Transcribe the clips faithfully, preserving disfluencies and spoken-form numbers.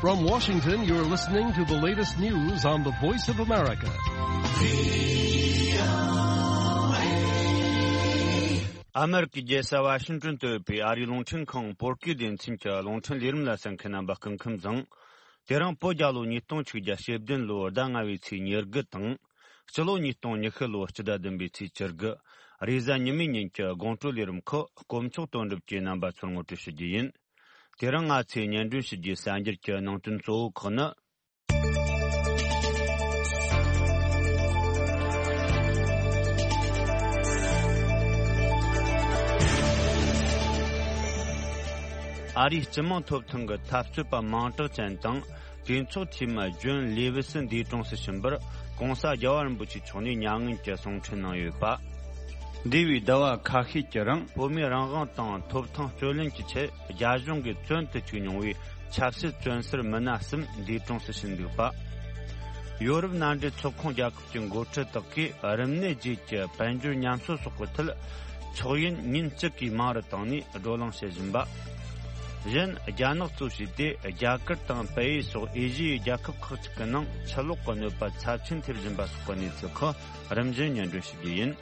From Washington, you're listening to the latest news on the Voice of America. ཨ་མེ་རི་ཀའི་རྒྱལ་ས་ཝ་ཤིང་ཏོན་དུ་ཡོད་པའི་ཨ་རིའི་རླུང་འཕྲིན་ཁང་བོད་སྐད་སྡེ་ཚན་གྱི་རླུང་འཕྲིན་ལས་རིམ་ལ་གསན་མཁན་རྣམ་པ་སྐུ་ཁམས་བཟང་། དེ་རིང་བོད་རྒྱལ་ལོ་ཉིས་སྟོང་ཆིག་བརྒྱ་ཞེ་བདུན་ལོའི་ཟླ་ལྔ་པའི་ཚེས་ཉེར་དགུ་དང་། སྤྱི་ལོ་ཉིས་སྟོང་ཉི་ཤུ་ལོའི་སྤྱི་ཟླ་བདུན་པའི་ཚེས་བཅུ་དགུ། རེས་གཟའ་ཉི་མའི་ཉིན་གྱི་དགོང་དྲོའི་ལས་རིམ་ཁག་དཀོན་མཆོག་དོན་གྲུབ་ཀྱིས་རྣམ་པ་ཚོར་ངོ་སྤྲོད་ཞུ་རྒྱུ་ཡིན། དེ་རིང་ང་ཚོས་སྙན་སྒྲོན་ཞུ་རྒྱུའི་གསར་འགྱུར་གྱི་ནང་དོན་གཙོ་བོ་ཁག་ནི། ཨ་རིའི་སྤྱི་དམངས་ཐོབ་ཐང་གི་འཐབ་རྩོད་པ་མིང་གྲགས་ཅན་དང་། གྲོས་ཚོགས་འཐུས་མི་ཇོན་ལེ་ཝི་སི་འདས་གྲོངས་སུ་ཕྱིན་པར་༧གོང་ས་རྒྱལ་བ་རིན་པོ་ཆེ་མཆོག་ནས་མྱ་ངན་གྱི་གསུང་འཕྲིན་གནང་ཡོད་པ། འདས་པའི་ཟླ་བ་ཁ་ཤས་ཀྱི་རིང་བོད་མིའི་རང་དབང་དང་ཐོབ་ཐང་རྩོད་ལེན་གྱི་ཆེད་རྒྱ་གཞུང་གིས་བཙོན་དུ་བཅུག་མྱོང་བའི་ཆབ་སྲིད་བཙོན་ཟུར་མི་སྣ་གསུམ་འདས་གྲོངས་སུ་ཕྱིན་འདུག་པ། ཡོ་རོབ་མནའ་འབྲེལ་ཚོགས་ཁོངས་རྒྱལ་ཁབ་ཀྱི་འགོ་ཁྲིད་དག་གིས་རིམས་ནད་རྗེས་ཀྱི་དཔལ་འབྱོར་ཉམས་གསོ་སོགས་ཀྱི་ཐད་ཆོག་ཡིན་ཉིན་གཅིག་གིས་མང་རུ་བཏང་ནས་བགྲོ་གླེང་བྱེད་བཞིན་པ། གཞན། རྒྱ་ནག་གཙོ་བྱས་ཏེ་རྒྱ་གར་དང་བལ་ཡུལ་སོགས་ཨེ་ཤི་ཡའི་རྒྱལ་ཁབ་ཁག་ཅིག་གི་ནང་ཆུ་ལོག་གི་གནོད་པ་ཚབས་ཆེན་ཐེབས་བཞིན་པ་སོགས་ཀྱི་གནས་ཚུལ་ཁག་རིམ་བཞིན་སྙན་སྒྲོན་ཞུ་རྒྱུ་ཡིན།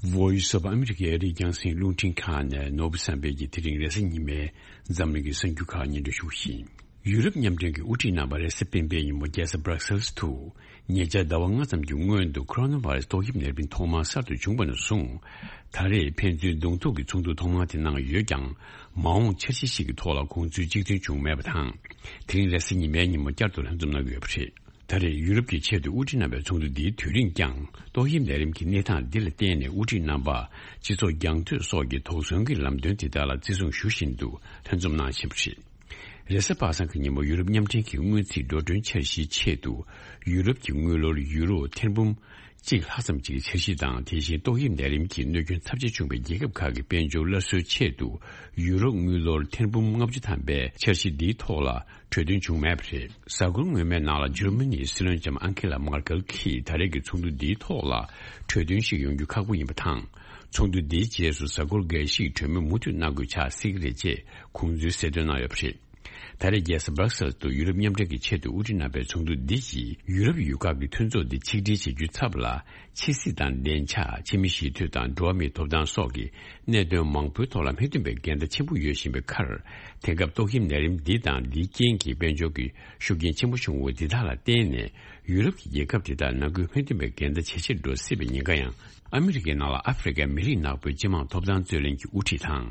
Voice of America ཨ་རིའི་རྒྱང་སྲིང་རླུང་འཕྲིན་ཁང་ནས་ནོར་བུ་བསམ་འཕེལ་གྱིས་དེ་རིང་རེས་གཟའ་ཉི་མའི་འཛམ་གླིང་གི་གསར་འགྱུར་ཁག་སྙན་སྒྲོན་ཞུ་བཞིན། ཡུ་རོབ་མཉམ་འབྲེལ་གྱི་དབུ་ཁྲིད་རྣམ་པ་རེས་གཟའ་སྤེན་པའི་ཉིན་མོ་རྒྱལ་ས་Brussels དུ། ཉེ་ཆར་ཟླ་བ་ལྔ་ཙམ་གྱི་སྔོན་དུ་ཁོ་རོ་ན་བྷ་རེ་སི་ཏོག་དབྱིབས་ནད་རིམས་ཐོག་མར་གསར་དུ་བྱུང་བ་ནས་བཟུང་། ད་རེས་ཕན་ཚུན་གདོང་ཐུག་གི་ཚོགས་འདུ་ཐོག་མ་དེ་གནང་ཡོད་ཀྱང་། མ་འོངས་འཆར་གཞི་ཞིག་གི་ཐོག་ལ་དགོངས་ཚུལ་གཅིག་མཐུན་བྱུང་མེད་པ་དང་། དེ་རིང་རེས་གཟའ་ཉི་མའི་ཉིན་མོ་བསྐྱར་དུ་ལྷན་འཛོམས་གནང་གི་ཡོད་པ་རེད། ད་རེས་ཡུ་རོབ་ཀྱི་ཆེས་མཐོའི་དབུ་ཁྲིད་རྣམ་པའི་ཚོགས་འདུ་འདིའི་དུས་རིང་ཀྱང་ཏོག་དབྱིབས་ནད་རིམས་ཀྱི་གནས་སྟངས་འདི་ལ་བརྟེན་ནས་དབུ་ཁྲིད་རྣམ་པ་སྤྱི་ཚོགས་རྒྱང་མཐུད་སོགས་ཀྱི་དོགས་ཟོན་གྱི་ལམ་སྟོན་དེ་དག་ལ་བརྩི་སྲུང་ཞུ་བཞིན་དུ་ལྷན་འཛོམས་གནང་བཞིན་པ་རེད། རེས་གཟའ་པ་སངས་ཀྱི་ཉིན་མོ་ཡུ་རོབ་མཉམ་འབྲེལ་གྱི་སྔོན་རྩིས་འགྲོ་གྲོན་འཆར་གཞིའི་ཆེད་དུ་ཡུ་རོབ་ཀྱི་དངུལ་ལོར་ཡུ་རོ་ཐེར་འབུམ་གཅིག་ལྷག་ཙམ་གྱི་འཆར་གཞི་དང་། དེ་བཞིན་ཏོག་དབྱིབས་ནད་རིམས་ཀྱི་གནོད་སྐྱོན་ཚབས་ཆེ་བྱུང་བའི་རྒྱལ་ཁབ་ཁག་གི་དཔལ་འབྱོར་སླར་གསོའི་ཆེད་དུ་ཡུ་རོ་དངུལ་ལོར་ཐེར་འབུམ་ལྔ་བཅུ་ཐམ་པའི་འཆར་གཞི་འདིའི་ཐོག་ལ་གྲོས་མཐུན་བྱུང་མེད་པ་རེད། གཟའ་འཁོར་སྔོན་མའི་ནང་ལ་འཇར་མ་ནིའི་སྲིད་བློན་ལྕམ་ཨན་ཁེ་ལ་མར་ཀེལ་གྱིས་ད་རེས་ཀྱི་ཚོགས་འདུ་འདིའི་ཐོག་ལ་གྲོས་མཐུན་ཞིག་ཡོང་རྒྱུ་ཁག་པོ་ཡིན་པ་དང་། ཚོགས་འདུ་འདིའི་རྗེས་སུ་གཟའ་འཁོར་འགའ་ཞིག་གྲོས་མོལ་མུ་མཐུད་གནང་དགོས་ཆགས་སྲིད་ཀྱི་རེད་ཅེས་ཁོང་ཚོས་གསལ་སྟོན་གནང་ཡོད་པ་རེད། ད་རེས་རྒྱལ་ས་སྦྲག་སེལ་དུ་ཡུ་རོབ་མཉམ་འབྲེལ་གྱི་ཆེས་མཐོའི་དབུ་ཁྲིད་རྣམ་པའི་ཚོགས་འདུ་འདི་ཡིས་ཡུ་རོབ་ཡུལ་ཁག་གི་མཐུན་ཚོགས་འདི་ཆིག་སྒྲིལ་བྱེད་རྒྱུའི་ཚབ་ལ། ཕྱི་སྲིད་དང་བདེ་འཇགས། ཕྱི་མི་ཞི་འཐུས་དང་འགྲོ་བ་མིའི་ཐོབ་ཐང་སོགས་ཀྱི་གནད་དོན་མང་པོའི་ཐོག་ལ་སྨིན་ཐུབ་པའི་འགལ་ཟླ་ཆེན་པོ་ཡོད་བཞིན་པའི་ཁར། དེང་སྐབས་ཏོག་དབྱིབས་ནད་རིམས་འདི་དང་འདིའི་རྐྱེན་གྱིས་དཔལ་འབྱོར་གྱི་ཤུགས་རྐྱེན་ཆེན་པོ་བྱུང་བ་འདི་དག་ལ་བརྟེན་ནས་ཡུ་རོབ་ཀྱི་རྒྱལ་ཁབ་དེ་དག་ནང་ཁུལ་སྨིན་ཐུབ་པའི་འགལ་ཟླ་ཇེ་ཆེར་འགྲོ་སྲིད་པའི་ཉེན་ཁ་ཡང་། ཨ་མི་རི་ཀའི་ནང་ལ་ཨ་ཧྥེ་རི་ཀའི་མི་རིགས་ནག་པོའི་སྤྱི་དམངས་ཐོབ་ཐང་རྩོད་ལེན་གྱི་དབུ་ཁྲིད་དང་།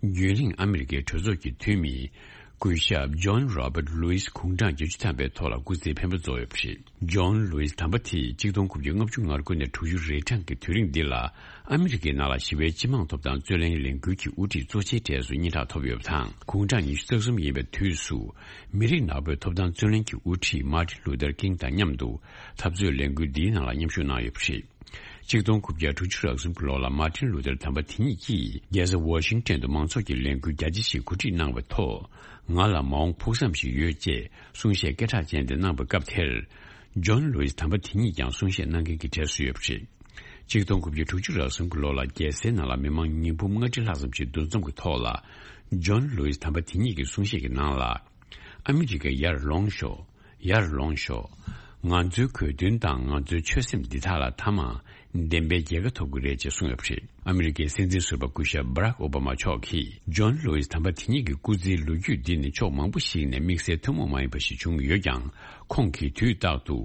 རྒྱུན་རིང་ཨ་མི་རི་ཀའི་གྲོས་ཚོགས་ཀྱི་འཐུས་མི། སྐུ་ཞབས་ཇོན་རོ་བར་ལུའིས་དགུང་གྲངས་བརྒྱད་ཅུ་ཐམ་པའི་ཐོག་ལ་སྐུ་ཚེའི་འཕེན་པ་རྫོགས་ཡོད་པ་རེད། ཇོན་ལུའིས་དམ་པ་དེས་ཆིག་སྟོང་དགུ་བརྒྱ་ལྔ་བཅུ་ང་དགུ་ནས་དྲུག་ཅུ་རེ་གྲངས་ཀྱི་དུས་རིང་འདི་ལ་ཨ་མི་རི་ཀའི་ནང་ལ་ཞི་བའི་སྤྱི་དམངས་ཐོབ་ཐང་རྩོད་ལེན་ལས་འགུལ་གྱི་དབུ་ཁྲིད་གཙོ་ཆེའི་གྲས་སུ་སྙན་གྲགས་ཐོབ་ཡོད་པ་དང་། དགུང་གྲངས་ཉི་ཤུ་རྩ་གསུམ་ཡིན་པའི་དུས་སུ་མི་རིགས་ནག་པོའི་ཐོབ་ཐང་རྩོད་ལེན་གྱི་དབུ་ཁྲིད་མཱ་ཏིན་ལུ་ཐར་ཀིང་དང་མཉམ་དུ་འཐབ་རྩོད་ལས་འགུལ་འདིའི་ནང་ལ་མཉམ་ཞུགས་གནང་ཡོད་པ་རེད། ཆིག་སྟོང་དགུ་བརྒྱ་དྲུག་ཅུ་རེ་གསུམ་གྱི་ལོ་ལ་མཱ་ཏིན་ལུ་ཐར་དམ་པ་དེ་ཉིད་ཀྱིས་རྒྱལ་ས་ཝ་ཤིང་ཏོན་དུ་མང་ཚོགས་ཀྱི་ལས་འགུལ་རྒྱ་ཆེ་ཞིག་གོ་སྒྲིག་གནང་བའི་ཐོག་ང་ལ་མ་འོངས་ཕུགས་བསམ་ཞིག་ཡོད་ཅེས་གསུང་བཤད་སྐད་གྲགས་ཅན་དེ་གནང་བའི་སྐབས་དེར། ཇོན་ལུའིས་དམ་པ་དེ་ཉིད་ཀྱང་གསུང་བཤད་གནང་མཁན་གྱི་གྲས་སུ་ཡོད་པ་རེད། ཆིག་སྟོང་དགུ་བརྒྱ་དྲུག་ཅུ་རེ་གསུམ་གྱི་ལོ་ལ་རྒྱལ་སའི་ནང་ལ་མི་མང་ཉིས་འབུམ་ལྔ་ཁྲི་ལྷག་ཙམ་ཞིག་འདུ་འཛོམས་ཀྱི་ཐོག་ལ། ཇོན་ལུའིས་དམ་པ་དེ་ཉིད་ཀྱི་གསུང་བཤད་ཀྱི་ནང་ལ། ཨ་མི་རི་ཀ་ཡར་ལོངས་ཤོག་ཡར་ལོངས་ཤོག་ང་ཚོའི་གོ་དོན་དང་ང་ཚོའི་ཆོད་སེམས་འདི་དག་ལ་མཐའ་མ་བདེན་པའི་རྒྱལ་ཁ་ཐོབ་ཀྱི་རེད་ཅེས་གསུངས་ཡོད་པ་རེད། ཨ་མི་རི་ཀའི་སྲིད་འཛིན་ཟུར་པ་སྐུ་ཞབས་སྦ་རག་ཨོ་བྷ་མ་མཆོག་གིས་ཇོན་ལུའིས་དམ་པ་དེ་ཉིད་ཀྱི་སྐུ་ཚེའི་ལོ་རྒྱུས་འདི་ནི་ཕྱོགས་མང་པོ་ཞིག་ནས་དམིགས་བསལ་ཐུན་མོང་མ་ཡིན་པ་ཞིག་བྱུང་ཡོད་ཀྱང་། ཁོང་གིས་དུས་རྟག་ཏུ་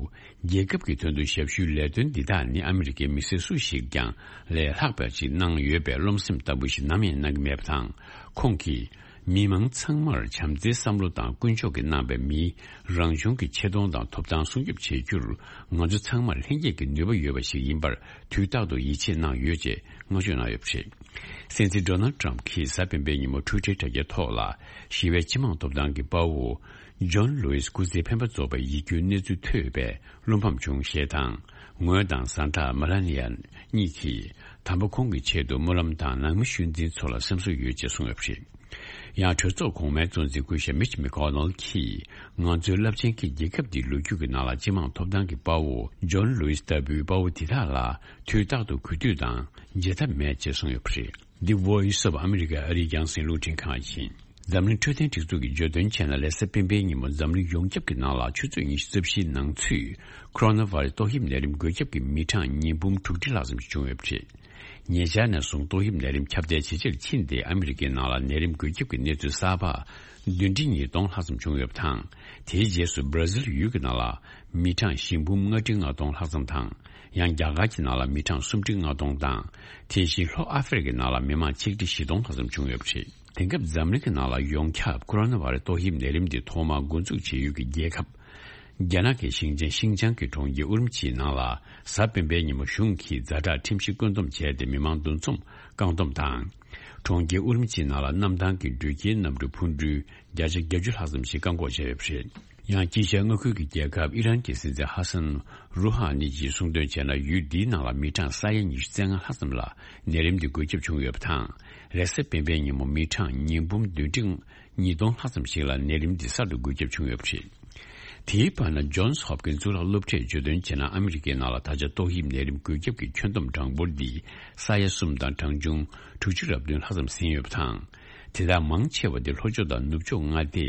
རྒྱལ་ཁབ་ཀྱི་དོན་དུ་ཞབས་ཞུའི་ལས་དོན་འདི་དག་ནི་ཨ་མི་རི་ཀའི་མི་སེར་སུ་ཞིག་ཀྱང་ལས་ལྷག་པ་ཞིག་གནང་ཡོད་པའི་རློམ་སེམས་ལྟ་བུ་ཞིག་ནམ་ཡང་གནང་གི་མེད་པ་དང་། ཁོང་གིས། མི་མང་ཚང་མར་བྱམས་བརྩེའི་བསམ་བློ་དང་ཀུན་སྤྱོད་ཀྱིས་གནང་བའི་མིའི་རང་བྱུང་གི་ཆེ་མཐོང་དང་ཐོབ་ཐང་སྲུང་སྐྱོབ་བྱེད་རྒྱུར་ང་ཚོ་ཚང་མར་ལྷན་སྐྱེས་ཀྱི་ནུས་པ་ཡོད་པ་ཞིག་ཡིན་པར་དུས་རྟག་ཏུ་ཡིད་ཆེས་གནང་ཡོད་ཅེས་བསྔགས་བརྗོད་གནང་ཡོད་པ་རེད། སྲིད་འཛིན་ཌོ་ནལ་ཊམ་གྱིས་གཟའ་སྤེན་པའི་ཉིན་མོ་ཊུའི་ཊར་དྲ་རྒྱའི་ཐོག་ལ་ཞི་བའི་སྤྱི་དམངས་ཐོབ་ཐང་གི་དཔའ་བོ་ཇོན་ལུའིས་སྐུ་ཚེའི་འཕེན་པ་རྫོགས་པའི་ཡིད་སྐྱོའི་གནས་ཚུལ་ཐོས་པས་བློ་ཕམ་བྱུང་ཞེས་དང་། ངོས་དང་བཟའ་ཟླ་མེ་ལ་ནི་ཡ་གཉིས་ཀྱིས་དམ་པ་ཁོང་གི་ཆེད་དུ་སྨོན་ལམ་དང་ནང་མི་ཤུལ་འཛིན་ཚོ་ལ་སེམས་གསོ་ཡོད་ཅེས་གསུངས་ཡོད་པ་རེད། ཡང་གྲོས་ཚོགས་གོང་མའི་གཙོ་འཛིན་སྐུ་ཞབས་མིཆ་མེ་ཀོ་ནལ་གྱིས། ང་ཚོའི་རླབས་ཆེན་གྱི་རྒྱལ་ཁབ་འདིའི་ལོ་རྒྱུས་ཀྱི་ནང་ལ་སྤྱི་དམངས་ཐོབ་ཐང་གི་དཔའ་བོ་ཇོན་ལུའི་སི་ལྟ་བུའི་དཔའ་བོ་དེ་དག་ལ་དུས་རྟག་ཏུ་གུས་འདུད་དང་བརྗེད་ཐབས་མེད་ཅེས་གསུངས་ཡོད་པ་རེད། འདི་Voice of America ཨ་རིའི་རྒྱང་སྲིང་རླུང་འཕྲིན་ཁང་ཡིན། འཛམ་གླིང་འཕྲོད་བསྟེན་སྒྲིག་འཛུགས་ཀྱིས་བརྗོད་དོན་བྱས་ན། ལེ་ས་སྤེན་པའི་ཉིན་མོ་འཛམ་གླིང་ཡོངས་ཁྱབ་ཀྱི་ནང་ལ་ཆུ་ཚོད་ཉི་ཤུ་རྩ་བཞིའི་ནང་ཚུད་ཁོ་རོ་ན་བྷ་རེ་སི་ཏོག་དབྱིབས་ནད་རིམས་འགོས་ཁྱབ་ཀྱི་མི་གྲངས་ཉིས་འབུམ་དྲུག་ཁྲི་ལྷག་ཙམ་ཞིག་བྱུང་ཡོད་པ་རེད། ཉེ་ཆར་ནས་བཟུང་ཏོག་དབྱིབས་ནད་རིམས་ཁྱབ་གདལ་ཇེ་ཆེར་ཕྱིན་ཏེ། ཨ་མི་རི་ཀའི་ནང་ལ་ནད་རིམས་འགོས་ཁྱབ་ཀྱི་གནས་ཚུལ་གསར་པ་བདུན་ཁྲི་ཉིས་སྟོང་ལྷག་ཙམ་བྱུང་ཡོད་པ་དང་། དེའི་རྗེས་སུ་སྦྲ་ཟིལ་ཡུལ་གྱི་ནང་ལ་མི་གྲངས་བཞི་འབུམ་ལྔ་ཁྲི་ལྔ་སྟོང་ལྷག་ཙམ་དང་། ཡང་རྒྱ་གར་གྱི་ནང་ལ་མི་གྲངས་སུམ་ཁྲི་ལྔ་སྟོང་དང་། དེ་བཞིན་ལྷོ་ཨ་ཧྥེ་རི་ཀའི་ནང་ལ་མི་མང་ཆིག་ཁྲི་བཞི་སྟོང་ལྷག་ཙམ་བྱུང་ཡོད་པ་རེད། དེང་སྐབས་འཛམ་གླིང་གི་ནང་ལ་ཡོངས་ཁྱབ་ཁོ་རོ་ན་བྷ་རེ་སི་ཏོག་དབྱིབས་ནད་རིམས་འདི་ཐོག་མར་འགོ་འཛུགས་བྱས་ཡུལ་གྱི་རྒྱལ་ཁབ། རྒྱ་ནག་གི་ཞིང་ཆེན་ཤིང་ཅང་གི་གྲོང་ཁྱེར་ཨུ་རུམ་ཆིའི་ནང་ལ་གཟའ་སྤེན་པའི་ཉིན་མོ་གཞུང་གིས་ཛ་དྲག་ཁྲིམས་གཞི་བཀོད་འདོམས་བྱས་ཏེ། མི་མང་འདུ་འཛོམས་བཀག་སྡོམ་དང་། གྲོང་ཁྱེར་ཨུ་རུམ་ཆིའི་ནང་ལ་གནམ་ཐང་གི་འགྲུལ་སྐྱེལ་གནམ་གྲུ་འཕུར་འགྲུལ་བརྒྱ་ཆ་བརྒྱད་ཅུ་ལྷག་ཙམ་ཞིག་བཀག་འགོག་བྱས་ཡོད་པ་རེད། ཡང་དཀྱིལ་ཤར་མངའ་ཁུལ་གྱི་རྒྱལ་ཁབ་ཨི་རན་གྱི་སྲིད་འཛིན་ཧ་སན་རུ་ཧ་ནི་གྱིས་གསུངས་དོན་བྱས་ན། ཡུལ་འདིའི་ནང་ལ་མི་གྲངས་ས་ཡ་ཉི་ཤུ་རྩ་ལྔ་ལྷག་ཙམ་ལ་ནད་རིམས་འདི་འགོས་ཁྱབ་བྱུང་ཡོད་པ་དང་། རེས་གཟའ་སྤེན་པའི་ཉིན་མོ་མི་གྲངས་ཉིས་འབུམ་བདུན་ཁྲི་ཉིས་སྟོང་ལྷག་ཙམ་ཞིག་ལ་ནད་རིམས་འདི་གསར་དུ་འགོས་ཁྱབ་བྱུང་ཡོད་པ་རེད། དེའི་བར་ན་ཇོན་སི་ཧོབ་ཀིན་གཙུག་ལག་སློབ་གྲྭས་བརྗོད་དོན་བྱས་ན། ཨ་མི་རི་ཀའི་ནང་ལ་ད་ཆ་ཏོག་དབྱིབས་ནད་རིམས་འགོས་ཁྱབ་ཀྱི་ཁྱོན་བསྡོམས་གྲངས་འབོར་འདི་ས་ཡ་གསུམ་དང་གྲངས་ཆུང་དྲུག་ཅུ་རེ་བདུན་ལྷག་ཙམ་ཟིན་ཡོད་པ་དང་། དེ་དག་མང་ཆེ་བ་དེ་ལྷོ་ཕྱོགས་དང་ནུབ་ཕྱོགས་མངའ་སྡེ་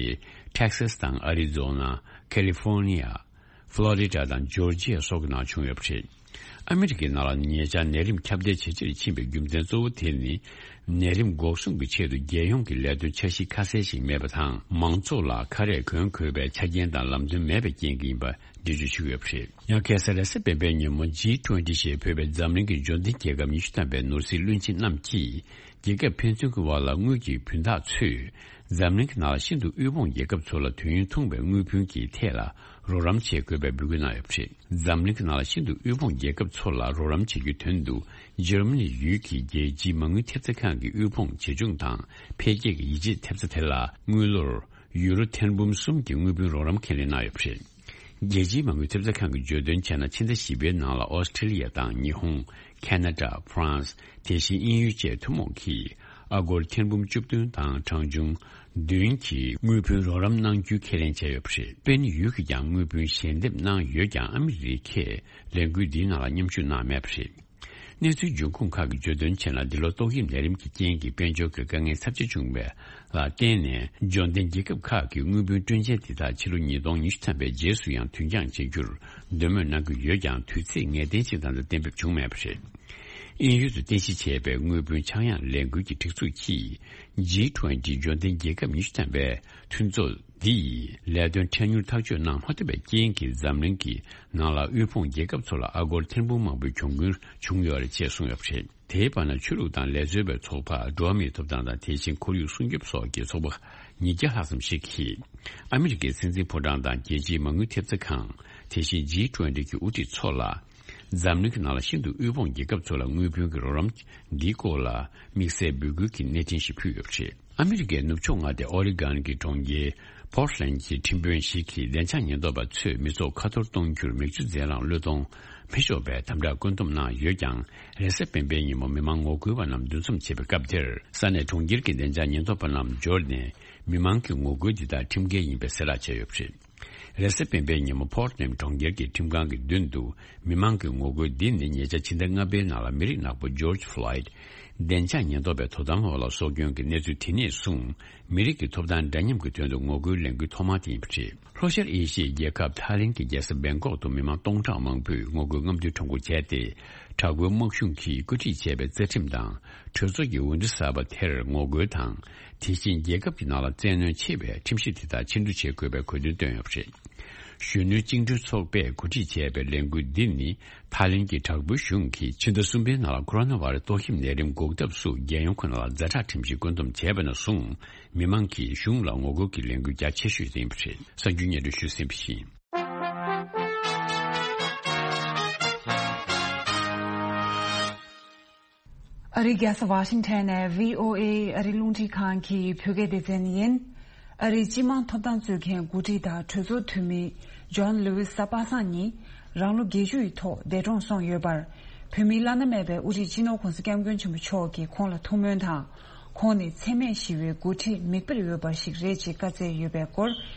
ཊེག་སཱས་དང་ཨ་རི་ཛོ་ན། ཁ་ལི་ཧྥོར་ནི་ཡ། ཕློ་རི་ཌ་དང་ཇོར་ཇི་ཡ་སོགས་ཀྱི་ནང་བྱུང་ཡོད་པ་རེད། ཨ་མི་རི་ཀའི་ནང་ལ་ཉེ་ཆར་ནད་རིམས་ཁྱབ་གདལ་ཇེ་ཆེར་ཕྱིན་པའི་རྒྱུ་མཚན་གཙོ་བོ་དེ་ནི། ནད་རིམས་འགོག་སྲུང་གི་ཆེད་དུ་རྒྱལ་ཡོངས་ཀྱི་ལས་དོན་འཆར་གཞི་ཁ་གསལ་ཞིག་མེད་པ་དང་། མང་ཚོགས་ལ་ཁ་རས་གོན་དགོས་པའི་ཆ་རྐྱེན་དང་ལམ་སྟོན་མེད་པའི་རྐྱེན་གྱིས་ཡིན་པ་འགྲེལ་བརྗོད་བྱེད་ཀྱི་ཡོད་པ་རེད། ཡང་ཁ་སང་རེས་གཟའ་སྤེན་པའི་ཉིན་མོ་ཇི་ཊུ་ཝེན་ཊི་ཞེས་འབོད་པའི་འཛམ་གླིང་གི་འབྱོར་ལྡན་རྒྱལ་ཁབ་ཉི་ཤུ་ཐམ་པའི་ནོར་སྲིད་བློན་ཆེན་རྣམས་ཀྱིས། རྒྱལ་ཁབ་ཕན་ཚུན་གྱི་བར་ལ་དངུལ་གྱི་བུན་བདག་ཚོས་འཛམ་གླིང་གི་ནང་ལ་ཤིན་ཏུ་དབུལ་ཕོངས་རྒྱལ་ཁབ་ཚོ་ལ་དུས་ཡུན་ཐུང་བའི་དངུལ་བུན་གྱི་ཐད་ལ་རོགས་རམ་བྱེད་དགོས་པའི་འབོད་སྐུལ་གནང་ཡོད་པ་རེད། འཛམ་གླིང་གི་ནང་ལ་ཤིན་ཏུ་དབུལ་ཕོངས་རྒྱལ་ཁབ་ཚོ་ལ་རོགས་རམ་བྱེད་རྒྱུའི་དོན་དུ། འཇར་མ་ནི་ཡུལ་གྱི་རྒྱལ་སྤྱིའི་མ་དངུལ་ཐེབས་རྩ་ཁང་གི་དབུལ་ཕོངས་ཇེ་ཆུང་དང་འཕེལ་རྒྱས་ཀྱི་ཡིད་ཆེས་ཐེབས་རྩ་དེ་ལ་དངུལ་ལོར་ཡུ་རོ་ཐེར་འབུམ་གསུམ་གྱི་དངུལ་བུན་རོགས་རམ་ཁས་ལེན་གནང་ཡོད་པ་རེད། རྒྱལ་སྤྱིའི་མ་དངུལ་ཐེབས་རྩ་ཁང་གིས་བརྗོད་དོན་བྱས་ན། ཕྱི་ཟླ་བཞི་པའི་ནང་ལ་ཨོ་སི་ཁྲི་ལི་ཡ་དང་ཉི་ཧོང་། ཁ་ན་ཌ། ཧྥ་རན་སི། དེ་བཞིན་དབྱིན་ཡུལ་བཅས་ཐུན་མོང་གིས་ཨ་སྒོར་ཐེར་འབུམ་བཅུ་བདུན་དང་གྲངས་ཆུང་བདུན་གྱི་དངུལ་བུན་རོགས་རམ་གནང་རྒྱུའི་ཁས་ལེན་བྱས་ཡོད་པ་རེད། སྤེན་ཡུལ་གྱིས་ཀྱང་དངུལ་བུན་ཞལ་འདེབས་གནང་ཡོད་ཀྱང་། ཨ་མི་རི་ཀས་ལས་འགུལ་འདིའི་ནང་ལ་མཉམ་ཞུགས་གནང་མེད་པ་རེད། གནས་ཚུལ་འབྱུང་ཁུངས་ཁག་གིས་བརྗོད་དོན་བྱས་ན། འདི་ལོ་ཏོག་དབྱིབས་ནད་རིམས་ཀྱི་རྐྱེན་གྱིས་དཔལ་འབྱོར་གྱི་དཀའ་ངལ་ཚབས་ཆེ་བྱུང་བ་ལ་བརྟེན་ནས། འབྱོར་ལྡན་རྒྱལ་ཁབ་ཁག་གིས་དངུལ་བུན་སྤྲོད་འཇལ་དེ་དག་ཕྱི་ལོ་ཉིས་སྟོང་ཉི་ཤུ་ཐམ་པའི་རྗེས་སུ་ཡང་དུས་འགྱངས་བྱེད་རྒྱུར་འདོད་མོས་གནང་གི་ཡོད་ཀྱང་། དུས་ཚེས་ངེས་གཏན་ཅིག་ད་ལྟ་གཏན་འབེབས་བྱུང་མེད་པ་རེད། དབྱིན་ཡུལ་དུ་རྟེན་གཞི་བྱས་པའི་དངུལ་བུན་ཆག་ཡང་ལས་འགུལ་གྱི་སྒྲིག་འཛུགས་ཀྱིས། ཇི་ཊུ་ཝེན་ཊི་འབྱོར་ལྡན་རྒྱལ་ཁབ་ཉི་ཤུ་ཐམ་པའི་མཐུན་ཚོགས་འདིས་ལས་དོན་འཕྲལ་མྱུར་ཐག་གཅོད་གནང་མ་ཐུབ་པའི་རྐྱེན་གྱིས། འཛམ་གླིང་གི་ནང་ལ་དབུལ་ཕོངས་རྒྱལ་ཁབ་ཚོ་ལ་ཨ་སྒོར་ཐེར་འབུམ་མང་པོའི་གྱོང་གུན་བྱུང་ཡོད་རེད་ཅེས་གསུངས་ཡོད་པ་རེད། དེའི་བར་ན། ཆོས་ལུགས་དང་ལས་བཟོ་བའི་ཚོགས་པ། འགྲོ་བ་མིའི་ཐོབ་ཐང་དང་། དེ་བཞིན་ཁོར་ཡུག་སྲུང་སྐྱོབ་སོགས་ཀྱི་ཚོགས་པ་ཉིས་བརྒྱ་ལྷག་ཙམ་ཞིག་གིས། ཨ་མི་རི་ཀའི་སྲིད་འཛིན་ཕོ་བྲང་དང་། རྒྱལ་སྤྱིའི་མ་དངུལ་ཐེབས་རྩ་ཁང་། དེ་བཞིན་ཇི་ཊུ་ཝེན་ཊི་གི་དབུ་ཁྲིད་ཚོ་ལ། འཛམ་གླིང་གི་ནང་ལ་ཤིན་ཏུ་དབུལ་ཕོངས་རྒྱལ་ཁབ་ཚོ་ལ་དངུལ་བུན་གྱི་རོགས་རམ་འདིའི་སྐོར་ལ་དམིགས་བསལ་འབོད་སྐུལ་གྱི་གནས་འཕྲིན་ཞིག་ཕུལ་ཡོད་པ་རེད། ཨ་མི་རི་ཀའི་ནུབ་ཕྱོགས་མངའ་སྡེ་ཨོ་རི་གོན་གྱི་གྲོང་ཁྱེར་པོར་ཊི་ལེན་ཌ་གྱི་ཁྲིམས་དཔོན་ཞིག་གིས་བདེ་འཇགས་ཉེན་རྟོག་པ་ཚོས་མི་ཚོགས་ཁ་འཐོར་གཏོང་རྒྱུར་མིག་ཆུ་རྫས་རླངས་གློད་གཏོང་མི་ཆོག་པའི་དམ་དྲག་བཀོད་འདོམས་གནང་ཡོད་ཀྱང་། རེས་གཟའ་སྤེན་པའི་ཉིན་མོ་མི་མང་ངོ་རྒོལ་བ་རྣམས་འདུ་འཛོམས་བྱེད་པའི་སྐབས་དེར། ས་གནས་གྲོང་ཁྱེར་གྱི་བདེ་འཇགས་ཉེན་རྟོག་པ་རྣམས་འབྱོར་ནས། མི་མང་གི་ངོ་རྒོལ་འདི་དག་ཁྲིམས་འགལ་ཡིན་པའི་གསལ་བསྒྲགས་བྱས་ཡོད་པ་རེད། རེས་གཟའ་སྤེན་པའི་ཉིན་མོ་པོར་ཊི་ལེན་ཌ་གྲོང་ཁྱེར་གྱི་ཁྲིམས་ཁང་གི་མདུན་དུ་མི་མང་གི་ངོ་རྒོལ་འདི་ནི་ཉེ་ཆར་ཕྱི་ཟླ་ལྔ་པའི་ནང་ལ་མི་རིགས་ནག་པོ་ཇོར་ཇི་ཕློའི་ཌི་བདེ་འཇགས་ཉེན་རྟོག་པའི་དོ་དམ་འོག་ལ་སྲོག་སྐྱོན་གྱི་གནས་ཚུལ་དེ་ནས་བཟུང་མི་རིགས་ཀྱི་ཐོབ་ཐང་འདྲ་མཉམ་གྱི་དོན་དུ་ངོ་རྒོལ་ལས་འགུལ་ཐོག་མ་དེ་ཡིན་པ་རེད། ལྷོ་ཤར་ཨེ་ཤི་ཡའི་རྒྱལ་ཁབ་ཐའི་ལེན་གྱི་རྒྱལ་ས་བེང་ཀོག་ཏུ་མི་མང་སྟོང་ཕྲག་མང་པོས་ངོ་རྒོལ་རྔམ་སྟོན་ཁྲོམ་སྐོར་བྱས་ཏེ། དྲག་པོའི་དམག་གཞུང་གིས་བཀོད་སྒྲིག་བྱས་པའི་རྩ་ཁྲིམས་དང་གྲོས་ཚོགས་ཀྱི་འོས་བསྡུ་གསར་པ་དེར་ངོ་རྒོལ་དང་། དེ་བཞིན་རྒྱལ་ཁབ་ཀྱི་ནང་ལ་བཙན་གནོན་ཆེ་བའི་ཁྲིམས་གཞི་དེ་དག་ཕྱིར་བསྡུ་བྱེད་དགོས་པའི་དགོས་འདུན་བཏོན་ཡོད་པ་རེད། གཞོན་ནུའི་བཅིངས་འགྲོལ་ཚོགས་པས་གོ་སྒྲིག་བྱས་པའི་ལས་འགུལ་འདི་ནི། ཐའི་ལེན་གྱི་དྲག་པོའི་གཞུང་གིས་ཕྱི་ཟླ་གསུམ་པའི་ནང་ལ་ཁོ་རོ་ན་བྷ་རེ་སི་ཏོག་དབྱིབས་ནད་རིམས་འགོག་ཐབས་སུ་རྒྱལ་ཡོངས་ཁོ་ན་ལ་ཛ་དྲག་ཁྲིམས་གཞི་བཀོད་འདོམས་བྱས་པ་ནས་བཟུང་། མི་མང་གིས་གཞུང་ལ་ངོ་རྒོལ་གྱི་ལས་འགུལ་རྒྱ་ཆེ་ཤོས་ཡིན་པ་རེད། གསར་འགྱུར་སྙན་སྒྲོན་ཞུས་ཟིན་པ་ཡིན། ཨ་རིའི་རྒྱལ་ས་ཝ་ཤིང་ཊོན་ནས་ཝི་ཨོ་ཨེ་ཨ་རིའི་རླུང་འཕྲིན་ཁང་གི་བོད་སྐད་སྡེ་ཚན་ཡིན། ཨ་རིའི་སྤྱི་དམངས་ཐོབ་ཐང་རྩོད་མཁན་འགོ་ཁྲིད་དང་གྲོས་ཚོགས་འཐུས་མི་ཇོན་ལུའི་ས་པ་སངས་ཉིད་རང་ལོ་བརྒྱད་ཅུ་ཡི་ཐོག་འདས་གྲོངས་སོང་ཡོད་པར། བོད་མིའི་བླ་ན་མེད་པའི་དབུ་ཁྲིད་སྤྱི་ནོར་༧གོང་ས་༧སྐྱབས་མགོན་ཆེན་པོ་མཆོག་གིས་ཁོང་ལ་ཐུགས་སྨོན་དང་། ཁོང་ནི་འཚེ་མེད་ཞི་བའི་འགོ་ཁྲིད་མིག་དཔེར་འོས་པ་ཞིག་རེད་ཅེས་བཀའ་སྩལ་ཡོད་པའི་སྐོར་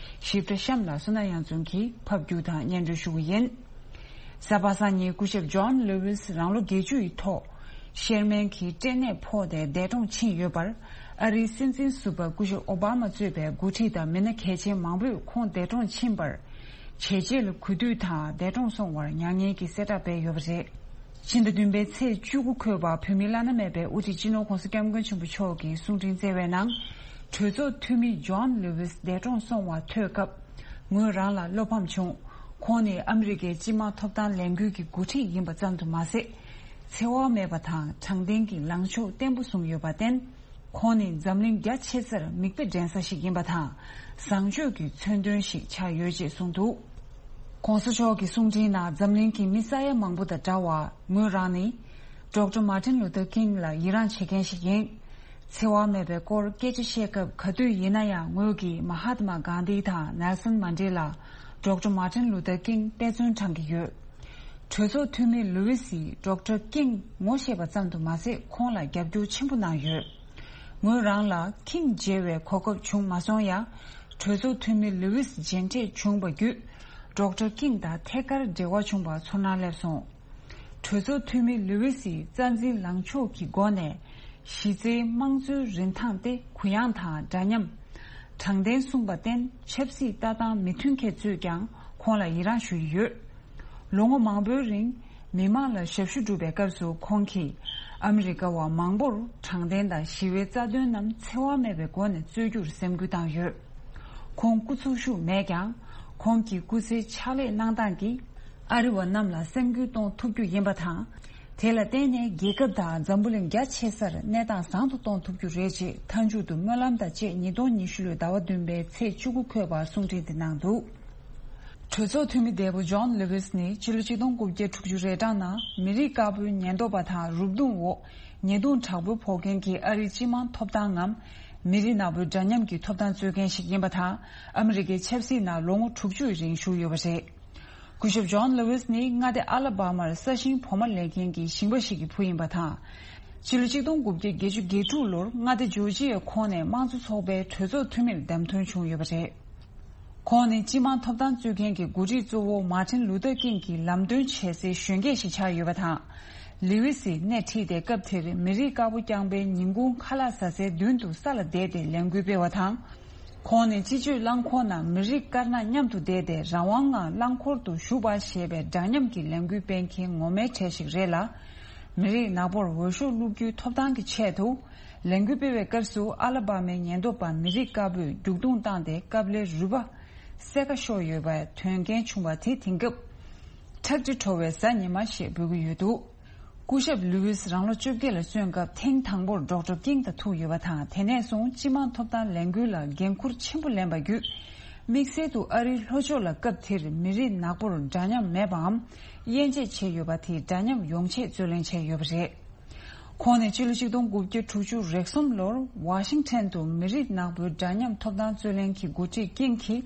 ཞིབ་ཕྲ་གཤམ་ལ་བསོད་ནམས་གཡང་འཛོམས་ཀྱིས་ཕབ་སྒྱུར་དང་སྙན་སྒྲོན་ཞུ་གི་ཡིན། གཟའ་པ་སངས་ཉིན་སྐུ་ཞབས་ཇོན་ལུ་ཝིས་རང་ལོ་བརྒྱད་ཅུ་ཡི་ཐོག་ཤེར་མན་གྱི་སྐྲན་ནད་ཕོག་སྟེ་འདས་གྲོངས་ཕྱིན་ཡོད་པར། ཨ་རིའི་སྲིད་འཛིན་ཟུར་པ་སྐུ་ཞབས་ཨོ་བྷ་མ་གཙོས་པའི་འགོ་ཁྲིད་དང་མི་སྣ་གལ་ཆེན་མང་པོས་ཁོང་འདས་གྲོངས་ཕྱིན་པར་བྱས་རྗེས་ལ་གུས་འདུད་དང་འདས་གྲོངས་སོང་བར་མྱ་ངན་གྱི་གསལ་བསྒྲགས་སྤེལ་ཡོད་པ་རེད། ཕྱི་ཟླ་བདུན་པའི་ཚེས་བཅུ་དགུ་འཁོད་པ་བོད་མིའི་བླ་ན་མེད་པའི་དབུ་ཁྲིད་སྤྱི་ནོར་༸གོང་ས་༸སྐྱབས་མགོན་ཆེན་པོ་མཆོག་གི་གསུང་འཕྲིན་བསྩལ་བའི་ནང་། གྲོས་ཚོགས་འཐུས་མི་ཇོན་ལུ་ཝིས་འདས་གྲོངས་སོང་བ་ཐོས་སྐབས། ངོས་རང་ལ་བློ་ཕམ་བྱུང་། ཁོང་ནི་ཨ་མི་རི་ཀའི་སྤྱི་དམངས་ཐོབ་ཐང་ལས་འགུལ་གྱི་འགོ་ཁྲིད་ཡིན་པ་ཙམ་དུ་མ་ཟད། འཚེ་བ་མེད་པ་དང་དྲང་བདེན་གྱི་ལངས་ཕྱོགས་བརྟན་པོ་བཟུང་ཡོད་པར་བརྟེན། ཁོང་ནི་འཛམ་གླིང་རྒྱ་ཆེ་སར་མིག་དཔེ་འདྲེན་ས་ཞིག་ཡིན་པ་དང་། བཟང་སྤྱོད་ཀྱི་མཚོན་དོན་ཞིག་ཆགས་ཡོད་ཅེས་གསུངས་འདུག ༸གོང་ས་མཆོག་གི་གསུང་འཕྲིན་ནང་འཛམ་གླིང་གི་མི་ས་ཡ་མང་པོ་དང་འདྲ་བར་ངོས་རང་ནི། ཌོག་ཊར་མར་ཊིན་ལུ་ཐར་ཀིང་ལ་ཡི་རངས་བྱེད་མཁན་ཞིག་ཡིན། འཚེ་བ་མེད་པའི་སྐོར་སྐད་ཆ་བཤད་སྐབས་ག་དུས་ཡིན་ན་ཡང་ངོས་ཀྱིས་མ་ཧཱཏ་མ་གྷན་དྷི་དང་ནེལ་སོན་མན་ཌེ་ལ། ཌོག་ཊར་མར་ཊིན་ལུ་ཐར་ཀིང་དཔེ་མཚོན་བགྲང་གི་ཡོད། གྲོས་ཚོགས་འཐུས་མི་ལུ་ཝི་སིས་ཌོག་ཊར་ཀིང་ངོ་ཤེས་པ་ཙམ་དུ་མ་ཟད་ཁོང་ལ་རྒྱབ་སྐྱོར་ཆེན་པོ་གནང་ཡོད། ངོས་རང་ལ་ཀིང་མཇལ་བའི་གོ་སྐབས་བྱུང་མ་སོང་ཡང་། གྲོས་ཚོགས་འཐུས་མི་ལུ་ཝིས་མཇལ་འཕྲད་བྱུང་བ་བརྒྱུད། ཌོག་ཊར་ཀིང་དང་ཐད་ཀར་འབྲེལ་བ་བྱུང་བར་ཚོར་སྣང་སླེབས་སོང་། གྲོས་ཚོགས་འཐུས་མི་ལུ་ཝི་སིས་རྩ་འཛིན་ལངས་ཕྱོགས་ཀྱི་སྒོ་ནས། གཞི་རྩའི་དམངས་གཙོའི་རིན་ཐང་སྟེ་གུ་ཡངས་དང་འདྲ་མཉམ། དྲང་བདེན་གསུངས་པར་བརྟེན་ཆབ་སྲིད་ལྟ་སྟངས་མི་མཐུན་མཁན་ཚོས་ཀྱང་ཁོང་ལ་ཡི་རངས་ཞུ་ཡི་ཡོད། ལོ་ངོ་མང་པོའི་རིང་མི་མང་ལ་ཞབས་ཞུ་སྒྲུབ་པའི་སྐབས་སུ་ཁོང་གིས་ཨ་མི་རི་ཀ་བ་མང་པོར་དྲང་བདེན་དང་ཞི་བའི་རྩ་དོན་རྣམས་འཚེ་བ་མེད་པའི་སྒོ་ནས་རྩོད་རྒྱུར་སེམས་ཁུར་བཏང་ཡོད། ཁོང་སྐུ་འཚོ་བཞུགས་མེད་ཀྱང་། ཁོང་གི་སྐུ་ཚེའི་ཕྱག་ལས་གནང་སྟངས་ཀྱིས་ཨ་རི་བ་རྣམས་ལ་སེམས་འགུལ་གཏོང་ཐུབ་རྒྱུ་ཡིན་པ་དང་། དེ་ལ་བརྟེན་ནས་རྒྱལ་ཁབ་དང་འཛམ་བུ་གླིང་རྒྱ་ཆེ་སར་གནས་སྟངས་བཟང་དུ་གཏོང་ཐུབ་རྒྱུ་རེད་ཅེས་མཐའ་མཇུག་ཏུ་སྨོན་ལམ་དང་བཅས་ཉིས་སྟོང་ཉི་ཤུ་ལོའི་ཟླ་བ་བདུན་པའི་ཚེས་བཅུ་དགུ་འཁོད་པར་གསུང་འཕྲིན་དེ་གནང་འདུག་གྲོས་ཚོགས་འཐུས་མི་འདས་པོ་ཇོན་ལུ་ཝིས་ནི་ཕྱི་ལོ་ཆིག་སྟོང་དགུ་བརྒྱ་དྲུག་ཅུ་རེ་གྲངས་ནང་མི་རིགས་དཀར་པོའི་ཉེན་རྟོག་པ་དང་རུབ་རྡུང་འོག་ཉེས་རྡུང་དྲག་པོ་ཕོག་མཁན་གྱི་ཨ་རིའི་སྤྱི་དམངས་ཐོབ་ཐང་ངམ། མི་རིགས་ནག་པོའི་འདྲ་མཉམ་གྱི་ཐོབ་ཐང་རྩོད་མཁན་ཞིག་ཡིན་པ་དང་། ཨ་མི་རི་ཀའི་ཆབ་སྲིད་ནང་ལོ་ངོ་དྲུག་ཅུ་ཡི་རིང་བཞུགས་ཡོད་པ་རེད། སྐུ་ཞབས་ཇོན་ལུ་ཝིས་ནི་མངའ་སྡེ་ཨ་ལ་བྷ་མར་ས་ཞིང་བོགས་མ་ལེན་མཁན་གྱི་ཞིང་པ་ཞིག་གི་བུ་ཡིན་པ་དང་། ཕྱི་ལོ་ཆིག་སྟོང་དགུ་བརྒྱ་བརྒྱད་ཅུ་གྱ་དྲུག་ལོར་མངའ་སྡེ་ཇོར་ཇི་ཡའི་ཁོངས་ནས་དམངས་གཙོ་ཚོགས་པའི་གྲོས་ཚོགས་འཐུས་མིར་བདམས་ཐོན་བྱུང་ཡོད་པ་རེད། ཁོང་ནི་སྤྱི་དམངས་ཐོབ་ཐང་རྩོད་མཁན་གྱི་འགོ་ཁྲིད་གཙོ་བོ་མར་ཊིན་ལུ་ཐར་ཀིང་གི་ལམ་སྟོན་བྱེད་སའི་གཞོན་སྐྱེས་ཤིག་ཆགས་ཡོད་པ་དང་། ལི་ཝི་སིས་སྣེ་ཁྲིད་དེ་སྐབས་དེར་མི་རིགས་དཀར་པོ་རྐྱང་པའི་ཉིན་གུང་ཁ་ལག་ཟ་སའི་མདུན་དུ་ས་ལ་བསྡད་དེ་ལས་འགུལ་སྤེལ་བ་དང་། ཁོང་ནི་སྤྱི་སྤྱོད་རླངས་འཁོར་ནང་མི་རིགས་དཀར་ནག་མཉམ་དུ་བསྡད་དེ་རང་དབང་ངང་རླངས་འཁོར་དུ་བཞུགས་པ་ཞེས་པའི་འདྲ་མཉམ་གྱི་ལས་འགུལ་སྤེལ་མཁན་ངོ་མའི་གྲས་ཤིག་རེད་ལ། མི་རིགས་ནག་པོར་འོས་ཤོག་བླུག་རྒྱུའི་ཐོབ་ཐང་གི་ཆེད་དུ། ལས་འགུལ་སྤེལ་བའི་སྐབས་སུ་ཨ་ལ་བྷ་མའི་ཉེན་རྟོག་པ་མི་རིགས་དཀར་པོས་རྒྱུག་རྡུང་བཏང་སྟེ་ཀབ་ལའི་རུས་པ་སེར་ཀ་ཤོར་ཡོད་པའི་དོན་རྐྱེན་བྱུང་བ་དེ་དེང་སྐབས། ཁྲག་དྲི་བྲོ་བའི་གཟའ་ཉི་མ་ཞེས་འབོད་ཀྱི་ཡོད་འདུག་སྐུ་ཞབས་ལུའུ་ཝིས་རང་ལོ་བཅོ་བརྒྱད་ལ་སོན་སྐབས་ཐེངས་དང་པོར་ཌོག་ཊར་ཀིང་དང་ཐུག་ཡོད་པ་དང་། དེ་ནས་བཟུང་སྤྱི་དམངས་ཐོབ་ཐང་ལས་འགུལ་ལ་འགན་འཁུར་ཆེན་པོ་ལེན་པ་བརྒྱུད། དམིགས་བསལ་དུ་ཨ་རིའི་ལྷོ་ཕྱོགས་ལ་སྐབས་དེར་མི་རིགས་ནག་པོར་འདྲ་མཉམ་མེད་པའམ། དབྱེ་འབྱེད་བྱས་ཡོད་པ་དེ་འདྲ་མཉམ་ཡོང་ཆེད་རྩོད་ལེན་བྱས་ཡོད་པ་རེད། ཁོང་ནི་སྤྱི་ལོ་ཆིག་སྟོང་དགུ་བརྒྱ་དྲུག་ཅུ་རེ་གསུམ་ལོར་ཝ་ཤིང་ཊོན་དུ་མི་རིགས་ནག་པོའི་འདྲ་མཉམ་ཐོབ་ཐང་རྩོད་ལེན་གྱི་འགོ་ཁྲིད་ཀིང་གིས་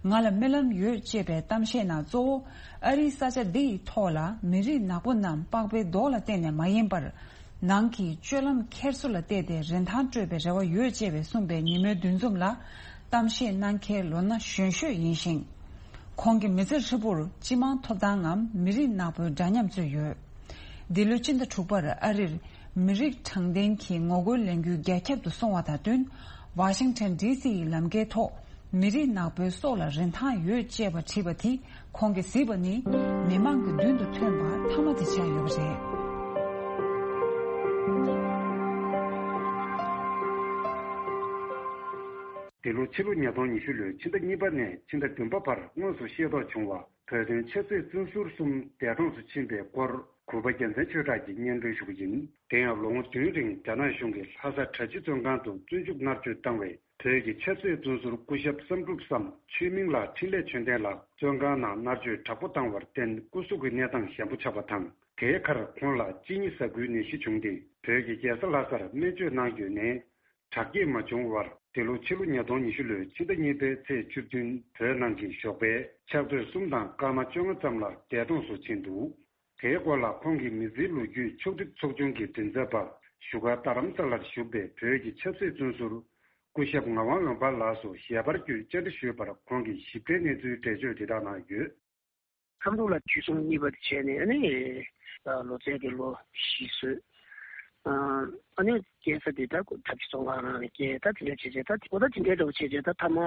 ང་ལ་རྨི་ལམ་ཡོད་ཅེས་པའི་གཏམ་བཤད་ནང་གཙོ་བོ་ཨ་རིའི་ས་ཆ་འདི་ཡི་ཐོག་ལ་མི་རིགས་ནག་པོ་རྣམས་པགས་པའི་མདོག་ལ་བརྟེན་ནས་མ་ཡིན་པར། ནང་གི་སྤྱོད་ལམ་འཁྱེར་སོ་ལ་བལྟས་ཏེ་རིན་ཐང་སྤྲོད་པའི་རེ་བ་ཡོད་ཅེས་པའི་གསུངས་པའི་ཉིན་མོའི་འདུ་འཛོམས་ལ་གཏམ་བཤད་གནང་མཁན་ལོ་ན་གཞོན་ཤོས་ཡིན་ཞིང་། ཁོང་གི་མི་ཚེ་ཧྲིལ་པོར་སྤྱི་དམངས་ཐོབ་ཐང་ངམ་མི་རིགས་ནག་པོའི་འདྲ་མཉམ་རྩོད་ཡོད། འདི་ལོའི་སྤྱི་ཟླ་དྲུག་པར་ཨ་རིར་མི་རིགས་དྲང་བདེན་གྱི་ངོ་རྒོལ་ལས་འགུལ་རྒྱ་ཁྱབ་ཏུ་སོང་བ་དང་བསྟུན། ཝ་ཤིང་ཊོན་ཌི་སི་ཡི་ལམ་ཁའི་ཐོག་མི་རིགས་ནག་པོའི་སྲོག་ལ་རིན་ཐང་ཡོད་ཅེས་པ་བྲིས་པ་དེ་ཁོང་གིས་གཟིགས་པ་ནི་མི་མང་གི་མདུན་དུ་ཐོན་པ་མཐའ་མ་དེ་ཆགས་ཡོད་པ་རེད། འདི་ལོ་ཕྱི་ལོ་ཉིས་སྟོང་ཉི་ཤུ་ལོའི་ཕྱི་ཟླ་གཉིས་པ་ནས་ཕྱི་ཟླ་བདུན་པ་བར་དངོས་སུ་ཤེས་རྟོགས་བྱུང་བ། བོད་དོན་ཆབ་སྲིད་བཙོན་ཟུར་གསུམ་འདས་གྲོངས་སུ་ཕྱིན་པའི་སྐོར་གུས་པ་རྒྱལ་མཚན་ཆོས་གྲགས་ཀྱིས་སྙན་སྒྲོན་ཞུ་གི་ཡིན། དེ་ཡང་ལོ་ངོ་བདུན་རིང་རྒྱ་ནག་གཞུང་གིས་ལྷ་ས་གྲྭ་སྤྱི་བཙོན་ཁང་དུ་བཙོན་འཇུག་མནར་གཅོད་བཏང་བའི་བོད་ཀྱི་ཆབ་སྲིད་བཙོན་ཟུར་སྐུ་ཞབས་བསམ་གྲུབ་བསམ་ཆོས་མིང་ལགས་འཕྲིན་ལས་ཆོས་ལྡན་ལགས་བཙོན་ཁང་ནང་མནར་གཅོད་དྲག་པོ་བཏང་བར་བརྟེན་སྐུ་གཟུགས་ཀྱི་གནས་སྟངས་ཞན་པོ་ཆགས་པ་དང་། དེའི་ཁར་ཁོང་ལ་གཅིན་སྙི་ཟ་འགུལ་ནད་གཞི་བྱུང་སྟེ་བོད་ཀྱི་རྒྱལ་ས་ལྷ་སར་སྨན་བཅོས་གནང་ཡོད་ནའི་དྲག་སྐྱེད་མ་བྱུང་བར་འདི་ལོ་ཕྱི་ལོ་ཉིས་སྟོང་ཉི་ཤུ་ལོའི་ཕྱི་ཟླ་གཉིས་པའི་ཚེས་བཅུ་བདུན་བོད་ནང་གི་ཞོགས་པའི་ཕྱག་ཚོད་གསུམ་དང་སྐར་མ་བཅོ་ལྔ་ཙམ་ལ་འདས་གྲོངས་སུ་ཕྱིན་འདུག་དེའི་སྐོར་ལ་ཁོང་གི་མི་ཚེའི་ལོ་རྒྱུས་ཕྱོགས་སྒྲིག་ཚོགས་ཆུང་གི་མགྲིན་ཚབ་པ་ བཞུགས་སྒར་རྡ་རམ་ས་ལར་བཞུགས་པའི་བོད་ཀྱི་ཆབ་སྲིད་བཙོན་ཟུར་སྐུ་ཞབས་ངག་དབང་འོད་འབར་ལགས་སུ་ཞལ་པར་བརྒྱུད་བཅར་འདྲི་ཞུས་པར། ཁོང་གིས་ཞིབ་ཕྲའི་གནས་ཚུལ་འགྲེལ་བརྗོད་འདི་དག་གནང་ཡོད། བསམ་གྲུབ་ལགས་འཇུ་བཟུང་གཉིས་པ་དེ་བྱས་ནས། ཨ་ནི་ལོ་ཚད་དེ་ལོ་བཞི་བཟོས། ཨ་ནི་སྐྱེལ་ས་དེ་ད་ཐབས་ཇུས་བཙོན་ཁང་ནང་ནས་སྐྱེལ། ད་དེ་འདྲ་བྱས་བྱས། ད་འོ་ད་དེ་འདྲའི་འདྲ་བོ་བྱས་བྱས། ད་མཐའ་མ་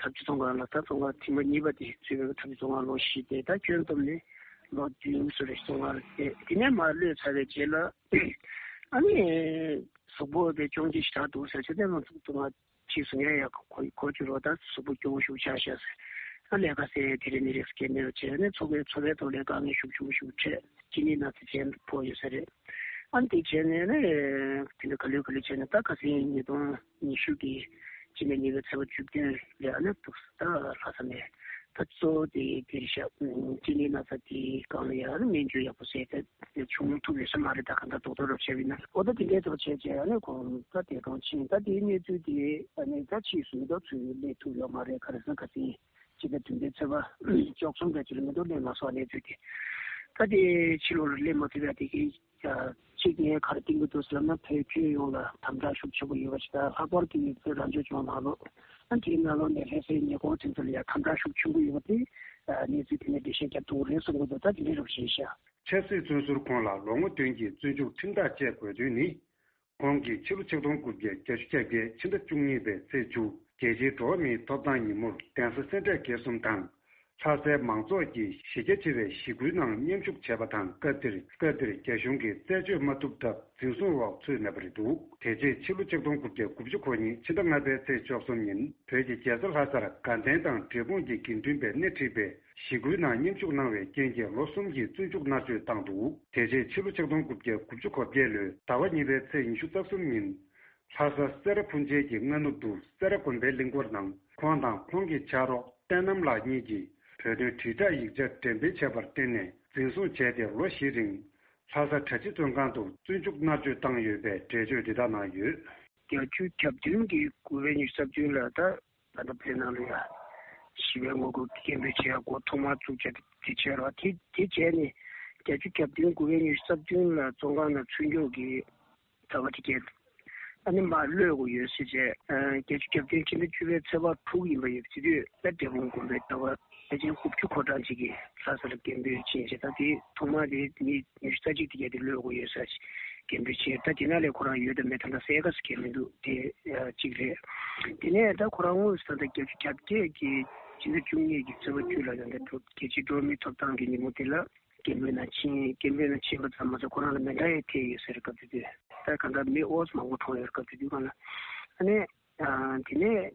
ཐབས་ཇུས་བཙོན་ཁང་ལ། ད་བཙོན་ཁང་ཐེངས་མ་གཉིས་པ་དེ་ཚུད་པའི་ཐབས་ཇུས་བཙོན་ཁང་ལོ་བཞི་སྟེ། ད་ཁྱོན་བསྡོམས་ནས་ལོ་བདུན་བཟོ་རེ་བཙོན་ཁང་ལ་བསྡད། དེ་ནས་མར་གློད་ཚར་བའི་རྗེས་ལ། ཨ་ནི་གཟུགས་པོ་དེ་སྐྱོན་ཅིག་ཞེ་དྲག་འདུག་ཟེར་བྱས། དེ་ང་ཚོ་ང་ཕྱིས་སུ་ངས་ཡང་གོ་གོ་རྒྱུ་རོགས། ད་གཟུགས་པོ་སྐྱོ་བོ་ཞིག་ཆགས་ཤག་ཟེར། ཨ་ལས་ཀ་ཟེར་དེ་རིང་ནི་རིགས་སྐྱེལ་མེད་པ་བྱས་ནས། འཚོ་བའི་འཚོ་བའི་ཐོག་ལས་དཀའ་ངལ་ཤུགས་ཆེན་པོ་ཞིག་འཕྲད། གཅིན་སྙི་ན་ཚ་ཅན་ཕོག་ཡོད་ས་རེད། ཨ་ནི་དེ་བྱས་ནས་ནི་དེ་འདྲ་ག་ལེར་ག་ལེར་བྱས་ནས། ད་ཁ་སང་ཉིས་སྟོང་ཉི་ཤུ་གི་སྤྱི་ཟླ་གཉིས་པའི་ཚེས་པ་བཅུ་བདུན་ལ་ཨ་ནི་འདུག་ད་ལྷ་ས་ནས། ད་གཙོ་བོ་དེ་དེ་རེད་ཤག་གཅིན་སྙི་ན་ཚ་དེའི་སྒང་ལ་ཡང་སྨན་བཅོས་ཡག་པོ་བྱས་ཏེ་བྱུང་ཐུབ་ཡོད་ས་མ་རེད། ད་གང་ལྟར་རྡོག་རྡོག་རབ་བྱས་པ་ཡིན་ན། འོ་ད་དེ་འདྲའི་ཐོག་བྱས་བྱས། ཨ་ནི་ཁོང་ད་འདས་གྲོངས་ཕྱིན། ད་དེའི་གནས་ཚུལ་དེ་ཨ་ནི་ད་ཕྱིས་སུ་མི་ཐོག་ཚུར་སླེབས་ཐུབ་ཡོད་མ་རེད། ག་རེ་ཟེར་ན་ཁ་སང་སྤྱི་ཟླ་བདུན་པའི་ཚེས་པ་བཅུ་གསུམ་ག་ཅིག་ལ་མི་ཐོག་སླེབས་མ་སོང་། གནས་ཚུལ་དེ་ད་དེ་ཕྱི་ལོགས་ལ་སླེབས་མ་ཐུབ་ཡ་དེ་གི་གཅིག་ངས་ག་རེ་བསྟན་གྱི་འདུག་ཟེར་ན། བོད་ཁྱོན་ཡོངས་ལ་དམ་དྲག་ཤུགས་ཆེན་པོ་ཡོད་པ་ཞིག་དང་། ལྷག་པར་དུ་བོད་རང་སྐྱོང་ལྗོངས་ནང་ལོགས་ཨ་དེའི་ནང་ལོགས་ནས་ལྷ་སའི་ཉེ་འཁོར་དེ་ཚོ་ལ་ཡང་དམ་དྲག་ཤུགས་ཆེན་པོ་ཡོད་པ་དེ་གནས་ཚུལ་དེ་ནས་འགྲེལ་བཤད་རྒྱབ་ཐུབ་ཀྱི་རེད་གསུང་གི་འདུག་ད་དེ་འདྲ་རུ་བྱས་ཤག་ཆབ་སྲིད་བཙོན་ཟུར་ཁོང་ལ་ལོ་ངོ་བདུན་གྱི་བཙོན་འཇུག་ཁྲིམས་ཐག་བཅད་དགོས་དོན་ནི། ཁོང་གིས་ཕྱི་ལོ་ཆིག་སྟོང་དགུ་བརྒྱ་བརྒྱད་ཅུ་གྱ་བརྒྱད་ཕྱི་ཟླ་བཅུ་གཉིས་པའི་ཚེས་བཅུ། རྒྱལ་སྤྱིའི་འགྲོ་བ་མིའི་ཐོབ་ཐང་ཉིན་མོར་གདན་ས་སེ་འབྲས་དགེ་གསུམ་དང་། ལྷ་སའི་མང་ཚོགས་ཀྱི་གཞི་རྒྱ་ཆེ་བའི་ཞི་རྒོལ་ནང་མཉམ་ཞུགས་བྱས་པ་དང་། སྐབས་དེར་སྐབས་དེར་རྒྱ་གཞུང་གིས་རྩད་གཅོད་མ་ཐུབ་སྟབས་འཛིན་བཟུང་འོག་ཚུད་མེད་པ་རེད་འདུག་དེ་རྗེས་ཕྱི་ལོ་ཆིག་སྟོང་དགུ་བརྒྱ་དགུ་བཅུ་གོ་གཉིས་ཕྱི་ཟླ་ལྔ་པའི་ཚེས་བཅུ་གསུམ་ཉིན། བོད་ཀྱི་རྒྱལ་ས་ལྷ་སར་དགའ་ལྡན་དང་འབྲས་སྤུངས་ཀྱི་དགེ་འདུན་པས་སྣེ་ཁྲིད་པའི་ཞི་རྒོལ་ནང་མཉམ་ཞུགས་གནང་བའི་རྐྱེན་གྱིས་ལོ་གསུམ་གྱི་བཙོན་འཇུག་མནར་གཅོད་བཏང་འདུག་དེ་རྗེས་ཕྱི་ལོ་ཆིག་སྟོང་དགུ་བརྒྱ་དགུ་བཅུ་གོ་བརྒྱད་ལོའི་ཟླ་བ་གཉིས་པའི་ཚེས་ཉི་ཤུ་རྩ་གསུམ་ཉིན། ལྷ་ས་སེ་ར་ཕུན་ཆེན་གྱི་སྔ་ནུབ་ཏུ་སེ་ར་དགོན་པའི་གླིང་སྐོར་ནང་། ཁོང་དང་ཁོང་གི་ཕྱག་རོགས་བསྟན་རྣམ་ལགས་གཉིས་ཀྱིས་བོད་དོན་དྲིལ་བསྒྲགས་ཡིག་ཆ་འགྲེམས་སྤེལ་བྱས་པར་བརྟེན་ནས་འཛིན་བཟུང་བྱས་ཏེ་ལོ་བཞིའི་རིང་ལྷ་ས་གྲྭ་སྤྱི་བཙོན་ཁང་དུ་བཙོན་འཇུག་མནར་གཅོད་བཏང་ཡོད་པའི་འགྲེལ་བརྗོད་འདི་དག་གནང་ཡོད། བརྒྱད་ཅུ་གྱ་བདུན་གྱི་དགུ་པའི་ཉི་ཤུ་རྩ་བདུན་ལ། ད་ད་ལྟ་བོད་ནང་ལ་ཡ་ཞི་བའི་ངོ་རྒོལ་སྐད་འབོད་བྱེད་ཡ་འགོ་ཐོག་མར་བཙུགས་བྱས་དེ་བྱས་རོགས། དེ་དེ་བྱས་ནས་བརྒྱད་ཅུ་གྱ་བདུན་དགུ་པའི་ཉི་ཤུ་རྩ་བདུན་ལ་བཙོན་ཁང་ནང་ཚུད་མགྱོགས་ཀྱི་ཟླ་བ་དེ་གས་ཨ་ནི་མར་གློད་དགོས་ཡོད་ཟེར་བྱས། ཨ་བརྒྱད་ཅུ་གྱ་བདུན་ཕྱི་ཟླ་བཅུ་པའི་ཚེས་པ་དྲུག་ཡིན་པ་ཡོད། དེ་དུས་ད་འབྲས་སྤུངས་དགོན་པའི་ཟླ་བ་ལྷ་ཆེན་དགུ་བཅུ་གོ་གྲངས་ཅིག་གིས་ལྷ་ས་ལ་སྐད་འབོད་ཕྱིན་བྱས། ད་དེ་ཐོག་མར་དེ་མི་ཉི་ཤུ་རྩ་གཅིག་དེ་གས་དེ་གློད་དགོས་ཡོད་ཟེར་སྐད་འབོད་ཕྱིན། ད་དེ་ནང་ལས་ཁོ་རང་ཡོད་དམ་མེད་ད་ལྟ་གསལ་ཁ་ཟེར་མཁན་མི་འདུག་དེ་གཅིག་རེད། དེ་ནས་ད་ཁོ་རང་དངོས་སུ་ད་ལྟ་བརྒྱད་ཅུ་གྱ་བརྒྱད་ཀྱི་ཕྱི་ཟླ་བཅུ་གཉིས་ཀྱི་ཚེས་པ་བཅུ་ལ་ད་ལྟ་རྒྱལ་སྤྱིའི་འགྲོ་བ་མིའི་ཐོབ་ཐང་གི་ཉིན་མོ་དེ་ལ། སྐད་འབོད་ནང་ཕྱིན། སྐད་འབོད་ནང་ཕྱིན་པ་ཙམ་མ་ཟད་ཁོ་རང་ལ་མེ་མདའ་ཡང་ཐེབས་ཡོད་ཟེར། སྐབས་དེ་དུས་ད་གང་ལྟར་མི་ཨོ་ཙམ་མང་པོ་གྲོངས་ཡོད། སྐབས་དེ་དུས་སྒང་ལ། ཨ་ནི་དེ་ནས་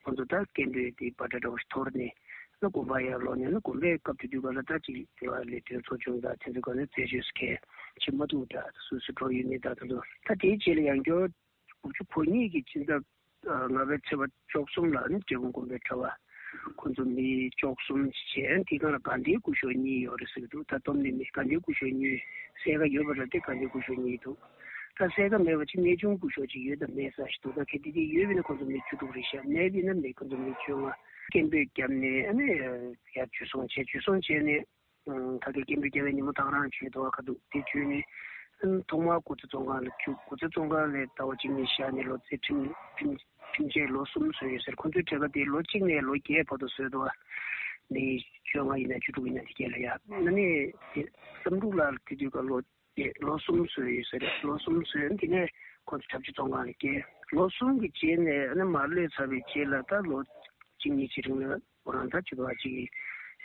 ཁོང་ཚོ་ད་སྐད་འབོད་དེ་བ་ཏྲ་འདྲ་བོ་ཞིག་འཐོར་ནས་ཨ་དགོན་པ་ཡར་ལོག་ནས། ཨ་དགོན་པའི་སྐབས་དེ་དུས་སྒང་ལ་ད་ཅིག་དེ་བ་ལས་དོན་ཚོགས་ཆུང་དང་དེ་ཚོ་སྒང་ནས་རྩད་གཅོད་སུ་གས་བྱེད་མ་ཐུབ་འདྲ། སུ་སུ་འགྲོ་ཡོད་མེད་ད་དེ་ཚོ། ད་དེའི་རྗེས་ལ་ཡང་བསྐྱར་དགུ་བཅུ་གོ་གཉིས་ཀྱི་ཕྱི་ཟླ་ལྔ་པའི་ཚེས་པ་བཅུ་གསུམ་ལ་ནི་འབྲས་སྤུངས་དགོན་པའི་གྲྭ་པ་ཁོང་ཚོ་མི་བཅུ་གསུམ་བྱས། དེའི་སྒང་ལ་དགའ་ལྡན་སྐུ་ཞབས་གཉིས་ཡོད་རེད་ཟེར་གྱི་འདུག་ད་བསྡོམས་ནས་མི་དགའ་ལྡན་སྐུ་ཞབས་གཉིས་གསལ་ཁ་ཡོད་པ་རེད་དེ། དགའ་ལྡན་སྐུ་ཞབས་གཉིས་འདུག་ད་གསལ་ཁ་མེད་པ་ཅིག་གནས་ཆུང་སྐུ་ཞབས་ཅིག་ཡོད་དམ་མེད་ས་ཞིག་འདུག་ད་གལ་ཏེ་དེ་ཡོད་པ་ཡིན་ན་ཁོང་ཚོ་མི་བཅུ་དྲུག་རེད་ཤག་མེད་པ་ཡིན་ན་མི་ཁོང་ཚོ་མི་བཅོ་ལྔ། སྐད་འབོད་བརྒྱབ་ནས་ཨ་ནི་ཡར་འཇུ་བཟུང་བྱས། འཇུ་བཟུང་བྱས་ནས། ད་ལྟའི་སྐད་འབོད་རྒྱག་པའི་ཉིན་མོ་དང་རང་བྱོན་འདུག་ག་འདུག་དེ་བྱོན་ནས་ཐོག་མར་དགོ་ཚད་བཙོན་ཁང་ལ་བཅུག་དགོ་ཚད་བཙོན་ཁང་ལ་ཟླ་བ་གཅིག་གཉིས་བཞག་ནས་ལོ་ཚད་ཁྲིམས་ཁྲིམས་ཁྲིམས་ཆད་ལོ་གསུམ་བཟོས་ཡོད་ཟེར། ཁོ་ཚོའི་གྲས་ཀ་དེ་ལོ་གཅིག་ནས་ལོ་བརྒྱད་བར་དུ་བཟོས་འདུག་ག་མི་བཅོ་ལྔ་ཡིན་ན་བཅུ་དྲུག་ཡིན་ན་དེ་གས་ལ་ཡ། ཨ་ནི་བསམ་འགྲུབ་ལགས་དེ་དུས་ཀ་ལོ་བརྒྱད་ལོ་གསུམ་བཟོས་ཡོད་ཟེར། ལོ་གསུམ་བཟོས། དེ་ནས་ཁོ་ཚོ་གྲྭ་སྤྱི་བཙོན་ཁང་ལ་བསྐྱལ། ལོ་གསུམ་གྱི་རྗེས་ནས་ཨ་ནི་མར་གློད་ཚར་བའི་རྗེས་ལ་ད་ལོ་གཅིག་གཉིས་ཀྱི་རིང་ལ། ཁོ་རང་ད་ཅིག་བ་ཅིག་གི་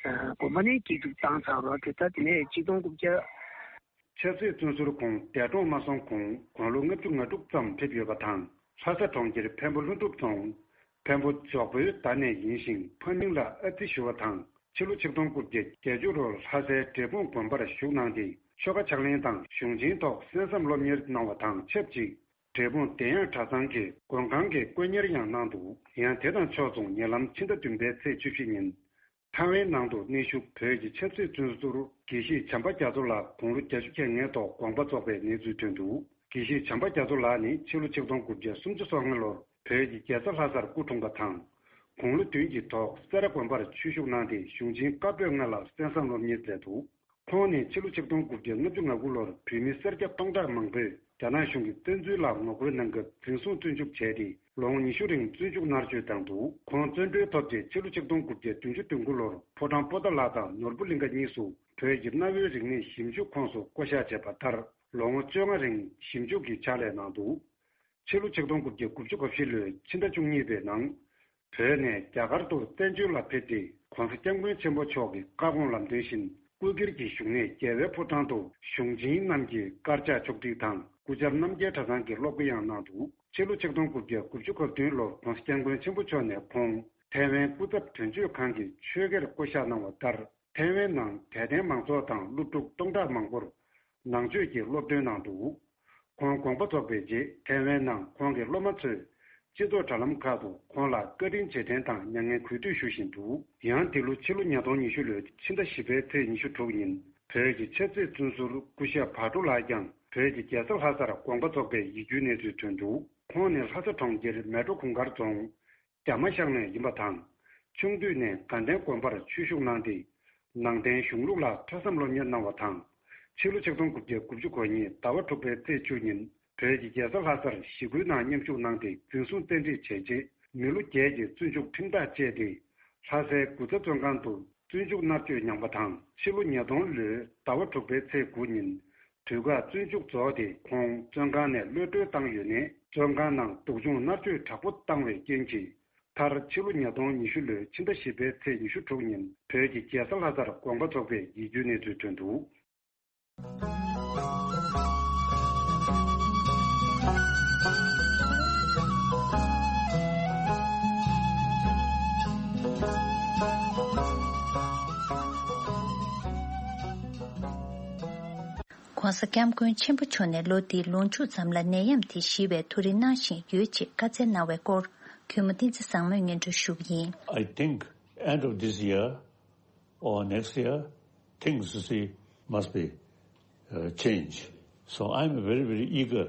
དགོན་པ་ནས་སྐྱིད་སྡུག་བཏང་ཚར་བ་དེ། ད་དེ་ནས་ཆིག་སྟོང་དགུ་བརྒྱ། ཆབ་སྲིད་བཙོན་ཟུར་ཁོང་འདས་གྲོངས་མ་སོང་གོང་དགུང་ལོ་ལྔ་བཅུ་ང་དྲུག་ཙམ་ཕེབས་ཡོད་པ་དང་། ལྷ་ས་གྲོང་ཁྱེར་འཕན་པོ་ལྷུན་གྲུབ་རྫོང་འཕན་པོ་འཇོག་པོའི་ཟླ་ནས་ཡིན་ཞིང་། ཕ་མིང་ལ་ཨ་ཙི་ཞུ་བ་དང་། ཕྱི་ལོ་ཆིག་སྟོང་དགུ་བརྒྱ་བརྒྱད་ཅུ་ལོར་ལྷ་སའི་འབྲས་སྤུངས་དགོན་པར་བཞུགས་གནང་སྟེ། ཆོ་ག་ཕྱག་ལེན་དང་གཞུང་ཆེན་ཐོག་གསན་བསམ་སློབ་གཉེར་གནང་བ་དང་ཆབས་ཅིག་འབྲས་སྤུངས་བདེ་གཡང་གྲྭ་ཚང་གི་མགོན་ཁང་གི་དཀོན་གཉེར་ཡང་གནང་འདུག་ཡང་དེ་དང་ཕྱོགས་མཚུངས་ཉེ་ལམ་ཕྱི་ཟླ་བདུན་པའི་ཚེས་བཅུ་བཞི་ཉིན། ཐའེ་ཝན་ནང་དུ་གནས་བཞུགས་བོད་ཀྱི་ཆབ་སྲིད་བཙོན་ཟུར་དགེ་བཤེས་བྱམས་པ་རྒྱ་མཚོ་ལགས་དགུང་ལོ་བརྒྱད་ཅུ་གྱ་ལྔའི་ཐོག་དགོངས་པ་རྫོགས་པའི་གནས་ཚུལ་ཐོན་འདུག་དགེ་བཤེས་བྱམས་པ་རྒྱ་མཚོ་ལགས་ནི་ཕྱི་ལོ་ཆིག་སྟོང་དགུ་བརྒྱ་སུམ་ཅུ་སོ་ལྔ་ལོར་བོད་ཀྱི་རྒྱལ་ས་ལྷ་སར་སྐུ་འཁྲུངས་པ་དང་། དགུང་ལོ་བདུན་གྱི་ཐོག་སེ་ར་དགོན་པར་ཆོས་ཞུགས་གནང་སྟེ། གཞུང་ཆེན་བཀའ་པོད་ལྔ་ལ་གསན་བསམ་སློབ་གཉེར་མཛད་འདུག་ཁོང་ནི་ཕྱི་ལོ་ཆིག་སྟོང་དགུ་བརྒྱ་ལྔ་བཅུ་ང་དགུ་ལོར་བོད་མི་སེར་སྐྱ་སྟོང་ཕྲག་མང་པོས་ རྒྱ་ནག་གཞུང་གིས་བཙན་འཛུལ་ལ་ངོ་རྒོལ་གནང་སྐབས་འཛིན་བཟུང་བཙོན་འཇུག་བྱས་ཏེ་ལོ་ངོ་ཉི་ཤུ་རིང་བཙོན་འཇུག་མནར་གཅོད་བཏང་འདུག་ཁོང་བཙོན་གྲོལ་ཐོབ་རྗེས་ཕྱི་ལོ་ཆིག་སྟོང་དགུ་བརྒྱ་བདུན་ཅུ་དོན་དགུ་ལོར་ཕོ་བྲང་པོ་ཏཱ་ལ་དང་ནོར་བུ་གླིང་ཁ་གཉིས་སུ་བོད་ཀྱི་གནའ་བོའི་རིག་གནས་ཞིབ་འཇུག་ཁོངས་སུ་བསྐོ་བཞག་བྱས་པ་ལྟར་ལོ་ངོ་བཅོ་ལྔ་རིང་ཞིབ་འཇུག་གི་ཕྱག་ལས་གནང་འདུག་ཕྱི་ལོ་ཆིག་སྟོང་དགུ་བརྒྱ་དགུ་བཅུ་གོ་བཞི་ལོའི་ཕྱི་ཟླ་བཅུ་གཉིས་པའི་ནང་། བོད་ནས་རྒྱ་གར་དུ་བཙན་བྱོལ་ལ་ཕེབས་ཏེ་༸གོང་ས་༸སྐྱབས་མགོན་ཆེན་པོ་མཆོག་གི་བཀའ་དགོངས་ལམ་སྟོན་བཞིན་སྐུ་སྒེར་གྱི་བཞུགས་གནས་རྒྱལ་བའི་ཕོ་བྲང་དུ་གཞུང་ཆེན་རྣམས་ཀྱི་དཀར་ཆག་ཕྱོགས་སྒྲིག་དང་སྐུ་བཅར་རྣམ་རྒྱལ་གྲྭ་ཚང་གི་སློབ་གོ་ཡང་གནང་འདུག་ཕྱི་ལོ་ཆིག་སྟོང་དགུ་བརྒྱ་དགུ་བཅུ་གོ་བདུན་ལོར་༸གོང་ས་༸སྐྱབས་མགོན་ཆེན་པོ་མཆོག་ནས་ཁོང་ཐའེ་ཝན་སྐུ་ཚབ་དོན་གཅོད་ཁང་གི་ཆོས་དགེར་བསྐོ་གཞག་གནང་བ་ལྟར། ཐའེ་ཝན་ནང་དད་ལྡན་མང་ཚོགས་དང་སློབ་ཕྲུག་སྟོང་ཕྲག་མང་པོར་ནང་ཆོས་ཀྱི་སློབ་སྟོན་གནང་འདུག་ཁོང་དགོངས་པ་རྫོགས་པའི་རྗེས་ཐའེ་ཝན་ནང་ཁོང་གི་སློབ་མ་ཚོས་སྤྱི་ཚོགས་དྲ་ལམ་ཁག་ཏུ་ཁོང་ལ་བཀའ་དྲིན་རྗེས་དྲན་དང་མྱ་ངན་གུས་འདུད་ཞུ་བཞིན་འདུག་ཡང་འདི་ལོ་ཕྱི་ལོ་ཉིས་སྟོང་ཉི་ཤུ་ལོའི་ཕྱི་ཟླ་བཞི་པའི་ཚེས་ཉི་ཤུ་དྲུག་ཉིན་བོད་ཀྱི་ཆབ་སྲིད་བཙོན་ཟུར་སྐུ་ཞབས་བག་གྲོ་ལགས་ཀྱང་བོད་ཀྱི་རྒྱལ་ས་ལྷ་སར་དགོངས་པ་རྫོགས་པའི་ཡིད་སྐྱོའི་གནས་ཚུལ་ཐོན་འདུག་ཁོང་ནི་ལྷ་ས་གྲོང་ཁྱེར་མལ་གྲོ་གུང་དཀར་རྫོང་། རྒྱ་མ་ཤང་ནས་ཡིན་པ་དང་། ཆུང་དུས་ནས་དགའ་ལྡན་དགོན་པར་ཆོས་ཞུགས་གནང་སྟེ། ནང་བསྟན་གཞུང་ལུགས་ལ་ཐོས་བསམ་སློབ་གཉེར་གནང་བ་དང་། ཕྱི་ལོ་ཆིག་སྟོང་དགུ་བརྒྱ་དགུ་བཅུ་གོ་གཉིས་ཟླ་བ་དྲུག་པའི་ཚེས་བཅུ་ཉིན་བོད་ཀྱི་རྒྱལ་ས་ལྷ་སར་ཞི་རྒོལ་ནང་མཉམ་ཞུགས་གནང་སྟེ་འཛིན་བཟུང་བཙན་ཁྲིད་བྱས་རྗེས་མི་ལོ་བརྒྱད་ཀྱི་བཙོན་འཇུག་ཁྲིམས་ཐག་བཅད་དེ། ལྷ་སའི་དགུ་ཚ་བཙོན་ཁང་དུ་བཙོན་འཇུག་མནར་གཅོད་མྱངས་པ་དང་ཕྱི་ལོ་ཉིས་སྟོང་ལོའི་ཟླ་བ་དྲུག་པའི་ཚེས་དགུ་ཉིན། དུས་བཀག་བཙོན་འཇུག་རྫོགས་ཏེ་ཁོང་བཙོན་ཁང་ནས་གློད་གྲོལ་བཏང་ཡོད་ནས་བཙོན་ཁང་ནང་སྡུག་སྦྱོང་མནར་གཅོད་དྲག་པོ་བཏང་བའི་རྐྱེན་གྱིས་མཐར་ཕྱི་ལོ་ཉིས་སྟོང་ཉི་ཤུ་ལོའི་ཕྱི་ཟླ་བཞི་པའི་ཚེས་ཉི་ཤུ་དྲུག་ཉིན་བོད་ཀྱི་རྒྱལ་ས་ལྷ་སར་དགོངས་པ་རྫོགས་པའི་ཡིད་སྐྱོའི་གནས་ཚུལ་ཐོན་འདུག༸གོང་ས་༸སྐྱབས་མགོན་ཆེན་པོ་མཆོག་ནས་ལོ་འདིའི་ལོ་མཇུག་ཙམ་ལ་ནད་ཡམས་དེ་ཞི་བའི་ཐུགས་རེ་གནང་བཞིན་ཡོད་ཅེས་བཀའ་སྩལ་གནང་བའི་སྐོར་གུས་མོ་བསྟན་འཛིན་བཟང་མོས་སྙན་སྒྲོན་ཞུ་གི་ཡིན། I think end of this year or next year, things, you see, must be uh, changed. So I'm very, very eager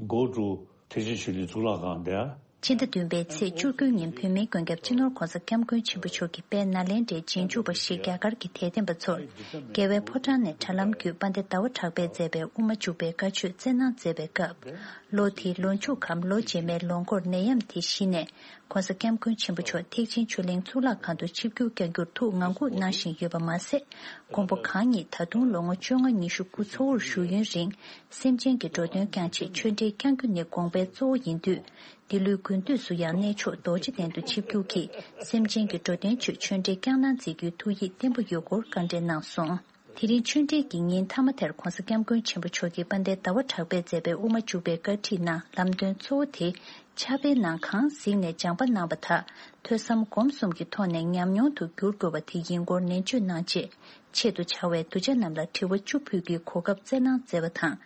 go to Thekchen Cholen གཙུག་ལག་ཁང་there. ཕྱི་ཟླ་བདུན་པའི་ཚེས་བཅུ་དགུ་ཉིན་བོད་མིའི་མགོན་སྐྱབས་སྤྱི་ནོར་༸གོང་ས་༸སྐྱབས་མགོན་ཆེན་པོ་མཆོག་གི་དཔལ་ནཱ་ལེནྡྲའི་རྗེས་འཇུག་པ་ཞིག་རྒྱ་གར་གྱི་དད་ལྡན་པ་ཚོར་རྒྱལ་བའི་ཕོ་བྲང་ནས་དྲ་ལམ་བརྒྱུད་དཔལ་ལྡན་ཟླ་བ་གྲགས་པས་མཛད་པའི་དབུ་མ་འཇུག་པའི་བཀའ་ཆོས་སྩལ་གནང་མཛད་པའི་སྐབས། ལོ་དེའི་ལོ་མཇུག་གམ་ལོ་རྗེས་མའི་ལོ་འགོར་ནད་ཡམས་དེ་གཞི་ནས་༸གོང་ས་༸སྐྱབས་མགོན་ཆེན་པོ་མཆོག་ཐེག་ཆེན་ཆོས་གླིང་གཙུག་ལག་ཁང་དུ་ཆིབས་བསྒྱུར་བསྐྱང་རྒྱུར་ཐུགས་ངང་སྒུག་གནང་བཞིན་ཡོད་པ་མ་ཟད། མགོན་པོ་གང་ཉིད་ད་དུང་ལོ་ངོ་བཅོ་ལྔ་ཉི་ཤུ་སྐུ་འཚོ་བོར་བཞུགས་ཡུན་རིང་སེམས་ཅན་གྱི་འགྲོ་དོན་བསྐྱང་ཆེད་ཆོས་འབྲེལ་བསྐྱང་རྒྱུ་ནི་དགོངས་པའི་གཙོ་བོ་ཡིན་དུས། འདི་ལོའི་དགུན་དུས་སུ་ཡང་གནས་མཆོག་རྡོ་རྗེ་གདན་དུ་ཆིབས་བསྒྱུར་གྱིས་སེམས་ཅན་གྱི་འགྲོ་དོན་ཆེད་ཆོས་འབྲེལ་བསྐྱང་གནང་མཛད་རྒྱུའི་ཐུགས་ཡིད་བརྟན་པོ་ཡོད་སྐོར་བཀའ་འདྲི་གནང་སོང་། དེ་རིང་ཆོས་འབྲེལ་གྱི་ཉིན་མཐའ་མ་དེར་༸གོང་ས་༸སྐྱབས་མགོན་ཆེན་པོ་མཆོག་གིས་དཔལ་ལྡན་ཟླ་བ་གྲགས་པས་མཛད་པའི་དབུ་མ་འཇུག་པའི་བཀའ་ཁྲིད་ནང་ལམ་སྟོན་གཙོ་བོ་དེ་ཕྱག་དཔེའི་ནང་གང་གཟིགས་ནས་སྦྱངས་པ་གནང་བ་དག་ཐོས་བསམ་སྒོམ་གསུམ་གྱི་ཐོག་ནས་ཉམས་མྱོང་དུ་བསྒྱུར་དགོས་པ་དེ་ཡིན་སྐོར་ནན་བརྗོད་གནང་རྗེས། ཆེད་དུ་བཅར་བའི་གདུལ་བྱ་རྣམས་ལ་དྲི་བ་བཅུ་ཕུལ་རྒྱུའི་གོ་སྐབས་སྩལ་གནང་མཛད་པ་དང་།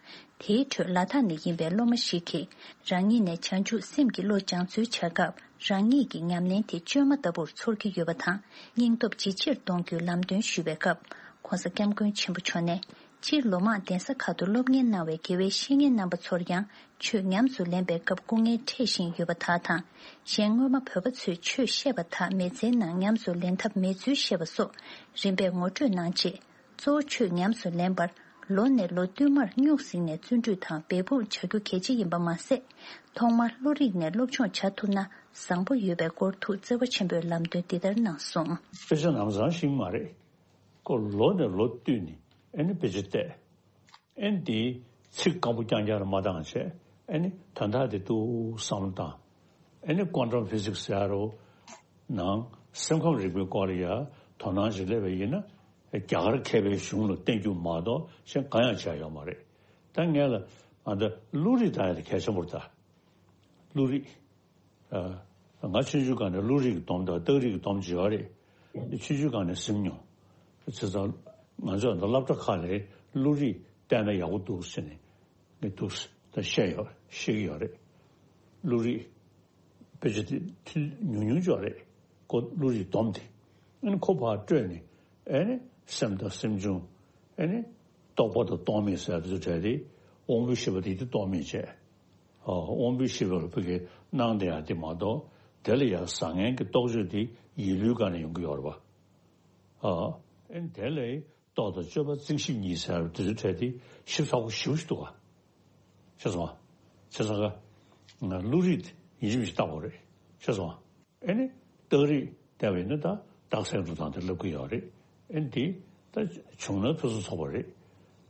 དེའི་ཁྲོད་ལ་དྭགས་ནས་ཡིན་པའི་སློབ་མ་ཞིག་གིས་རང་ཉིད་ནས་བྱང་ཆུབ་སེམས་ཀྱི་བློ་སྦྱང་ཚུལ་བྱ་སྐབས་རང་ཉིད་ཀྱི་ཉམས་ལེན་དེ་བཅོས་མ་ལྟ་བུར་ཚོར་གྱི་ཡོད་པ་དང་སྙིང་སྟོབས་ཇེ་ཆེར་གཏོང་རྒྱུའི་ལམ་སྟོན་ཞུས་པའི་སྐབས་༸གོང་ས་༸སྐྱབས་མགོན་ཆེན་པོ་མཆོག་ནས་སྤྱིར་ལོ་མང་གདན་ས་ཁག་ཏུ་སློབ་གཉེར་གནང་བའི་དགེ་བའི་བཤེས་གཉེན་རྣམ་པ་ཚོར་ཡང་ཆོས་ཉམས་སུ་ལེན་པའི་སྐབས་སྐུ་ངལ་འཕྲད་བཞིན་ཡོད་པ་དག་དང་། གཞན་སྔོན་མ་བོད་པ་ཚོས་ཆོས་བཤད་པ་དག་མི་ཚེའི་ནང་ཉམས་སུ་ལེན་ཐབས་མེད་ཚུལ་བཤད་པ་སོགས་རིམ་པས་ངོ་སྤྲོད་གནང་རྗེས། གཙོ་བོ་ཆོས་ཉམས་སུ་ལེན་པར་ལོ་ནས་ལོ་བསྟུད་མར་སྨྱུག་གཟིགས་ནས་བརྩོན་འགྲུས་དང་འབད་འབུངས་བྱ་རྒྱུ་གལ་ཆེ་ཡིན་པ་མ་ཟད། ཐོག་མར་བློ་རིག་ནས་སློབ་སྦྱོང་བྱ་ཐུབ་ན་བཟང་པོ་ཡོད་པའི་སྐོར་ཐུགས་བརྩེ་བ་ཆེན་པོས་ལམ་སྟོན་འདི་ལྟར་གནང་སོང་། དཔེ་ཆ་ནམ་སང་ཤེས་ཀྱི་མ་རེད། ཁོ་ལོ་ནས་ལོ་བསྟུད་ནས་ཨེ་ནི་དཔེ་ཆ་བལྟས། ཨེ་ནི་དེའི་ཚིག་སྐམ་པོ་རྐྱང་རྐྱང་ལ་མ་བཏང་བྱས་ཨེ་ནི་ད་ལྟ་དེ་ཏུ་བསམ་བློ་བཏང་། ཨེ་ནི་ཀོན་ཊམ་ཕི་ཟིག་སི་ཟེར་ཡ་རོ། ནང་སེམས་ཁམས་རིག་པའི་སྐོར་ལ་ཡ་དོ་སྣང་ཞིག་སླེབས་པ་ཡིན་ན་རྒྱ་གར་མཁས་པའི་གཞུང་ལ་བརྟེན་རྒྱུ་མ་གཏོགས་གཞན་གང་ཡང་བྱས་ཡོད་མ་རེད། ད་ངས་ལ་ང་ད་བློ་རིག་ད་ཡ་དེ་གལ་ཆེན་པོ་རེད་ད། བློ་རིག་ང་ཆུང་ཆུང་སྒང་ནས་བློ་རིག་གི་སྡོམ་དང་རྟགས་རིག་གི་སྡོམ་བྱས་ཡོད་རེད། ཆུང་ཆུང་སྒང་ནས་སེམས་མྱོང་། བྱས་ཙང་ང་ཚོ་ད་སློབ་གྲྭ་ཁག་ལ་བློ་རིག་བལྟས་ན་ཡག་པོ་འདུག་ཟེར་ནས་ངས་འདུག་ད་བཤད་ཡོད་བཤད་ཀྱི་ཡོད་རེད། བློ་རིག་དཔེ་ཆ་དེ་ཐུན་ཉུང་ཉུང་ཅིག་ཡོད་རེད། ཁོ་བློ་རིག་སྡོམ་དེ། ཨ་ནི་ཁོ་ཕར་སྤྲོད་ནས་ཨ་ནི་སེམས་དང་སེམས་བྱུང་ཨ་ནི་རྟོག་པ་དང་རྟོག་མེད་ཟེར་དེ་ཚོ་བྲལ་ཏེ་དབང་པོའི་ཤེས་པ་དེ་དེ་རྟོག་མེད་བྱས། ཨ་དབང་པོའི་ཤེས་པ་ལ་ཕ་གི་སྣང་དེ་ཡང་དེ་མ་གཏོགས་དེ་ལ་ཡང་བཟང་ངན་གྱི་རྟོག་དཔྱོད་དེ་ཡིད་བློའི་སྒང་ནས་ཡོང་གི་ཡོད་རེད་པ། ཨ་ཨ་ནི་དེ་ལས་རྟོག་དང་དཔྱོད་པ་རྩིང་ཞིབ་གཉིས་ཟེར་དེ་ཚོ་བྲལ་ཏེ་ཞིབ་ཚགས་པོ་ཞེ་པོ་ཞིག་འདུག་ག་ཤེས་སོང་ང་། བྱས་ཙང་ཀ་བློ་རིག་ཡིན་གཅིག་མིན་གཅིག་བལྟ་དགོས་རེད། ཤེས་སོང་ང་། ཨེ་ནི་རྟགས་རིགས་བལྟས་པ་ཡིན་ན་ད་རྟགས་གསལ་འགྲོ་སྟངས་དེ་ལབ་ཀྱི་ཡོད་རེད། ཨེ་ནི་དེ་ད་བྱུང་ན་ཕུན་སུམ་ཚོགས་པ་རེད།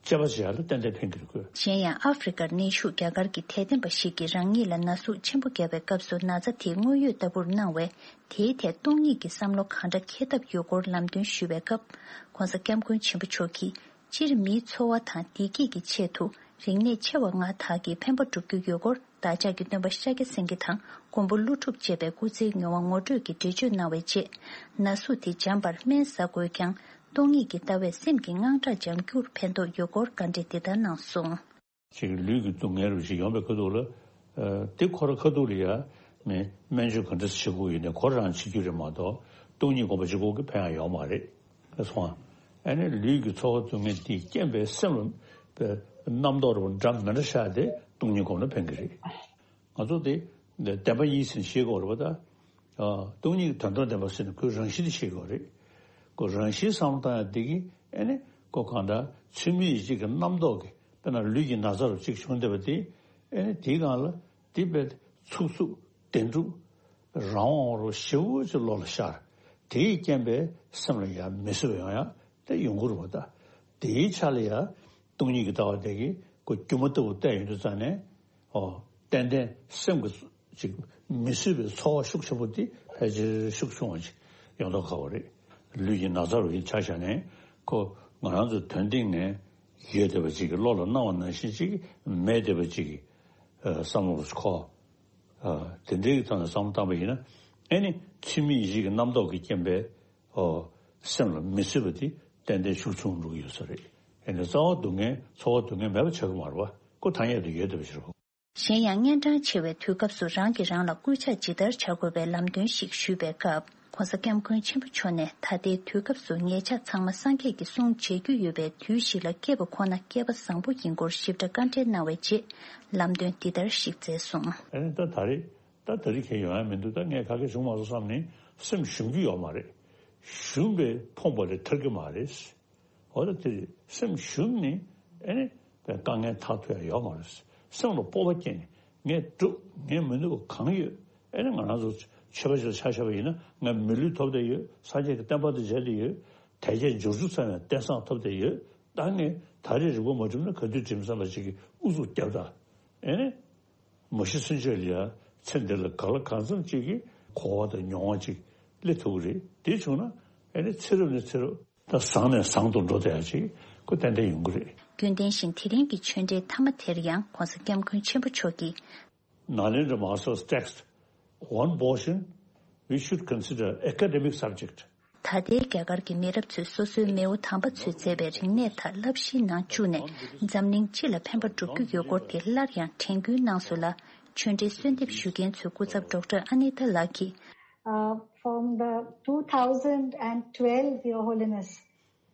དཔྱད་པ་བྱེད་ཡ་ལ་ཏན་ཏན་ཕན་གྱི་རེད་ཁོས། གཞན་ཡང་ཨ་ཧྥེ་རི་ཀར་གནས་བཞུགས་རྒྱ་གར་གྱི་དད་ལྡན་པ་ཞིག་གིས་རང་ཉིད་ལ་ན་ཟུག་ཆེན་པོ་བརྒྱབ་པའི་སྐབས་སུ་ན་ཚ་དེའི་དངོས་ཡོད་ལྟ་བུར་སྣང་བས། དེའི་ཐད་སྟོང་ཉིད་ཀྱི་བསམ་བློ་གང་འདྲ་འཁྱེར་ཐབས་ཡོད་སྐོར་ལམ་སྟོན་ཞུས་པའི་སྐབས། ྋགོང་ས་ྋསྐྱབས་མགོན་ཆེན་པོ་མཆོག་གིས། སྤྱིར་མིའི་འཚོ་བ་དང་བདེ་སྐྱིད་ཀྱི་ཆེད་དུ་རིག་གནས་ཆེ་བ་ལྔ་དག་གིས་ཕན་པ་བསྒྲུབ་རྒྱུ་ཡོད་སྐོར། བདག་ཅག་གི་སྟོན་པ་ཤཱཀྱ་སེང་གེ་དང་མགོན་པོ་ཀླུ་སྒྲུབ་ཅེས་པའི་སྐུ་ཚེའི་མྱོང་བ་ངོ་སྤྲོད་ཀྱི་འགྲེལ་བརྗོད་གནང་བའི་རྗེས། ན་ཟུག་དེ་འཇམ་པར་སྨན་ཟ་དགོས་ཀྱང་། སྟོང་ཉིད་ཀྱི་ལྟ་བས་སེམས་ཀྱི་དངངས་སྐྲག་འཇམ་རྒྱུར་ཕན་ཐོགས་ཡོད་སྐོར་བཀའ་འདྲི་འདི་ལྟར་གནང་སོང་། ཅིག་ལུས་ཀྱི་སྡུག་བསྔལ་རུ་ཞིག་ཡོང་པའི་ཁ་ཐུག་ལ། ཨ། དེ་ཁོ་ར་ཁ་ཐུག་ལ་ཡ་ནས་སྨན་བཅོས་ག་འདྲ་བྱེད་དགོས་ཡོད་ནས་ཁོ་རང་བྱེད་རྒྱུ་རེད་མ་གཏོགས། སྟོང་ཉིད་སྒོམ་པ་གཅིག་པོ་གིས་ཕན་ཡ་ཡོད་མ་རེད། སོང་ཨ། ཨ་ནི་ལུས་ཀྱི་ཚོར་བ་སྡུག་བསྔལ་དེས་རྐྱེན་པས་སེམས་ལ་རྣམ་རྟོག་རུ་འདྲ་མི་འདྲ་ཤར་ཏེ་སྟོང་ཉིད་སྒོམ་ན་ཕན་གྱི་རེད། ང་ཚོ་དེ་བདེན་པ་གཉིས་ཟེར་ནས་ཤེས་དགོས་རེད་པ་ད། ཨ། སྟོང་ཉིད་ཀྱི་དོན་དམ་བདེན་པ་ཟེར་ནས་ཁོའི་རང་བཞིན་དེ་ཤེས་དགོས་རེད། ཁོ་རང་བཞིན་བསམ་བློ་བཏང་ཡ་དེ་གིས་ཨེ་ནི་ཁོ་གང་ལྟར་ཚུལ་མིན་ཡིད་བྱེད་ཀྱི་རྣམ་རྟོག་གིས་དཔེར་ན་ལུས་ཀྱི་ན་ཚ་རུ་གཅིག་བྱུང་བསྡད་པ་དེ། ཨེ་ནི་དེའི་སྒང་ལ་དེ་དཔེ་ཚུགས་ཚུགས་བདེན་གྲུབ་རང་དབང་རུ་ཞེ་པོ་ཅིག་བློ་ལ་ཤར། དེའི་རྐྱེན་པས་སེམས་ལ་ཡང་མི་བཟོད་པ་ཡོང་ཡ་དེ་ཡོང་གི་རེད་པ་ད། དེའི་ཆ་ལ་ཡ་སྟོང་ཉིད་ཀྱི་ལྟ་བ་དེ་གིས་ཁོ་སྒྱུ་མ་ལྟ་བུ་བལྟས་ཡོང་དུས་ཙང་ནས། ཨོ། ཏན་ཏན་སེམས་ཀྱི་ཅིག་མི་བཟོད་པའི་ཚོར་བ་ཤུགས་ཆེན་པོ་དེ་ཕལ་ཆེར་ཤུགས་ཆུང་བ་ཅིག་ཡོང་མདོག་ཁ་པོ་རེད། ལུས་ཀྱི་ན་ཚ་རུ་ཡིན་ཆ་བཞག་ནས་ཁོ་ང་རང་ཚོ་དོན་སྟེང་ནས་ཡོད་བསྡད་པ་ཅིག་གི་བློ་ལ་སྣང་བ་ནང་བཞིན་ཅིག་མེད་བསྡད་པ་ཅིག་གི་ཨ། བསམ་བློ་ཁོ། ཨ། དེ་འདྲའི་ཐོག་ནས་བསམ་བློ་བཏང་པ་ཡིན་ན། ཨེ་ནི་ཚུལ་མིན་ཡིད་བྱེད་ཀྱི་རྣམ་རྟོག་གི་རྐྱེན་པས། ཨོ། སེམས་ལ་མི་བཟོད་པ་དེ་ཏན་ཏན་ཤུགས་ཆུང་འགྲོ་གི་ཡོད་ས་རེད། ཨེ་ནི་རྩ་བ་སྡུག་བསྔལ་ཚོར་བ་སྡུག་བསྔལ་མེད་པ་ཆགས་ཀྱི་མ་རེད་པ། ཁོ་ཐ་སྙད་དུ་ཡོད་བསྡད་པ་ཞིག་རེད། གཞན་ཡང་། གཉན་འཕྲང་ཆེ་བའི་དུས་སྐབས་སུ་རང་གིས་རང་ལ་སྐུལ་ལྕག་ཇི་ལྟར་བྱ་དགོས་པའི་ལམ་སྟོན་ཞིག་ཞུས་པའི་སྐབས། ྋགོང་ས་ྋསྐྱབས་མགོན་ཆེན་པོ་མཆོག་ནས། ད་ལྟའི་དུས་སྐབས་སུ་ཉེ་ཆར་ཚང་མ་སངས་རྒྱས་ཀྱི་གསུང་བྱེད་རྒྱུ་ཡོད་པའི་དུས་ཤིག་ལ་སྐྱེས་པ་ཁོ་ན་སྐལ་པ་བཟང་པོ་ཡིན་སྐོར་ཞིབ་ཕྲ་བཀའ་འགྲེལ་གནང་བའི་རྗེས། ལམ་སྟོན་འདི་ལྟར་ཞིག་མཛད་སོང་། ཨ་ནི་ད་ད་རེས་ད་ད་རེས་གང་ཡོང་ཡ་མི་འདུག་ད་ངས་ག་གེ་བྱུང་མ་སོང་བསམ་ནས་སེམས་ཞུམ་རྒྱུ་ཡོད་མ་རེད། ཞུམ་པའི་ཕོངས་པ་ལས་ཐར་གྱི་མ་རེད། འོ་ད་དེ་སེམས་ཞུམ་ནས་ཨེ་ནི་དཀའ་ངལ་ཐག་ཐུག་ཡ་ཡོད་མ་རེད། སེམས་ལ་སྤོབས་པ་སྐྱེས་ནས་ངས་འགྲུབ། ངས་མི་ནུས་པ་གང་ཡོད། ཨེ་ནི་ང་རང་ཚོ་ཆོས་པ་ཞིག་ལ་ཆ་བཞག་པ་ཡིན་ན་ང་མི་ལུས་ཐོབ་བསྡད་ཡོད། སངས་རྒྱས་ཀྱི་བསྟན་པ་དང་མཇལ་བསྡད་ཡོད། དལ་བརྒྱད་འབྱོར་བཅུ་ཚང་བའི་རྟེན་བཟང་ཐོབ་བསྡད་ཡོད། ད་ངས་ད་རེས་རིག་པ་མ་གྲུབ་ན་ག་དུས་འགྲིམ་བསམ་པ་ཅིག་གིས་ཨུ་ཚུགས་རྒྱབ་ད། ཨེ་ནི། མ་གཞི་ཚུན་ཆད་ལ་ཡ་ཚེ་འདི་ལ་གང་ལ་གང་འཚམ་ཅིག་གི་གོ་བ་དང་མྱོང་བ་ཅིག་སླེབས་ཐུབ་ཀྱི་རེད། དེ་བྱུང་ན་ཨེ་ནི་ཚེ་རབས་ནས་ཚེ་རབས་ད་བཟང་ནས་བཟང་དུ་འགྲོ་བསྡད་ཡ་ཅིག་ཁོ་ཏན་ཏན་ཡོང་གི་རེད། རྒྱུན་ལྡན་བཞིན་དེ་རིང་གི་ཆོས་འབྲེལ་མཐའ་མ་དེར་ཡང་ྋགོང་ས་ྋསྐྱབས་མགོན་ཆེན་པོ་མཆོག་གིས། Nalendra Mahar's text, one portion, we should consider academic subject. ད་ལྟའི་རྒྱ་གར་གྱི་མི་རབས་ཚོས་སོ་སོའི་མེས་པོ་དམ་པ་ཚོས་མཛད་པའི་རིག་གནས་དག་བསླབ་གཞིའི་ནང་བཅུག་ནས་འཛམ་གླིང་སྤྱི་ལ་ཕན་པ་སྒྲུབ་རྒྱུ་ཡོད་སྐོར་དེ་སླར་ཡང་དྲན་སྐུལ་གནང་སོང་ལ། ཆོས་འབྲེལ་གསོལ་འདེབས་ཞུ་མཁན་ཚོའི་སྐུ་ཚབ་ཌོག་ཊར་ཨ་ནི་ཏཱ་ལགས་ཀྱིས། Uh, from the two thousand and twelve, Your Holiness,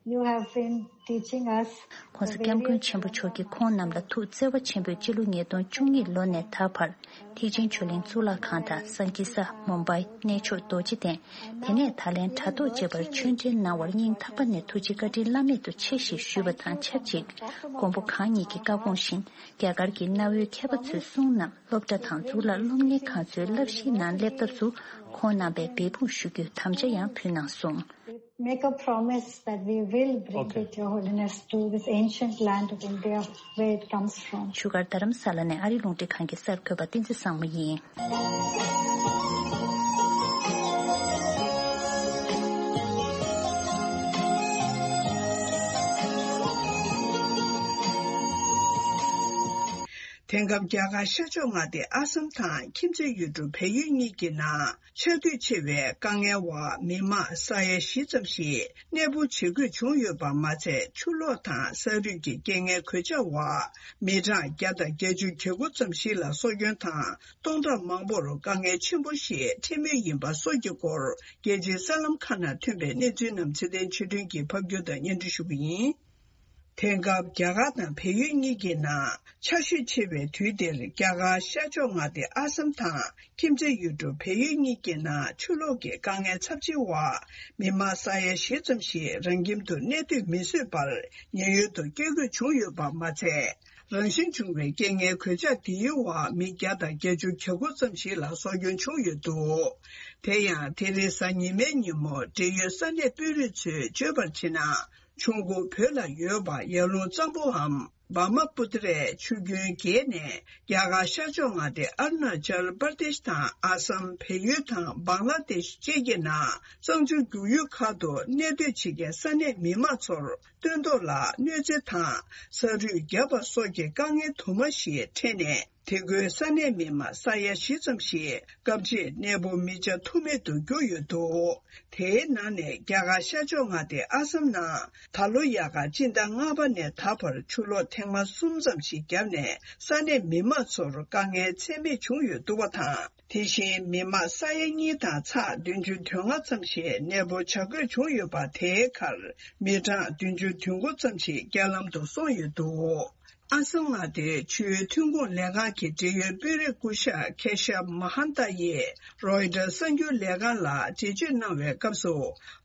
you have been teaching us ྋགོང་ས་ྋསྐྱབས་མགོན་ཆེན་པོ་མཆོག་གིས་ཁོང་རྣམས་ལ་ཐུགས་བརྩེ་བ་ཆེན་པོས་སྤྱི་ལོ་ཉིས་སྟོང་བཅུ་གཉིས་ལོ་ནས་ད་བར་ཐེག་ཆེན་ཆོས་གླིང་གཙུག་ལག་ཁང་དང་སངས་རྒྱས་ས་མུམ་བྷའི་གནས་མཆོག་རྡོ་རྗེ་གདན། དེ་ནས་ད་ལན་དྲ་ཐོག་བཅས་པར་ཆོས་འབྲེལ་གནང་བར་སྙིང་ཐག་པ་ནས་ཐུགས་རྗེ་བཀའ་དྲིན་བླ་མེད་དུ་ཆེ་ཞེས་ཞུས་པ་དང་ཆབས་ཅིག་མགོན་པོ་གང་ཉིད་ཀྱི་བཀའ་དགོངས་བཞིན་རྒྱ་གར་གྱི་གནའ་བོའི་མཁས་པ་ཚོའི་གསུང་རྣམས་སློབ་གྲྭ་དང་གཙུག་ལག་སློབ་གཉེར་ཁང་ཚོའི་བསླབ་གཞིའི་ནང་སླེབས་ཐབས་སུ་ཁོང་རྣམ་པས་འབད་འབུངས་ཞུ་རྒྱུའི་དམ་བཅའ་ཡང་ཕུལ་གནང་སོང་། Make a promise that we will bring Okay. it, Your Holiness, to this ancient land of India where it comes from. བཞུགས་སྒར་རྡ་རམ་ས་ལ་ནས་ཨ་རི་རླུང་འཕྲིན་ཁང་གི་གསར་འགོད་པ་བསྟན་འཛིན་བཟང་མོ་ཡིན། དེང་སྐབས་རྒྱ་གར་ཤར་ཕྱོགས་མངའ་སྡེ་ཨ་སམ་དང་ཁྱིམ་མཚེས་ཡུལ་གྲུ་བལ་ཡུལ་གཉིས་ཀྱི་ནང་ཆགས་འདུས་ཆེ་བའི་དཀའ་ངལ་འོག་མི་མང་ས་ཡ་བཞི་ཙམ་ཞིག་གནས་སྤོ་བྱེད་དགོས་བྱུང་ཡོད་པ་མ་ཚད། ཆུ་ལོག་དང་ས་རུད་ཀྱི་རྐྱེན་ངན་གོད་ཆག་འོག་མི་གྲངས་བརྒྱ་དང་བརྒྱད་ཅུ་གྱ་དགུ་ཙམ་ཞིག་ལ་སྲོག་སྐྱོན་དང་། སྟོང་ཕྲག་མང་པོར་དཀའ་ངལ་ཆེན་པོ་ཞིག་འཕྲད་མུས་ཡིན་པ་སོགས་ཀྱི་སྐོར། རྒྱལ་སྤྱིའི་གསར་ལམ་ཁག་ནང་ཐོན་པའི་གནས་ཚུལ་རྣམས་ཚེ་བརྟན་ཆོས་སྒྲོན་གྱིས་ཕབ་སྒྱུར་དང་སྙན་སྒྲོན་ཞུ་གི་ཡིན། དེང་སྐབས་རྒྱ་གར་དང་བལ་ཡུལ་གཉིས་ཀྱི་ནང་ཆར་ཞོད་ཆེ་བའི་དུས་འདིར། རྒྱ་གར་ཤར་ཕྱོགས་མངའ་སྡེ་ཨ་སམ་དང་ཁྱིམ་མཚེས་ཡུལ་གྲུ་བལ་ཡུལ་གཉིས་ཀྱི་ནང་ཆུ་ལོག་གི་དཀའ་ངལ་ཚབས་ཆེ་འོག་མི་མང་ས་ཡ་བཞི་ཙམ་ཞིག་རང་ཁྱིམ་དུ་གནས་སྡོད་མི་བཟོད་པར་ཉེན་གཡོལ་དུ་བསྐྱོད་དགོས་བྱུང་ཡོད་པ་མ་ཚད། རང་བཞིན་བྱུང་བའི་རྐྱེན་ངན་གོད་ཆག་དེའི་འོག་མི་བརྒྱ་དང་བརྒྱད་ཅུ་གྱ་དགུ་ཙམ་ཞིག་ལ་སྲོག་སྐྱོན་བྱུང་ཡོད་འདུག་དེ་ཡང་དེ་རིང་གཟའ་ཉི་མའི་ཉིན་མོ་འབྲེལ་ཡོད་ས་གནས་དཔོན་རིགས་ཚོས་བརྗོད་པར་བྱས་ན། ཆུ་འགོ་བོད་ལ་ཡོད་པ་ཡར་ཀླུང་གཙང་པོའམ་བྷར་མ་པུ་ཏི་རའི་ཆུ་རྒྱུན་བརྒལ་ནས། རྒྱ་གར་ཤར་ཕྱོགས་མངའ་སྡེ་ཨ་རུ་ན་ཅལ་པར་དེཤ་དང་ཨ་སམ། བལ་ཡུལ་དང་བང་ལ་དེཤ་བཅས་ཀྱི་ནང་གཙང་ཆུ་རྒྱུག་ཡུལ་ཁག་ཏུ་གནས་སྡོད་བྱེད་མཁན་ས་གནས་མི་མང་ཚོར་སྟོན་ཐོག་ལ་གནོད་འཚེ་དང་ས་རུད་བརྒྱབ་པ་སོགས་ཀྱི་དཀའ་ངལ་དུ་མ་ཞིག་འཕྲད་ནས། དེ་ཁུལ་ས་གནས་མི་མང་ས་ཡ་བཞི་ཙམ་ཞིག་སྐབས་ཕྱེད་གནས་སྤོ་མི་བྱ་ཐུབ་མེད་དུ་གྱུར་ཡོད་འདུག་དེའི་ནང་ནས་རྒྱ་གར་ཤར་ཕྱོགས་མངའ་སྡེ་ཨ་སམ་ནང་ད་ལོ་དབྱར་ཁ་སྤྱི་ཟླ་ལྔ་པ་ནས་ད་བར་ཆུ་ལོག་ཐེངས་མ་གསུམ་ཙམ་ཞིག་བརྒྱབ་ནས་ས་གནས་མི་མང་ཚོར་དཀའ་ངལ་ཚད་མེད་བྱུང་ཡོད་འདུག་པ་དང་། དེ་བཞིན་མི་མང་ས་ཡ་གཉིས་དང་ཚེག་བདུན་ཅུ་དོན་ལྔ་ཙམ་ཞིག་གནས་སྤོ་བྱ་དགོས་བྱུང་ཡོད་པ། དེའི་ཁར་མི་གྲངས་བདུན་ཅུ་དོན་དགུ་ཙམ་ཞིག་རྐྱེན་ལམ་དུ་སོང་ཡོད་འདུག་ཨ་སམ་མངའ་སྡེའི་ཆུའི་ཐོན་ཁུངས་ལས་ཁང་གི་འབྲེལ་ཡོད་དཔོན་རིགས་སྐུ་ཞབས་ཁེ་ཤབ་མ་ཧན་ཏཱ་ཡིས་རོའི་ཊར་གསར་འགྱུར་ལས་ཁང་ལ་འགྲེལ་བརྗོད་གནང་བའི་སྐབས་སུ།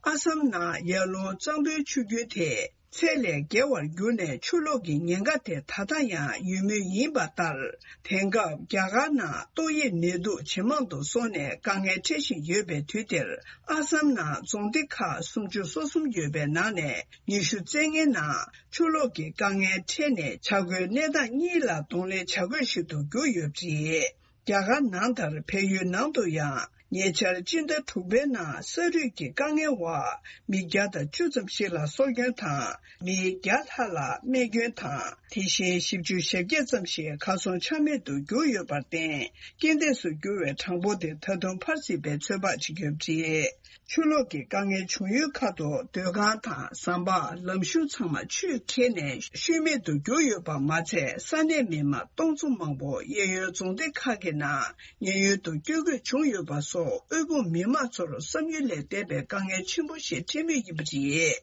ཨ་སམ་ནང་ཡར་ཀླུང་གཙང་པོའི་ཆུ་རྒྱུན་དེ་ཚད་ལས་བརྒལ་བར་གྱུར་ནས་ཆུ་ལོག་གི་ཉེན་ཁ་དེ་ད་ལྟ་ཡང་ཡོད་མུས་ཡིན་པ་ལྟར། དེང་སྐབས་རྒྱ་གར་ནང་ཏོག་དབྱིབས་ནད་དུག་ཇེ་མང་དུ་སོང་ནས་དཀའ་ངལ་འཕྲད་བཞིན་ཡོད་པའི་དུས་དེར། ཨ་སམ་ནང་རྫོང་སྡེ་ཁག་སུམ་ཅུ་སོ་གསུམ་ཡོད་པའི་ནང་ནས་ཉི་ཤུ་རྩ་ལྔའི་ནང་ཆུ་ལོག་གི་དཀའ་ངལ་འཕྲད་ནས་བྱ་དགོས་གནས་སྟངས་གཉིས་ལ་གདོང་ལེན་བྱ་དགོས་ཤིག་ཏུ་གྱུར་ཡོད་པ་རེད། རྒྱ་གར་ནང་ལྟར་བལ་ཡུལ་ནང་དུ་ཡང་ཉེ་ཆར་སྤྱི་ཟླ་དྲུག་པའི་ནང་ས་རུད་ཀྱི་དཀའ་ངལ་འོག་མི་བརྒྱ་དང་བཅུ་ཙམ་ཞིག་ལ་སྲོག་སྐྱོན་དང་། མི་བརྒྱ་ལྷག་ལ་རྨས་སྐྱོན་དང་། དེ་བཞིན་བཞི་བཅུ་ཞེ་བརྒྱད་ཙམ་ཞིག་གར་སོང་ཆ་མེད་དུ་གྱུར་ཡོད་པར་བརྟེན། རྐྱེན་འདས་སུ་གྱུར་བའི་གྲངས་འབོར་དེ་ད་དུང་འཕར་སྲིད་པའི་ཚོད་དཔག་བྱེད་ཀྱི་ཡོད་པ་རེད། ཆུ་ལོག་གི་དཀའ་ངལ་བྱུང་ཡུལ་ཁག་ཏུ་སྡོད་ཁང་དང་ཟམ་པ། ལམ་གཞུང་ཚང་མ་ཆུས་ཁྱེར་ནས་ཤུལ་མེད་དུ་གྱུར་ཡོད་པ་མ་ཚད། ས་གནས་མི་མང་སྟོང་ཚོ་མང་པོ་གཡས་གཡོན་རྫོང་སྡེ་ཁག་གི་ནང་ཉེན་གཡོལ་དུ་བསྐྱོད་དགོས་བྱུང་ཡོད་པ་སོགས། དབུལ་ཕོངས་མི་མང་ཚོར་བསམ་ཡུལ་ལས་འདས་པའི་དཀའ་ངལ་ཆེན་པོ་ཞིག་འཕྲད་མུས་ཡིན་པ་རེད།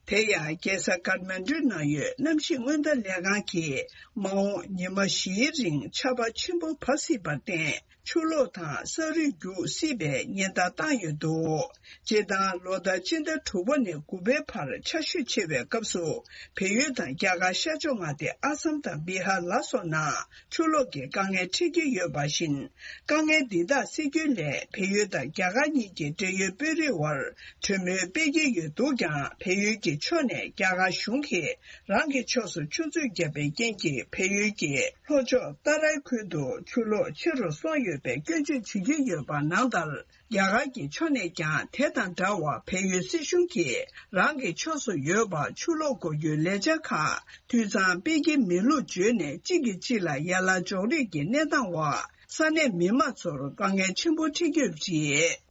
དེ་ཡང་རྒྱལ་ས་ཀཱཐ་མན་ཌུ་ནང་ཡོད་གནམ་གཤིས་སྔོན་བརྡ་ལས་ཁང་གིས། མ་འོངས་ཉི་མ་བཞིའི་རིང་ཆར་པ་ཆེན་པོ་བབས་སྲིད་པར་བརྟེན། ཆུ་ལོག་དང་ས་རུད་རྒྱུག་སྲིད་པའི་ཉེན་བརྡ་བཏང་ཡོད་འདུག་སྤྱིར་བཏང་ལོ་ལྟར་སྤྱི་ཟླ་དྲུག་པ་ནས་དགུ་པའི་བར་ཆར་ཞོད་ཆེ་བའི་སྐབས་སུ། བལ་ཡུལ་དང་རྒྱ་གར་ཤར་ཕྱོགས་མངའ་སྡེ་ཨ་སམ་དང་བི་ཧར་ལ་སོགས་ནང་ཆུ་ལོག་གི་དཀའ་ངལ་འཕྲད་ཀྱི་ཡོད་པ་བཞིན། དཀའ་ངལ་འདི་དག་སེལ་རྒྱུའི་སླད། བལ་ཡུལ་དང་རྒྱ་གར་གཉིས་ཀྱི་འབྲེལ་ཡོད་དཔོན་རིགས་དབར་གྲོས་མོལ་སྤེལ་གྱི་ཡོད་འདུག་ཀྱང་། བལ་ཡུལ་གྱི་ཕྱོགས་ནས་རྒྱ་གར་གཞུང་གིས་རང་གི་ཕྱོགས་སུ་ཆུ་མཛོད་བརྒྱབ་པའི་རྐྱེན་གྱིས། བལ་ཡུལ་གྱི་ལྷོ་ཕྱོགས་ཏཱ་རའི་ཁུལ་དུ་ཆུ་ལོག་ཆེ་རུ་སོང་ཡོད་པའི་སྐྱོན་བརྗོད་བྱེད་ཀྱི་ཡོད་པ་ནང་ལྟར། རྒྱ་གར་གྱི་ཕྱོགས་ནས་ཀྱང་དེ་དང་འདྲ་བར་བལ་ཡུལ་སྲིད་གཞུང་གིས་རང་གི་ཕྱོགས་སུ་ཡོད་པ་ཆུ་ལོག་འགོག་རྒྱུའི་ལས་འཆར་ཁག་དུས་མཚམས་སྤེལ་གྱི་མེད་ལུགས་བརྗོད་ནས། གཅིག་གིས་གཅིག་ལ་ཡན་ལག་འཇོག་རེས་ཀྱི་གནས་སྟངས་འོག་ས་གནས་མི་མང་ཚོར་དཀའ་ངལ་ཆེན་པོ་འཕྲད་ཀྱི་ཡོད་པ་རེད།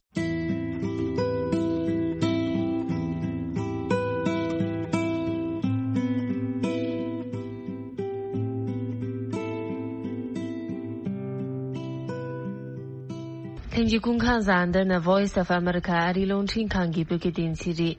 ལྷན་རྒྱས་སྐུ་ཁམས་བཟང་། འདི་ནི་Voice of America ཨ་རིའི་རླུང་འཕྲིན་ཁང་གི་བོད་སྐད་སྡེ་ཚན་རེད།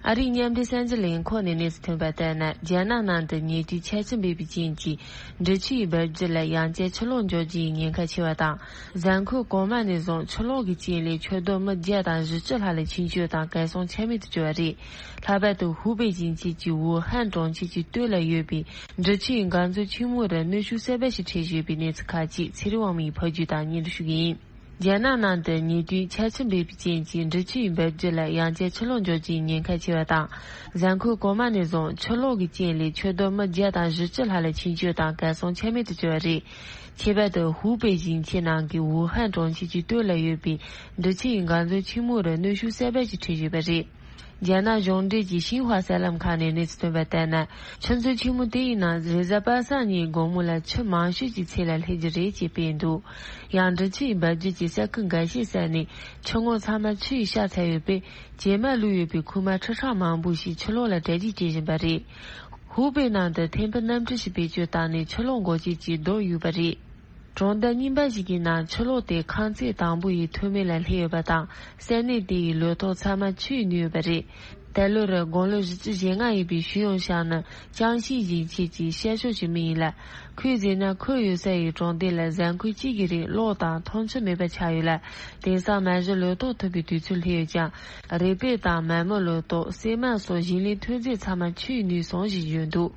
ཨ་རིའི་མཉམ་འབྲེལ་གསར་འགྱུར་ལས་ཁུངས་ནས་གནས་ཚུལ་ཐོན་པ་ལྟར་ན། རྒྱ་ནག་ནང་དུ་ཉེ་དུས་ཆར་ཆུ་འབབ་པའི་རྐྱེན་གྱིས། འབྲི་ཆུ་ཡི་འབབ་རྒྱུད་ལ་ཡང་བསྐྱར་ཆུ་ལོག་འབྱུང་རྒྱུའི་ཉེན་ཁ་ཆེ་བ་དང་། གཟའ་འཁོར་གོང་མ་ནས་བཟུང་ཆུ་ལོག་གི་རྐྱེན་ལས་ཆུ་རྡོ་མི་བརྒྱ་དང་བཞི་བཅུ་ལྷག་ལ་འཆིང་སྐྱོད་དང་གར་སོང་ཆ་མེད་དུ་གྱུར་བ་རེད། ལྷག་པར་དུ་ཧུའུ་པེ་ཞིང་ཆེན་གྱི་ཝུ་ཧན་གྲོང་ཁྱེར་གྱི་སྟོད་ལ་ཡོད་པའི་འབྲི་ཆུ་ཡི་འགག་མཛོད་ཆེན་མོ་རུ་གནོན་ཤུགས་གསར་པ་ཞིག་འཕྲད་བཞིན་ཡོད་པའི་གནས་ཚུལ་ཁག་ཅིག་ཚེ་རིང་དབང་མོས་ཕབ་སྒྱུར་དང་སྙན་སྒྲོན་ཞུ་གི་ཡིན། རྒྱ་ནག་ནང་དུ་ཉེ་དུས་ཆར་ཆུ་འབབ་པའི་རྐྱེན་གྱིས་འབྲི་ཆུ་ཡི་འབབ་རྒྱུད་ལ་ཡང་བསྐྱར་ཆུ་ལོག་འབྱུང་རྒྱུའི་ཉེན་ཁ་ཆེ་བ་དང་། གཟའ་འཁོར་གོང་མ་ནས་བཟུང་ཆུ་ལོག་གི་རྐྱེན་ལས་ཆུ་རྡོ་མི་བརྒྱ་དང་བཞི་བཅུ་ལྷག་ལ་འཆིང་སྐྱོད་དང་གར་སོང་ཆ་མེད་དུ་གྱུར་བ་རེད། ཁྱད་པར་དུ་ཧུའུ་པེ་ཞིང་ཆེན་ནང་གི་ཝུ་ཧན་གྲོང་ཁྱེར་གྱི་སྟོད་ལ་ཡོད་པའི་འབྲི་ཆུ་ཡི་འགག་མཛོད་ཆེན་མོ་རུ་གནོན་ཤུགས་གསར་པ་ཞིག་འཕྲད་བཞིན་པ་རེད། རྒྱ་ནག་གཞུང་འབྲེལ་གྱི་ཤིན་ཧྭ་གསར་ལམ་ཁག་ནས་གནས་ཚུལ་ཐོན་པ་ལྟར་ན། ཆུ་མཛོད་ཆེན་མོ་དེ་ཡི་ནང་རེས་གཟའ་པ་སངས་ཉིན་དགོང་མོ་ལ་ཆུ་མང་ཤོས་ཀྱི་ཚད་ལ་སླེབས་རྒྱུ་རེད་ཅེས་སྤེལ་འདུག་ཡང་འབྲི་ཆུ་ཡི་འབབ་རྒྱུད་ཀྱི་ས་ཁུལ་འགའ་ཤས་ས་ནས་ཆུ་ངོགས་ཚང་མ་ཆུ་ཡིས་བཤགས་ཚར་ཡོད་པས། བྱེ་མ་བླུགས་ཡོད་པའི་ཁུག་མ་ཁྲི་ཕྲག་མང་པོ་ཞིག་ཆུ་ལོག་ལ་གྲ་སྒྲིག་བྱེད་བཞིན་པ་རེད། ཧུའུ་པེ་ནང་དུ་ཐེམ་ཕུ་གནམ་གྲུ་ཞིག་བེད་སྤྱོད་བཏང་ནས་ཆུ་ལོག་འགོག་བྱེད་ཀྱི་རྡོ་གཡུགས་པ་རེད། གྲོང་རྡལ་རྙིང་པ་ཞིག་གི་ནང་ཆུ་ལོག་དེ་ཁང་བརྩེགས་དང་པོ་ཡི་ཐོག་མེད་ལ་སླེབས་ཡོད་པ་དང་། ས་གནས་དེ་ཡི་ལུད་ཐོག་ཚང་མ་ཆུས་ནུས་ཡོད་པ་རེད། ད་ལོ་རུ་དགུང་ལོ་བཞི་བཅུ་ཞེ་ལྔ་ཡིན་པའི་ཞུས་ཡོང་ཤང་ནི་ཅང་ཤིས་ཞིང་ཆེན་གྱི་ཤར་ཕྱོགས་ཀྱི་མི་ཡིན་ལ། ཁོས་ཟེར་ན་ཁོ་ཡོད་ས་ཡི་གྲོང་སྡེ་ལ་གཟའ་འཁོར་གཅིག་གི་རིང་གློག་དང་འཐུང་ཆུ་མེད་པ་ཆགས་ཡོད་ལ། དེང་སང་མ་གཞི་ལུད་ཐོག་ཐུག་པའི་དུས་ཚོད་སླེབས་ཡོད་ཀྱང་། རས་པས་དང་མ་རྨོས་ལུད་ཐོག་སྲན་མ་སོགས་ཞིང་ལས་ཐོན་རྫས་ཚང་མ་ཆུས་ནུས་སོང་ཞེས་བརྗོད་འདུག་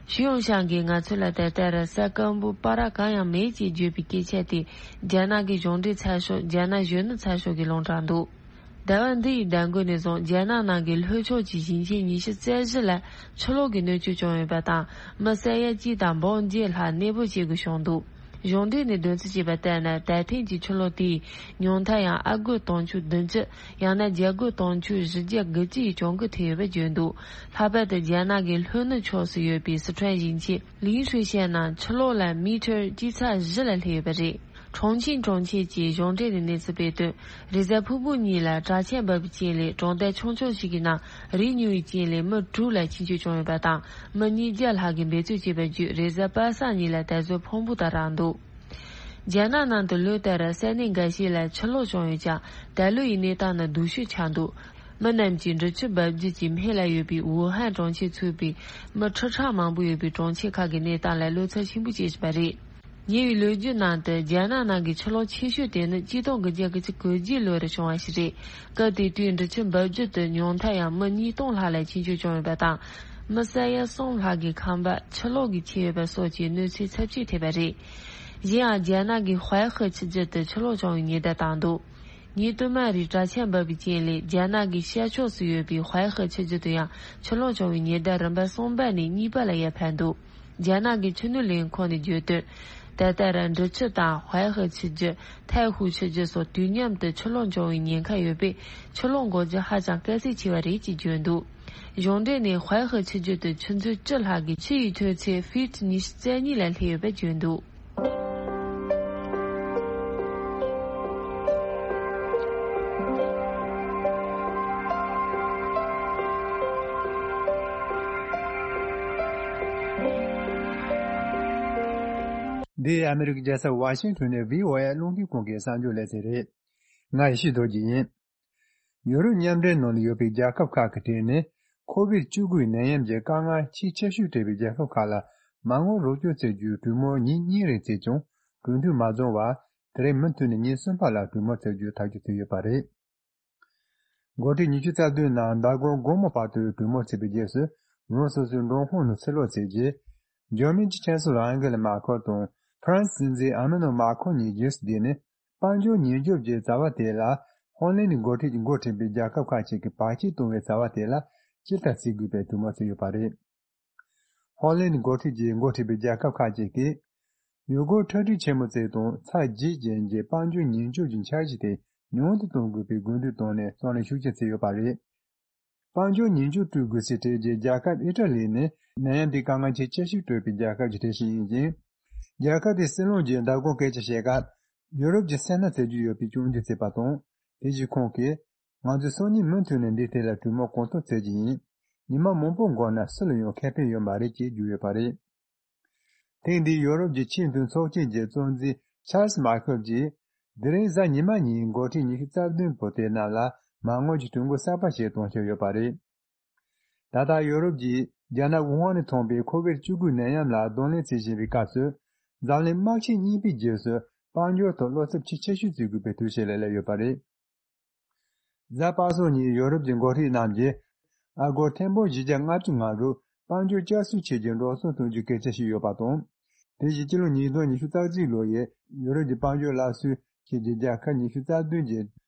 ཞུ་ཡང་ཤང་གིས་ང་ཚོ་ལ་ད་ལྟ་ར་ས་སྐམ་པོ་པ་ར་གང་ཡང་མེད་ཅེས་བརྗོད་པའི་སྐད་ཆ་དེ་རྒྱ་ནག་གི་གཞུང་འབྲེལ་ཚགས་ཤོག་རྒྱ་ནག་གཞོན་ནུ་ཚགས་ཤོག་གིས་ལུང་དྲངས་འདུག་ཟླ་བ་འདི་ཡི་ཟླ་འགོ་ནས་བཟུང་རྒྱ་ནག་ནང་གི་ལྷོ་ཕྱོགས་ཀྱི་ཞིང་ཆེན་ཉི་ཤུ་རྩ་བཞི་ལ་ཆུ་ལོག་གི་གནོད་སྐྱོན་བྱུང་ཡོད་པ་དང་མི་ས་ཡ་གཅིག་དང་འབུམ་བརྒྱད་ལྷག་གནས་སྤོ་བྱེད་དགོས་བྱུང་འདུག་གཞུང་འབྲེལ་ནས་འདོན་ཚུལ་བྱས་པ་ལྟར་ན། ད་ཐེངས་ཀྱི་ཆུ་ལོག་དེའི་ཉུང་མཐའ་ཡང་ཨ་སྒོར་དུང་ཕྱུར་བདུན་ཅུ། ཡང་ན་རྒྱ་སྒོར་དུང་ཕྱུར་བཞི་བརྒྱ་དགུ་བཅུ་ཡི་གྱོང་གུན་ཐེབས་ཡོད་པ་བརྗོད་འདུག་ལྷག་པར་དུ་རྒྱ་ནག་གི་ལྷོ་ནུབ་ཕྱོགས་སུ་ཡོད་པའི་སི་ཁྲོན་ཞིང་ཆེན་ལིང་ཧྲུའེ་ཤན་ནང་ཆུ་ལོག་ལ་མི་ཊར་སྤྱི་ཚགས་བཞི་ལ་སླེབས་ཡོད་པ་རེད། ཁྲུང་ཆིང་གྲོང་ཁྱེར་གྱི་གཞུང་འབྲེལ་ནས་གནས་ཚུལ་སྤེལ་དོན། རེས་གཟའ་ཕུར་བུ་ཉིན་ལ་དྲག་ཆར་འབབ་པའི་རྐྱེན་ལས་གྲོང་རྡལ་ཆུང་ཆུང་ཞིག་གི་ནང་རི་ཉུལ་བའི་རྐྱེན་ལས་མི་དྲུག་ལ་ཤི་གསོན་བྱུང་ཡོད་པ་དང་། མི་ཉིས་བརྒྱ་ལྷག་གིས་འབད་རྩོལ་བྱས་པ་བརྒྱུད་རེས་གཟའ་པ་སངས་ཉིན་ལ་ད་གཟོད་ཕུང་པོ་དང་རག་འདུག་རྒྱ་ནག་ནང་དུ་ལོ་ལྟར་ས་གནས་འགའ་ཤས་ལ་ཆུ་ལོག་བྱུང་ཡོད་ཀྱང་། ད་ལོ་ཡི་གནས་སྟངས་ནི་སྡུག་ཤོས་ཆགས་འདུག་མི་རྣམས་ཀྱིས་འབྲི་ཆུ་འབབ་རྒྱུད་ཀྱི་སྨད་ལ་ཡོད་པའི་ཝུ་ཧན་གྲོང་ཁྱེར་ཚུད་པའི་མི་ཁྲི་ཕྲག་མང་པོ་ཡོད་པའི་གྲོང་ཁྱེར་ཁག་གི་གནས་སྟངས་ལ་བློ་འཚབ་ཆེན་པོ་སྐྱེས་བཞིན་པ་རེད། ཉེ་བའི་ལོ་རྒྱུས་ནང་དུ་རྒྱ་ནག་ནང་གི་ཆུ་ལོག་ཆེ་ཤོས་དེ་ནི་གཅིག་སྟོང་དགུ་བརྒྱ་དགུ་བཅུ་གོ་བརྒྱད་ལོ་རུ་བྱུང་བ་ཞིག་རེད། སྐབས་དེ་དུས་འབྲི་ཆུ་འབབ་རྒྱུད་དུ་ཉུང་མཐའ་ཡང་མི་ཉིས་སྟོང་ལྷག་ལ་ཤི་གསོན་བྱུང་ཡོད་པ་དང་། མི་ས་ཡ་གསུམ་ལྷག་གི་ཁང་པ་ཆུ་ལོག་གིས་ཁྱེར་ཡོད་པ་སོགས་ཀྱི་གནོད་འཚེ་ཚབས་ཆེ་ཐེབས་པ་རེད། གཞན་ཡང་རྒྱ་ནག་གི་ཧྭའེ་ཧེ་ཆུ་རྒྱུད་དུ་ཆུ་ལོག་བྱུང་བའི་ཉེན་བརྡ་བཏང་འདུག་ཉིན་དུ་མ་རེའི་དྲག་ཆར་འབབ་པའི་རྐྱེན་ལས་རྒྱ་ནག་གི་ཤར་ཕྱོགས་སུ་ཡོད་པའི་ཧྭའེ་ཧེ་ཆུ་རྒྱུད་དུ་ཡང་ཆུ་ལོག་བྱུང་བའི་ཉེན་བརྡ་རིམ་པ་གསུམ་པ་ནས་གཉིས་པ་ལ་ཡར་འཕར་འདུག་རྒྱ་ནག་གི་ཆུ་ནུས་ལས་ཁུངས་ནས་བརྗོད་དོན། ད་ལྟ་ར་འབྲི་ཆུ་དང་ཧྭའེ་ཧེ་ཆུ་རྒྱུད། ཐའེ་ཧུའུ་ཆུ་རྒྱུད་སོགས་དུས་མཉམ་དུ་ཆུ་ལོག་འབྱུང་བའི་ཉེན་ཁ་ཡོད་པས། ཆུ་ལོག་འགོག་རྒྱུ་ཧ་ཅང་དཀའ་ཚེགས་ཆེ་བ་རེད་ཅེས་བརྗོད་འདུག་གཞུང་འབྲེལ་ནས་ཧྭའེ་ཧེ་ཆུ་རྒྱུད་དུ་ཆུ་མཛོད་བཅུ་ལྷག་གི་ཆུ་ཡི་མཐོ་ཚད་ཧྥིཊ་ཉི་ཤུ་རྩ་གཉིས་ལ་སླེབས་ཡོད་པ་བརྗོད་འདུག་འདི་ཨ་མི་རི་ཀའི་རྒྱལ་ས་ཝ་ཤིང་ཊོན་ནས་བྷི་ཨོ་ཨེ་རླུང་འཕྲིན་ཁང་གི་གསར་འགྱུར་ལེ་ཚན་རེད། ང་ཡེ་ཤེས་རྡོ་རྗེ་ཡིན། ཡོ་རོབ་མཉམ་འབྲེལ་ནང་ལ་ཡོད་པའི་རྒྱལ་ཁབ་ཁག་གི་གྲས་ནས་ཁོ་བིད་བཅུ་དགུའི་ནད་ཡམས་ཀྱི་དཀའ་ངལ་ཆེས་ཆེ་ཤོས་འཕྲད་པའི་རྒྱལ་ཁབ་ཁག་ལ་མ་དངུལ་རོགས་སྐྱོར་བྱེད་རྒྱུའི་གྲོས་མོལ་ཉིན་གཉིས་རིང་བྱས་ཀྱང་གྲོས་མཐུན་མ་བྱུང་བར་དེ་རིང་མུ་མཐུད་ནས་ཉིན་གསུམ་པ་ལ་གྲོས་མོལ་བྱ་རྒྱུ་ཐག་གཅོད་བྱས་ཡོད་པ་རེད། འགོ་ཁྲིད་ཉི་ཤུ་རྩ་བདུན་ནང་ཟླ་གོང་དགོང་མོ་བར་དུ་གྲོས་མོལ་བྱས་པའི་རྗེས་སུ་རང་སོ་སོའི་མགྲོན་ཁང་ནང་ཕྱིར་ལོག་བྱས་རྗེས། འཇར་མན་གྱི་ཆན་སི་ལོ་ཨན་གེ་ལ་མར་ཁེལ་དང་ཧྥ་རན་སི་སྲིད་འཛིན་ཨ་མ་ནུ་མཱ་ཁོན་གཉིས་རྗེས་སུ་བསྡད་ནས། དཔལ་འབྱོར་ཉེན་སྐྱོབ་ཀྱི་བྱ་བ་དེ་ལ་ཧོ་ལན་གྱི་འགོ་ཁྲིད་ཀྱིས་འགོ་ཁྲིད་པའི་རྒྱལ་ཁབ་ཁག་ཅིག་གིས་བར་ཆད་གཏོང་བའི་བྱ་བ་དེ་ལ་ཕྱིར་ལྟ་བྱེད་དགོས་པའི་གྲོས་མོལ་བྱས་ཡོད་པ་རེད། ཧོ་ལན་གྱི་འགོ་ཁྲིད་ཀྱིས་འགོ་ཁྲིད་པའི་རྒྱལ་ཁབ་ཁག་ཅིག་གིས་ཡུལ་སྐོར་འཁྲབ་ཁྲིད་ཆེན་མོ་བྱས་དང་ཚ་རྒྱས་ཅན་གྱི་དཔལ་འབྱོར་ཉེན་སྐྱོབ་ཀྱི་འཆར་གཞི་དེ་ཉུང་དུ་གཏོང་དགོས་པའི་དགོས་འདུན་བཏོན་ནས་རྩོད་ལེན་ཤུགས་ཆེ་བྱས་ཡོད་པ་རེད། དཔལ་འབྱོར་ཉེན་སྐྱོབ་སྤྲོད་དགོས་སའི་གྲས་ཀྱི་རྒྱལ་ཁབ་ཨི་ཊ་ལི་ནི་ནད་ཡམས་དེའི་དཀའ་ངལ་ཆེས་ཆེ་ཤོས་སྤྲོད་པའི་རྒྱལ་ཁབ་ཀྱི་གྲས་ཤིག་ཡིན་ཅིང་། རྒྱལ་ཁབ་དེའི་སྲིད་བློན་གྱིས་ཟླ་གོང་སྐད་ཆ་བཤད་སྐབས། ཡུ་རོབ་ཀྱི་སེར་སྣ་བཙལ་རྒྱུ་ཡོད་པའི་སྐྱོན་བརྗོད་བྱས་པ་དང་། དེ་བཞིན་ཁོང་གིས། ང་ཚོས་སང་ཉིན་མུ་མཐུད་ནས་འདིའི་ཐད་ལ་གྲོས་མོལ་གང་ཐུབ་བྱེད་ཀྱི་ཡིན། ཉི་མ་མང་པོ་འགོར་ན་སུ་ལ་ཡང་ཁེ་ཕན་ཡོད་མ་རེད་ཅེས་བརྗོད་ཡོད་པ་རེད། ཐེངས་འདིའི་ཡོ་རོབ་ཀྱི་ཆེས་མཐོའི་ཚོགས་ཆེན་གྱི་གཙོ་འཛིན་ཆཱལ་སི་མཱ་ཁེལ་གྱིས། དེ་རིང་གཟའ་ཉི་མ་ཉིན་འགོ་ཁྲིད་ཉི་ཤུ་རྩ་བདུན་པོ་དེ་རྣམས་ལ་མ་དངུལ་གྱི་གྲོས་འགོ་གསར་པ་ཞིག་གཏོང་འཆར་ཡོད་པ་རེད། ད་ལྟ་ཡོ་རོབ་ཀྱིས་རྒྱ་ནག་ཝུ་ཧན་ནས་ཐོན་པའི་ཁོ་བིད་བཅུ་དགུ་ནད་ཡམས་ལ་གདོང་ལེན་བྱེད་བཞིན་པའི་སྐབས་སུ། འཛམ་གླིང་དམག་ཆེན་གཉིས་པའི་རྗེས་སུ་དཔལ་འབྱོར་ཐོག་བློ་འཚབ་ཆེས་ཆེ་ཤོས་བྱེད་དགོས་པའི་དུས་ཚོད་ལ་སླེབས་ཡོད་པ་རེད། གཟའ་པ་སངས་ཉིན་ཡོ་རོབ་ཀྱི་འགོ་ཁྲིད་རྣམས་ཀྱིས་ཨ་སྒོར་ཐེར་འབུམ་བཞི་བརྒྱ་ལྔ་བཅུ་ང་དྲུག་དཔལ་འབྱོར་བསྐྱར་གསོ་བྱེད་རྒྱུའི་འགྲོ་སོང་གཏོང་རྒྱུའི་སྐད་ཆ་བཤད་ཡོད་པ་དང་། དེ་བཞིན་སྤྱི་ལོ་ཉིས་སྟོང་ཉི་ཤུ་རྩ་གཅིག་ལོ་ཡི་ཡོ་རོབ་ཀྱི་དཔལ་འབྱོར་སླར་གསོའི་ཆེད་ཀྱི་རྒྱལ་ཁབ་ཉི་ཤུ་རྩ་བདུན་གྱི་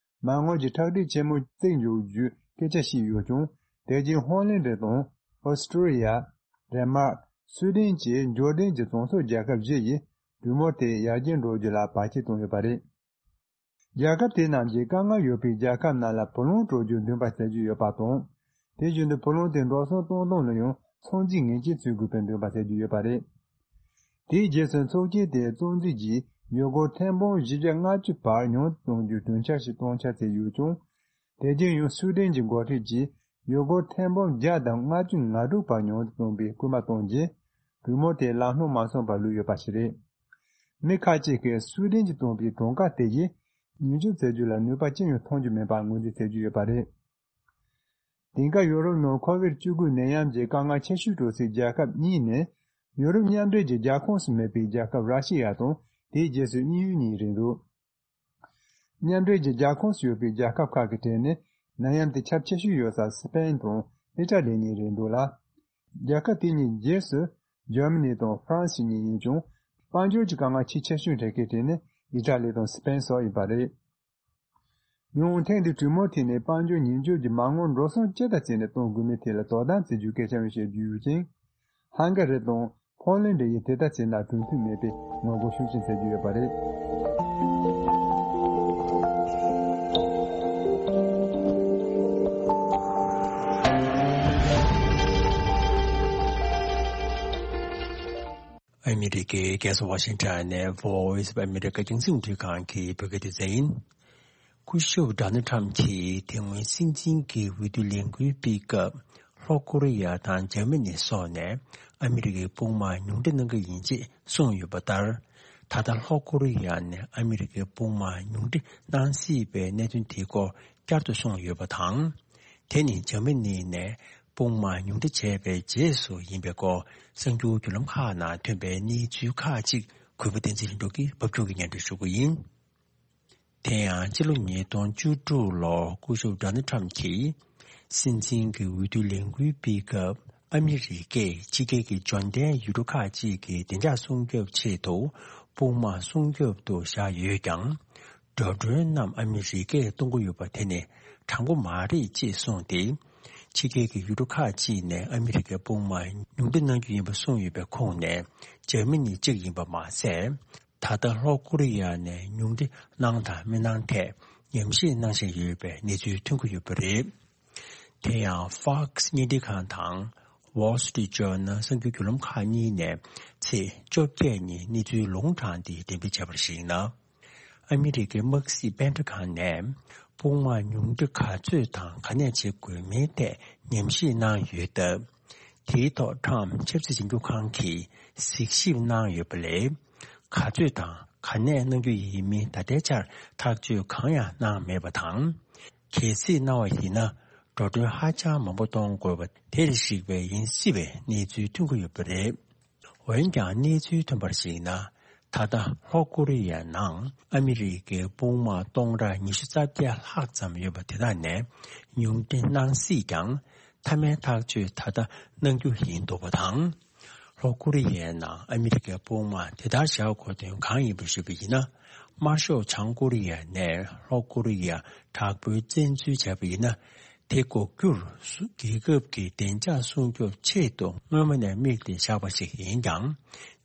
མ་དངུལ་གྱི་ཁྲག་ཁྲིག་ཆེན་མོ་བརྩེགས་འཇོག་རྒྱུའི་སྐད་ཆ་བཤད་ཡོད་ཀྱང་། དེ་རྗེས་ཧོ་ལན་ཌི་དང་ཨོ་སི་ཀྲི་ཡ། ཌེན་མཱག་སུའེ་ཏེན་བཅས་འབྱོར་ལྡན་གྱི་གྲོང་གསེབ་རྒྱལ་ཁབ་བཞི་ཡིས་གྲོས་མོལ་དེ་ཡར་རྒྱས་འགྲོ་རྒྱུ་ལ་བར་ཆད་བཏང་ཡོད་པ་རེད། རྒྱལ་ཁབ་དེ་རྣམས་ཀྱིས་དཀའ་ངལ་ཡོད་པའི་རྒྱལ་ཁབ་རྣམས་ལ་བུ་ལོན་སྤྲོད་རྒྱུར་འདུན་པ་བྱ་རྒྱུ་ཡོད་པ་དང་། དེ་བཞིན་དུ་བུ་ལོན་དེ་འགྲོ་སོང་གཏོང་སྟངས་ལ་ཡང་ཚོད་འཛིན་ངེས་ཅན་བྱེད་དགོས་པའི་འདུན་པ་བྱ་རྒྱུ་ཡོད་པ་རེད། དེའི་རྗེས་སུ་ཚོགས་ཆེན་དེའི་གཙོ་འཛིན་གྱིས་ཡུལ་སྒོར་ཐེར་འབུམ་བཞི་བརྒྱ་ལྔ་བཅུ་བར་ཉུང་དུ་གཏོང་རྒྱུའི་གྲོས་འཆར་ཞིག་གཏོང་འཆར་བྱས་ཡོད་ཀྱང་། དེ་རྗེས་ཡང་སུའེ་ཏེན་གྱི་འགོ་ཁྲིད་ཀྱིས་ཡུལ་སྒོར་ཐེར་འབུམ་བརྒྱ་དང་ལྔ་བཅུ་ང་དྲུག་བར་ཉུང་དུ་གཏོང་བའི་སྐུལ་མ་གཏོང་རྗེས། གྲོས་མོལ་དེ་ལམ་ལྷོང་མ་སོང་བར་ལུས་ཡོད་པ་ཞིག་རེད། མི་ཁག་ཅིག་གིས་སུའེ་ཏེན་གྱིས་བཏོན་པའི་གྲངས་ཀ་དེ་ཡིས་ཉེན་སྐྱོབ་བྱ་རྒྱུ་ལ་ནུས་པ་ཅི་ཡང་ཐོན་རྒྱུ་མིན་པར་ངོས་འཛིན་བྱེད་ཀྱི་ཡོད་པ་རེད། དེང་སྐབས་ཡོ་རོབ་ནང་ཁོ་བིད་བཅུ་དགུ་ནད་ཡམས་ཀྱི་དཀའ་ངལ་ཆེ་ཤོས་འཕྲད་སའི་རྒྱལ་ཁབ་གཉིས་ནི། ཡོ་རོབ་མཉམ་འབྲེལ་གྱི་རྒྱལ་ཁོངས་སུ་མེད་པའི་རྒྱལ་ཁབ་ར་ཤི་ཡ་དང་དེའི་རྗེས་སུ་དབྱིན་ཡུལ་གཉིས་རེད་འདུག་མཉམ་འབྲེལ་གྱི་རྒྱལ་ཁོངས་སུ་ཡོད་པའི་རྒྱལ་ཁབ་ཁག་གི་གྲས་ནས་ནད་ཡམས་དེ་ཁྱབ་ཆེ་ཤོས་ཡོད་ས་སི་པེན་དང་ཨི་ཊ་ལི་གཉིས་རེད་འདུག་ལ། རྒྱལ་ཁབ་དེ་གཉིས་རྗེས་སུ་ འཇར་མ་ནི་དང་ཧྥ་རན་སི་གཉིས་ཡིན་ཀྱང་། དཔལ་འབྱོར་གྱི་དཀའ་ངལ་ཆེས་ཆེ་ཤོས་འཕྲད་མཁན་དེ་ནི་ཨི་ཊ་ལི་དང་སི་པེན་སོགས་ཡིན་པ་རེད། ཡང་ཐེངས་འདིའི་གྲོས་མོལ་ཐད་ནས་དཔལ་འབྱོར་ཉེན་བཅོལ་གྱི་མ་དངུལ་འགྲོ་སོང་ཅི་ལྟར་བྱས་ནས་གཏོང་དགོས་མིན་ཐད་ལ་དོ་སྣང་བྱེད་རྒྱུའི་སྐད་ཆ་ཡང་བཤད་རྒྱུ་ཡོད་ཅིང་། ཧང་ག་རི་དང་ཕོ་ལན་ཌི་ཡིས་དེ་ལྟར་བྱས་ན་གྲུབ་འཐུས་མེད་པའི་ངོ་རྒོལ་ཤུགས་ཆེན་བྱེད་ཀྱི་ཡོད་པ་རེད། ཨ་མི་རི་ཀའི་རྒྱལ་ས་ཝ་ཤིང་ཊོན་ནས་Voice of America རྒྱང་སྲིང་རླུང་འཕྲིན་ཁང་གི་བོད་སྐད་སྡེ་ཚན་ཡིན། སྐུ་ཞབས་ཌོ་ནལ་ཊམ་གྱིས་དེ་སྔོན་སྲིད་འཛིན་གྱི་འོས་བསྡུ་ལས་འགུལ་སྤེལ་སྐབས། ལྷོ་ཀོ་རི་ཡ་དང་འཇར་མ་ནི་སོགས་ནས་ཨ་མི་རི་ཀའི་དཔུང་དམག་ཉུང་འཕྲི་གནང་གི་ཡིན་ཅེས་གསུངས་ཡོད་པ་ལྟར། ད་ལྟ་ལྷོ་ཀོ་རི་ཡ་ནས་ཨ་མི་རི་ཀའི་དཔུང་དམག་ཉུང་འཕྲི་གནང་སྲིད་པའི་གནད་དོན་དེའི་སྐོར་བསྐྱར་དུ་གསུངས་ཡོད་པ་དང་། དེ་ནི་འཇར་མ་ནི་ནས་དཔུང་དམག་ཉུང་འཕྲི་བྱས་པའི་རྗེས་སུ་ཡིན་པའི་སྐོར་གསར་འགྱུར་བརྒྱུད་ལམ་ཁག་ནང་ཐོན་པའི་གནས་ཚུལ་ཁག་ཅིག་གུས་པ་བསྟན་འཛིན་ལྷུན་གྲུབ་ཀྱིས་ཕབ་སྒྱུར་གྱིས་སྙན་སྒྲོན་ཞུ་གི་ཡིན། དེ་ཡང་ཕྱི་ལོ་ཉིས་སྟོང་བཅུ་དྲུག་ལོར་སྐུ་ཞབས་ཌོ་ནལ་ཊམ་གྱིས་སྲིད་འཛིན་གྱི་འོས་བསྡུ་ལས་འགུལ་སྤེལ་སྐབས། ཨ་མི་རི་ཀས་ཕྱི་རྒྱལ་གྱི་འབྱོར་ལྡན་ཡུལ་གྲུ་ཁག་ཅིག་གི་བདེ་འཇགས་སྲུང་སྐྱོབ་ཆེད་དུ་དཔུང་དམག་སྲུང་སྐྱོབ་ཏུ་བཞག་ཡོད་ཀྱང་། འགྲོ་གྲོན་རྣམས་ཨ་མི་རི་ཀས་གཏོང་གི་ཡོད་པ་དེ་ནི་དྲང་པོ་མ་རེད་ཅེས་གསུངས་ཏེ། ཕྱི་རྒྱལ་གྱི་ཡུལ་གྲུ་ཁག་ཅིག་ནས་ཨ་མི་རི་ཀའི་དཔུང་དམག་ཉུང་འཕྲི་གནང་རྒྱུ་ཡིན་པ་གསུངས་ཡོད་པའི་ཁོངས་ནས་འཇར་མ་ནི་གཅིག་ཡིན་པ་མ་ཟད། ད་ལྟ་ལྷོ་ཀོ་རི་ཡ་ནས་ཉུང་འཕྲི་གནང་དང་མི་གནང་ཐད་ཉམས་ཞིབ་གནང་བཞིན་ཡོད་པའི་གནས་ཚུལ་ཐོན་གྱི་ཡོད་པ་རེད། དེ་ཡང་Fox བརྙན་འཕྲིན་ཁང་དང་Wall Street Journal གསར་འགྱུར་བརྒྱུད་ལམ་ཁག་གཉིས་ནས་ཚེས་བཅོ་བརྒྱད་ཉིན་གནས་ཚུལ་ལུང་དྲངས་ཏེ་འགྲེམས་སྤེལ་བྱས་པར་གཞིགས་ན། ཨ་མི་རི་ཀའི་དམག་སྲིད་པེན་ཊ་གྷོན་ནས་དཔུང་དམག་ཉུང་འཕྲི་ག་ཚོད་དང་ག་ནས་བྱེད་དགོས་མིན་ཐད་ཉམས་ཞིབ་གནང་ཡོད་སྟབས། དེའི་ཐོག་ཊམ་ཆབ་སྲིད་ཞིབ་འཇུག་ཁང་གིས་གཟིགས་ཞིབ་གནང་ཡོད་པ་ལས། ག་ཚོད་དང་ག་ནས་གནང་རྒྱུ་ཡིན་མིན་ད་ལྟའི་ཆར་ཐག་གཅོད་གང་ཡང་གནང་མེད་པ་དང་། གལ་སྲིད་གནང་བ་ཡིན་ན། འགྲོ་གྲོན་ཧ་ཅང་མང་པོ་གཏོང་དགོས་པ་དེར་གཞིགས་པའི་ཡིན་སྲིད་པའི་གནས་ཚུལ་ཐོན་གྱི་ཡོད་པ་རེད། འོན་ཀྱང་གནས་ཚུལ་ཐོན་པར་གཞིགས་ན། ད་ལྟ་ལྷོ་ཀོ་རི་ཡའི་ནང་ཨ་མི་རི་ཀའི་དཔུང་དམག་སྟོང་ཕྲག་ཉི་ཤུ་རྩ་བརྒྱད་ལྷག་ཙམ་ཡོད་པ་དེ་དག་ནས་ཉུང་འཕྲི་གནང་སྲིད་ཀྱང་། མཐའ་མའི་ཐག་གཅོད་ད་ལྟ་གནང་རྒྱུ་ཡིན་འདུག་པ་དང་། ལྷོ་ཀོ་རི་ཡའི་ནང་ཨ་མི་རི་ཀའི་དཔུང་དམག་དེ་ལྟར་བཞག་དགོས་དོན་གང་ཡིན་པ་ཞུས་པ་ཡིན་ན། དམར་ཤོག་བྱང་ཀོ་རི་ཡ་ནས་ལྷོ་ཀོ་རི་ཡར་དྲག་པོའི་བཙན་འཛུལ་བྱས་པ་ཡིན་ན། དེ་འགོག་རྒྱུར་སུ་རྒྱལ་ཁབ་ཀྱི་བདེ་འཇགས་སྲུང་སྐྱོབ་ཆེད་དུ་སྔོན་མ་ནས་དམིགས་ཏེ་བཞག་པ་ཞིག་ཡིན་ཀྱང་།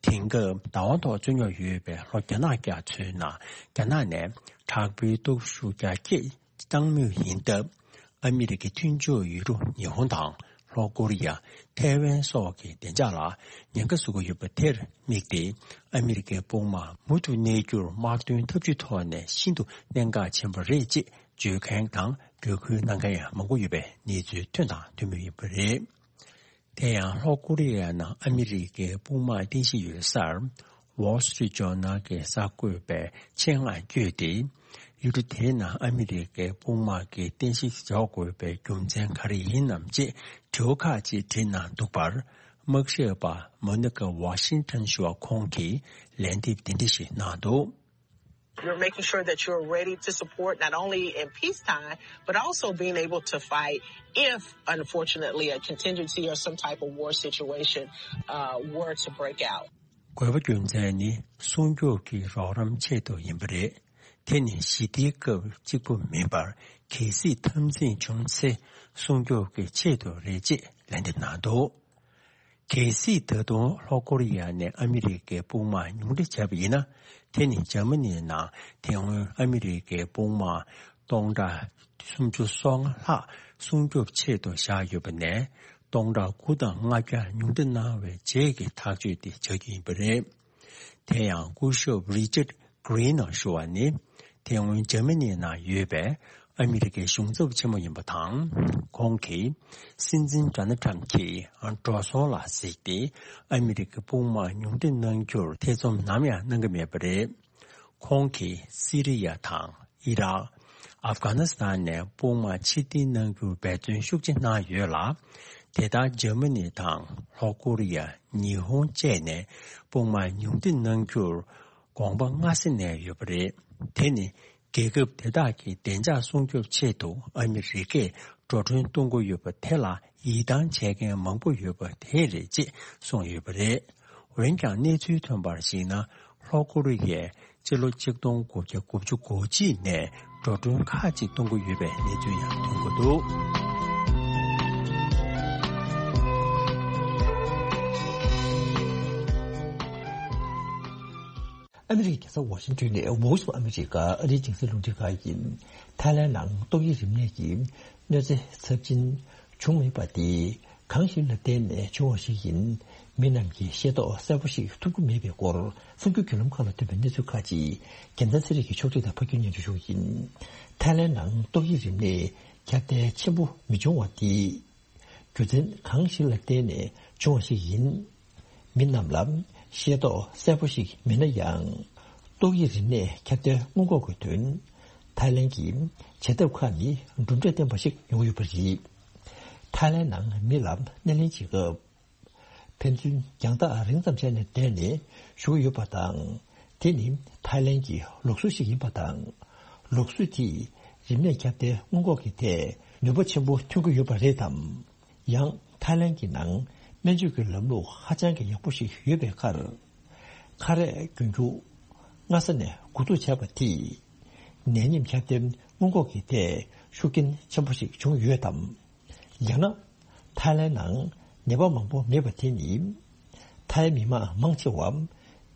དེང་སྐབས་བདག་དབང་ཐོག་རྩོད་རྙོག་ཡོད་པའི་ལྷོ་རྒྱ་ནག་རྒྱ་མཚོའི་ནང་རྒྱ་ནག་ནས་དྲག་པོའི་སྟོབས་ཤུགས་རྒྱ་སྐྱེད་བཏང་མུས་ཡིན་སྟབས། ཨ་མི་རི་ཀའི་མཐུན་ཕྱོགས་ཡུལ་གྲུ་ཉི་ཧོང་དང་ལྷོ་ཀོ་རི་ཡ། ཐའེ་ཝན་སོགས་ཀྱི་བདེ་འཇགས་ལ་ཉེན་ཁ་བཟོ་གི་ཡོད་པ་དེར་དམིགས་ཏེ། ཨ་མི་རི་ཀའི་དཔུང་དམག་མུ་མཐུད་གནས་རྒྱུར་དམག་དོན་འཐབ་ཇུས་ཐོག་ནས་ཤིན་ཏུ་གནད་འགག་ཆེན་པོ་རེད་ཅེས་བརྗོད་མཁན་དང་འབོད་སྐུལ་གནང་མཁན་ཡང་མང་པོ་ཡོད་པའི་གནས་ཚུལ་ཐོན་དང་ཐོན་མུས་ཡིན་པ་རེད། དེ་ཡང་ལྷོ་ཀོ་རི་ཡའི་ནང་ཨ་མི་རི་ཀའི་དཔུང་དམག་རྟེན་གཞི་ཡོད་སར། Wall Street Journal གྱི་གསར་འགོད་པས་ཆེད་མངགས་བསྐྱོད་དེ། ཡུལ་གྲུ་དེའི་ནང་ཨ་མི་རི་ཀའི་དཔུང་དམག་གི་རྟེན་གཞི་འཇོག་དགོས་པའི་རྒྱུ་མཚན་ག་རེ་ཡིན་ནམ་ཅེས་དྲི་བ་ཁག་ཅིག་དྲིས་གནང་འདུག་པར། དམག་ཞབས་པ་Monica Washington ཞུ་བ་ཁོང་གིས་ལན་འདེབས་འདི་འདྲ་ཞིག་གནང་འདུག། You're making sure that you're ready to support not only in peacetime, but also being able to fight if, unfortunately, a contingency or some type of war situation uh, were to break out. དགོས་པ་རྒྱུ་མཚན་ནི་སྲུང་སྐྱོབ་ཀྱི་རོགས་རམ་ཆེད་དུ་ཡིན་པ་རེད། དེ་ནི་ཞི་བདེའི་སྐབས་གཅིག་པུ་མིན་པར་གལ་སྲིད་འཐབ་འཛིང་བྱུང་ཚེ་སྲུང་སྐྱོབ་ཀྱི་ཆེད་དུ་རེད་ཅེས་ལན་འདེབས་གནང་འདུག། གལ་སྲིད་ད་དུང་ལྷོ་ཀོ་རི་ཡ་ནས་ཨ་མི་རི་ཀའི་དཔུང་དམག་ཉུང་འཕྲི་བྱས་པ་ཡིན་ན། དེ་ནི་འཇར་མ་ནིའི་ནང་དེ་སྔོན་ཨ་མི་རི་ཀའི་དཔུང་དམག་སྟོང་ཕྲག་སུམ་ཅུ་སོ་ལྔ་ལྷག་སྲུང་སྐྱོབ་ཆེད་དུ་བཞག་ཡོད་པ་ནས། སྟོང་ཕྲག་དགུ་དང་ལྔ་བརྒྱ་ཉུང་འཕྲི་གནང་བའི་རྗེས་ཀྱི་ཐག་གཅོད་དེ་ཆགས་ཀྱི་ཡིན་པ་རེད། དེ་ཡང་སྐུ་ཞབས་Richard Greener ཞུ་བ་ནི། དེ་སྔོན་འཇར་མ་ནིའི་ནང་ཡོད་པའི་ཨ་མི་རི་ཀའི་གཞུང་ཚབ་ཆེན་མོ་ཡིན་པ་དང་། ཁོང་གིས་སྲིད་འཛིན་Donald Trump གྱི་འགྲོ་སོང་ལ་གཟིགས་ཏེ། ཨ་མི་རི་ཀའི་དཔུང་དམག་ཉུང་འཕྲི་གནང་རྒྱུར་ཐེ་ཚོམ་ནམ་ཡང་གནང་གི་མེད་པ་རེད། ཁོང་གིས་སི་རི་ཡ་དང་ཨི་རག་ཨབ་གྷ་ནི་སི་ཐན་ནས་དཔུང་དམག་ཕྱིར་འཐེན་གནང་རྒྱུར་འབད་བརྩོན་ཤུགས་ཆེ་གནང་ཡོད་ལ། དེ་ལྟར་འཇར་མ་ནི་དང་ལྷོ་ཀོ་རི་ཡ། ཉི་ཧོང་བཅས་ནས་དཔུང་དམག་ཉུང་འཕྲི་གནང་རྒྱུར་དགོངས་པ་སྔ་ས་ནས་ཡོད་པ་རེད། དེ་ནི་རྒྱལ་ཁབ་དེ་དག་གི་བདེ་འཇགས་སྲུང་སྐྱོབ་ཆེད་དུ་ཨ་མི་རི་ཀས་འགྲོ་གྲོན་གཏོང་གི་ཡོད་པ་དེ་ལ་ ཡིད་ཐང་ཆད་མཁན་མང་པོ་ཡོད་པ་དེ་རེད་ཅེས་གསུངས་ཡོད་པ་རེད། འོན་ཀྱང་གནས་ཚུལ་ཐོན་པར་གཞིགས་ན། ལྷོ་ཀོ་རི་ཡས་སྤྱི་ལོ་ཆིག་སྟོང་དགུ་བརྒྱ་དགུ་བཅུ་གོ་གཅིག་ནས་འགྲོ་གྲོན་ཁག་ཅིག་གཏོང་གི་ཡོད་པའི་གནས་ཚུལ་ཡང་ཐོན་གྱི་འདུག། ཨ་མི་རི་ཀའི་རྒྱལ་ས་ཝ་ཤིང་ཏོན་ནས་Voice of America ཨ་རིའི་རྒྱང་སྲིང་རླུང་འཕྲིན་ཁང་ཡིན། ཐའི་ལན་ནང་ཏོག་དབྱིབས་རིམས་ནད་ཀྱི་གནོད་འཚེ་ཚབས་ཆེན་བྱུང་མེད་པ་དེ་གང་ཞིག་ལ་བརྟེན་ནས་བྱུང་བ་ཞིག་ཡིན། མི་རྣམས་ཀྱིས་ཤེས་རྟོགས་གསལ་པོ་ཞིག་ཐུབ་ཀྱི་མེད་པའི་སྐོར་གསར་འགྱུར་བརྒྱུད་ལམ་ཁག་ལ་ཐོན་པའི་གནས་ཚུལ་ཁག་ཅིག་རྒྱལ་མཚན་ཚེ་རིང་གིས་ཕྱོགས་སྒྲིག་དང་ཕབ་སྒྱུར་སྙན་སྒྲོན་ཞུ་གི་ཡིན། ཐའི་ལན་ནང་ཏོག་དབྱིབས་རིམས་ནད་ཁྱབ་གདལ་ཆེན་པོ་མི་བྱུང་བ་དེ། རྒྱུ་མཚན་གང་ཞིག་ལ་བརྟེན་ནས་བྱུང་བ་ཞིག་ཡིན། མི་རྣམས་ལ་ཤེས་རྟོགས་གསལ་པོ་ཞིག་མེད་ན་ཡང་། ཏོག་དབྱིབས་རིམས་ནད་ཁྱབ་གདལ་སྔོན་འགོག་གི་དོན། ཐའི་ལན་གྱི་བྱེད་ཐབས་ཁག་ནི་གྲུབ་འབྲས་ལྡན་པ་ཞིག་ཡོང་གི་ཡོད་པ་རེད། ཐའི་ལན་ནང་མི་ལ་སྣེ་ལེན་བྱེད་སྐབས། ཕན་ཚུན་རྒྱང་ཐག་རིང་ཙམ་བྱས་ནས་བསྡད་ནས་བཞུགས་ཡོད་པ་དང་། དེ་ནི་ཐའི་ལན་གྱི་ལུགས་སྲོལ་ཞིག་ཡིན་པ་དང་། ལུགས་སྲོལ་དེས་རིམས་ནད་ཁྱབ་གདལ་སྔོན་འགོག་གི་ཐད་ནུས་པ་ཆེན་པོ་ཐོན་གྱི་ཡོད་པ་རེད་དམ། ཡང་ཐའི་ལན་གྱི་ནང་སྨན་བཅོས་ཀྱི་ལམ་ལུགས་ཧ་ཅང་གི་ཡག་པོ་ཞིག་ཡོད་པའི་ཁར། ཁ་རས་གྱོན་རྒྱུ་སྔ་ས་ནས་འགོ་འཛུགས་བྱས་པ་དེས་ནད་ཡམས་ཁྱབ་གདལ་སྔོན་འགོག་གི་ཐད་ཤུགས་རྐྱེན་ཆེན་པོ་ཞིག་བྱུང་ཡོད་དམ། ཡང་ན། ཐའི་ལན་ནང་ནད་པ་མང་པོ་མེད་པ་དེ་ནི། ཐའི་མི་མང་མང་ཆེ་བ་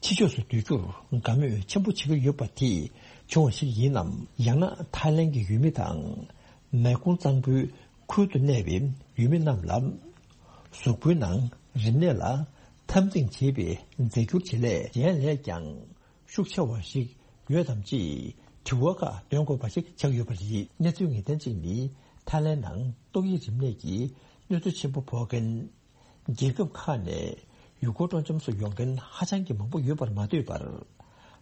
ཕྱི་ཕྱོགས་སུ་སྡོད་རྒྱུར་དགའ་མོས་ཆེན་པོ་བྱེད་ཀྱི་ཡོད་པ་དེས་བྱུང་བ་ཞིག་ཡིན་ནམ། ཡང་ན་ཐའི་ལན་གྱི་ཡུལ་མི་དང་། མེ་ཀུང་གཙང་པོའི་ཁུལ་དུ་གནས་པའི་ཡུལ་མི་རྣམས་ལ། གཟུགས་པོའི་ནང་རིམས་ནད་ལ་འཐབ་འཛིང་བྱེད་པའི་རྫས་འགྱུར་བྱེད་ལས་གཞན་ལས་ཀྱང་། ཤུགས་ཆེ་བ་ཞིག་ཡོད་དམ་ཅེས་དྲི་བ་ཁག་འདོན་དགོས་པ་ཞིག་ཆགས་ཡོད་པ་རེད། གནས་ཚུལ་ངེས་གཏན་གཅིག་ནི། ཐའི་ལན་ནང་ཏོག་དབྱིབས་རིམས་ནད་ཀྱི་གནོད་འཚེ་ཆེན་པོ་ཕོག་མཁན། རྒྱལ་ཁབ་ཁག་ནས་ཡུལ་སྐོར་སྤྲོ་འཆམ་སུ་ཡོང་མཁན་ཧ་ཅང་གི་མང་པོ་ཡོད་པར་མ་ལྟོས་པར།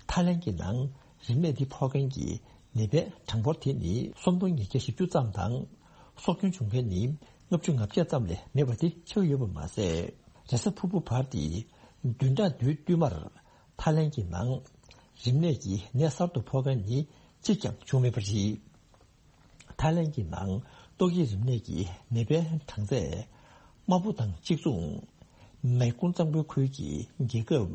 ཐའི་ལན་གྱི་ནང་རིམས་ནད་འདི་ཕོག་མཁན་གྱི་ནད་པའི་གྲངས་འབོར་དེ་ནི་སུམ་སྟོང་ཉིས་བརྒྱ་བཞི་བཅུ་ཙམ་དང་། སྲོག་སྐྱོན་བྱུང་མཁན་ནི་ལྔ་བཅུ་ང་བརྒྱད་ཙམ་ལས་མེད་པ་དེ་ཆགས་ཡོད་པ་མ་ཟད། རེས་གཟའ་ཕུར་བུ་བར་དེ་བདུན་ཕྲག་བདུན་བསྟུད་མར། ཐའི་ལན་གྱི་ནང་རིམས་ནད་ཀྱི་ནད་གསར་དུ་ཕོག་མཁན་ནི་གཅིག་ཀྱང་བྱུང་མེད་པ་རེད། ཐའི་ལན་གྱི་ནང་ཏོག་དབྱིབས་རིམས་ནད་ཀྱི་ནད་པའི་གྲངས་ཚད། དམར་པོ་དང་གཅིག་མཚུངས། མེ་ཀུང་གཙང་པོའི་ཁུལ་གྱི་རྒྱལ་ཁབ་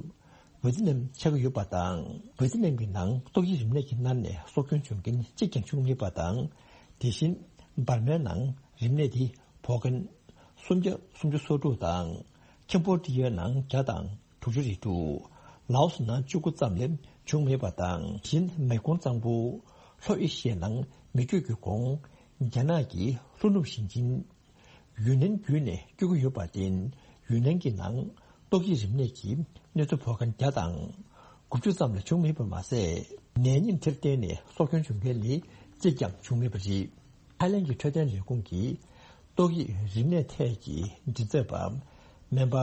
ཝེ་ཏི་ནམ་ཆགས་ཀྱི་ཡོད་པ་དང་། ཝེ་ཏི་ནམ་གྱི་ནང་ཏོག་དབྱིབས་རིམས་ནད་ཀྱིས་མནར་ནས་སྲོག་སྐྱོན་བྱུང་མཁན་གཅིག་ཀྱང་བྱུང་མེད་པ་དང་། དེ་བཞིན་འབར་མའི་ནང་རིམས་ནད་དེ་ཕོག་མཁན་སུམ་བརྒྱ་སུམ་ཅུ་སོ་དྲུག་དང་། ཁེམ་བྷོ་ཌི་ཡའི་ནང་བརྒྱ་དང་དྲུག་ཅུ་རེ་དྲུག། ལའོ་སི་ནང་བཅུ་དགུ་ཙམ་ལས་བྱུང་མེད་པ་དང་། གཞན་མེ་ཀོང་གཙང་པོ་ལྷོ་ཨེ་ཤི་ཡའི་ནང་མེ་སྐྱོད་ཀྱི་གོང་རྒྱ་ནག་གི་ལྷོ་ནུབ་ཞིང་ཆེན་ཡུན་ནན་བརྒྱུད་ནས་སྐྱོད་ཀྱི་ཡོད་པར་བརྟེན། ཡུན་ནན་གྱི་ནང་ཏོག་དབྱིབས་རིམས་ནད་ཀྱི་གནོད་འཚེ་ཕོག་མཁན་བརྒྱ་དང་དགུ་བཅུ་ཙམ་ལས་བྱུང་མེད་པ་མ་ཟད། ནད་ཡམས་དེར་བརྟེན་ནས་སྲོག་སྐྱོན་བྱུང་མཁན་ནི་གཅིག་ཀྱང་བྱུང་མེད་པ་རེད། ཐའི་ལན་གྱི་འཕྲོད་བསྟེན་ལས་ཁུངས་ཀྱི་ཏོག་དབྱིབས་རིམས་ནད་ཐད་ཀྱི་མགྲིན་ཚབ་པ་སྨན་པ་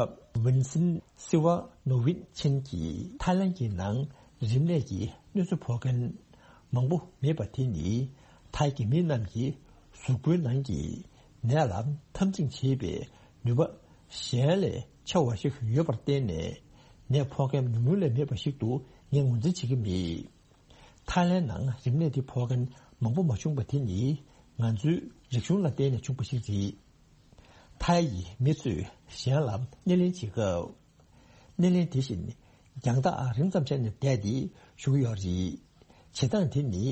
ཝིན་སིན་སི་ཝ་ནོ་ཝིན་ཆིན་གྱིས་ཐའི་ལན་གྱི་ནང་རིམས་ནད་ཀྱི་གནོད་འཚེ་ཕོག་མཁན་མང་པོ་མེད་པ་དེ་ནི། ཐའི་གི་མི་རྣམས་ཀྱིས་གཟུགས་པོའི་ནང་གི་ནད་ལ་འཐབ་འཛིང་བྱེད་པའི་ནུས་པ་གཞན་ལས་ཆེ་བ་ཞིག་ཡོད་པར་བརྟེན་ནས། ནད་ཕོག་མཁན་ཉུང་ཉུང་ལས་མེད་པ་ཞིག་ཏུ་ངས་ངོས་འཛིན་བྱེད་ཀྱི་མེད། ཐའི་ལན་ནང་རིམས་ནད་འདི་ཕོག་མཁན་མང་པོ་མ་བྱུང་བ་དེ་ནི་ང་ཚོའི་རིག་གཞུང་ལ་བརྟེན་ནས་བྱུང་བ་ཞིག་རེད། ཐའི་ཡི་མི་ཚོས་གཞན་ལ་སྣེ་ལེན་བྱེད་སྐབས། སྣེ་ལེན་དེ་བཞིན་རྒྱང་ཐག་རིང་ཙམ་བྱས་ནས་བསྡད་དེ་བཞུགས་ཡོད་རེད། བྱེད་སྟངས་དེ་ནི་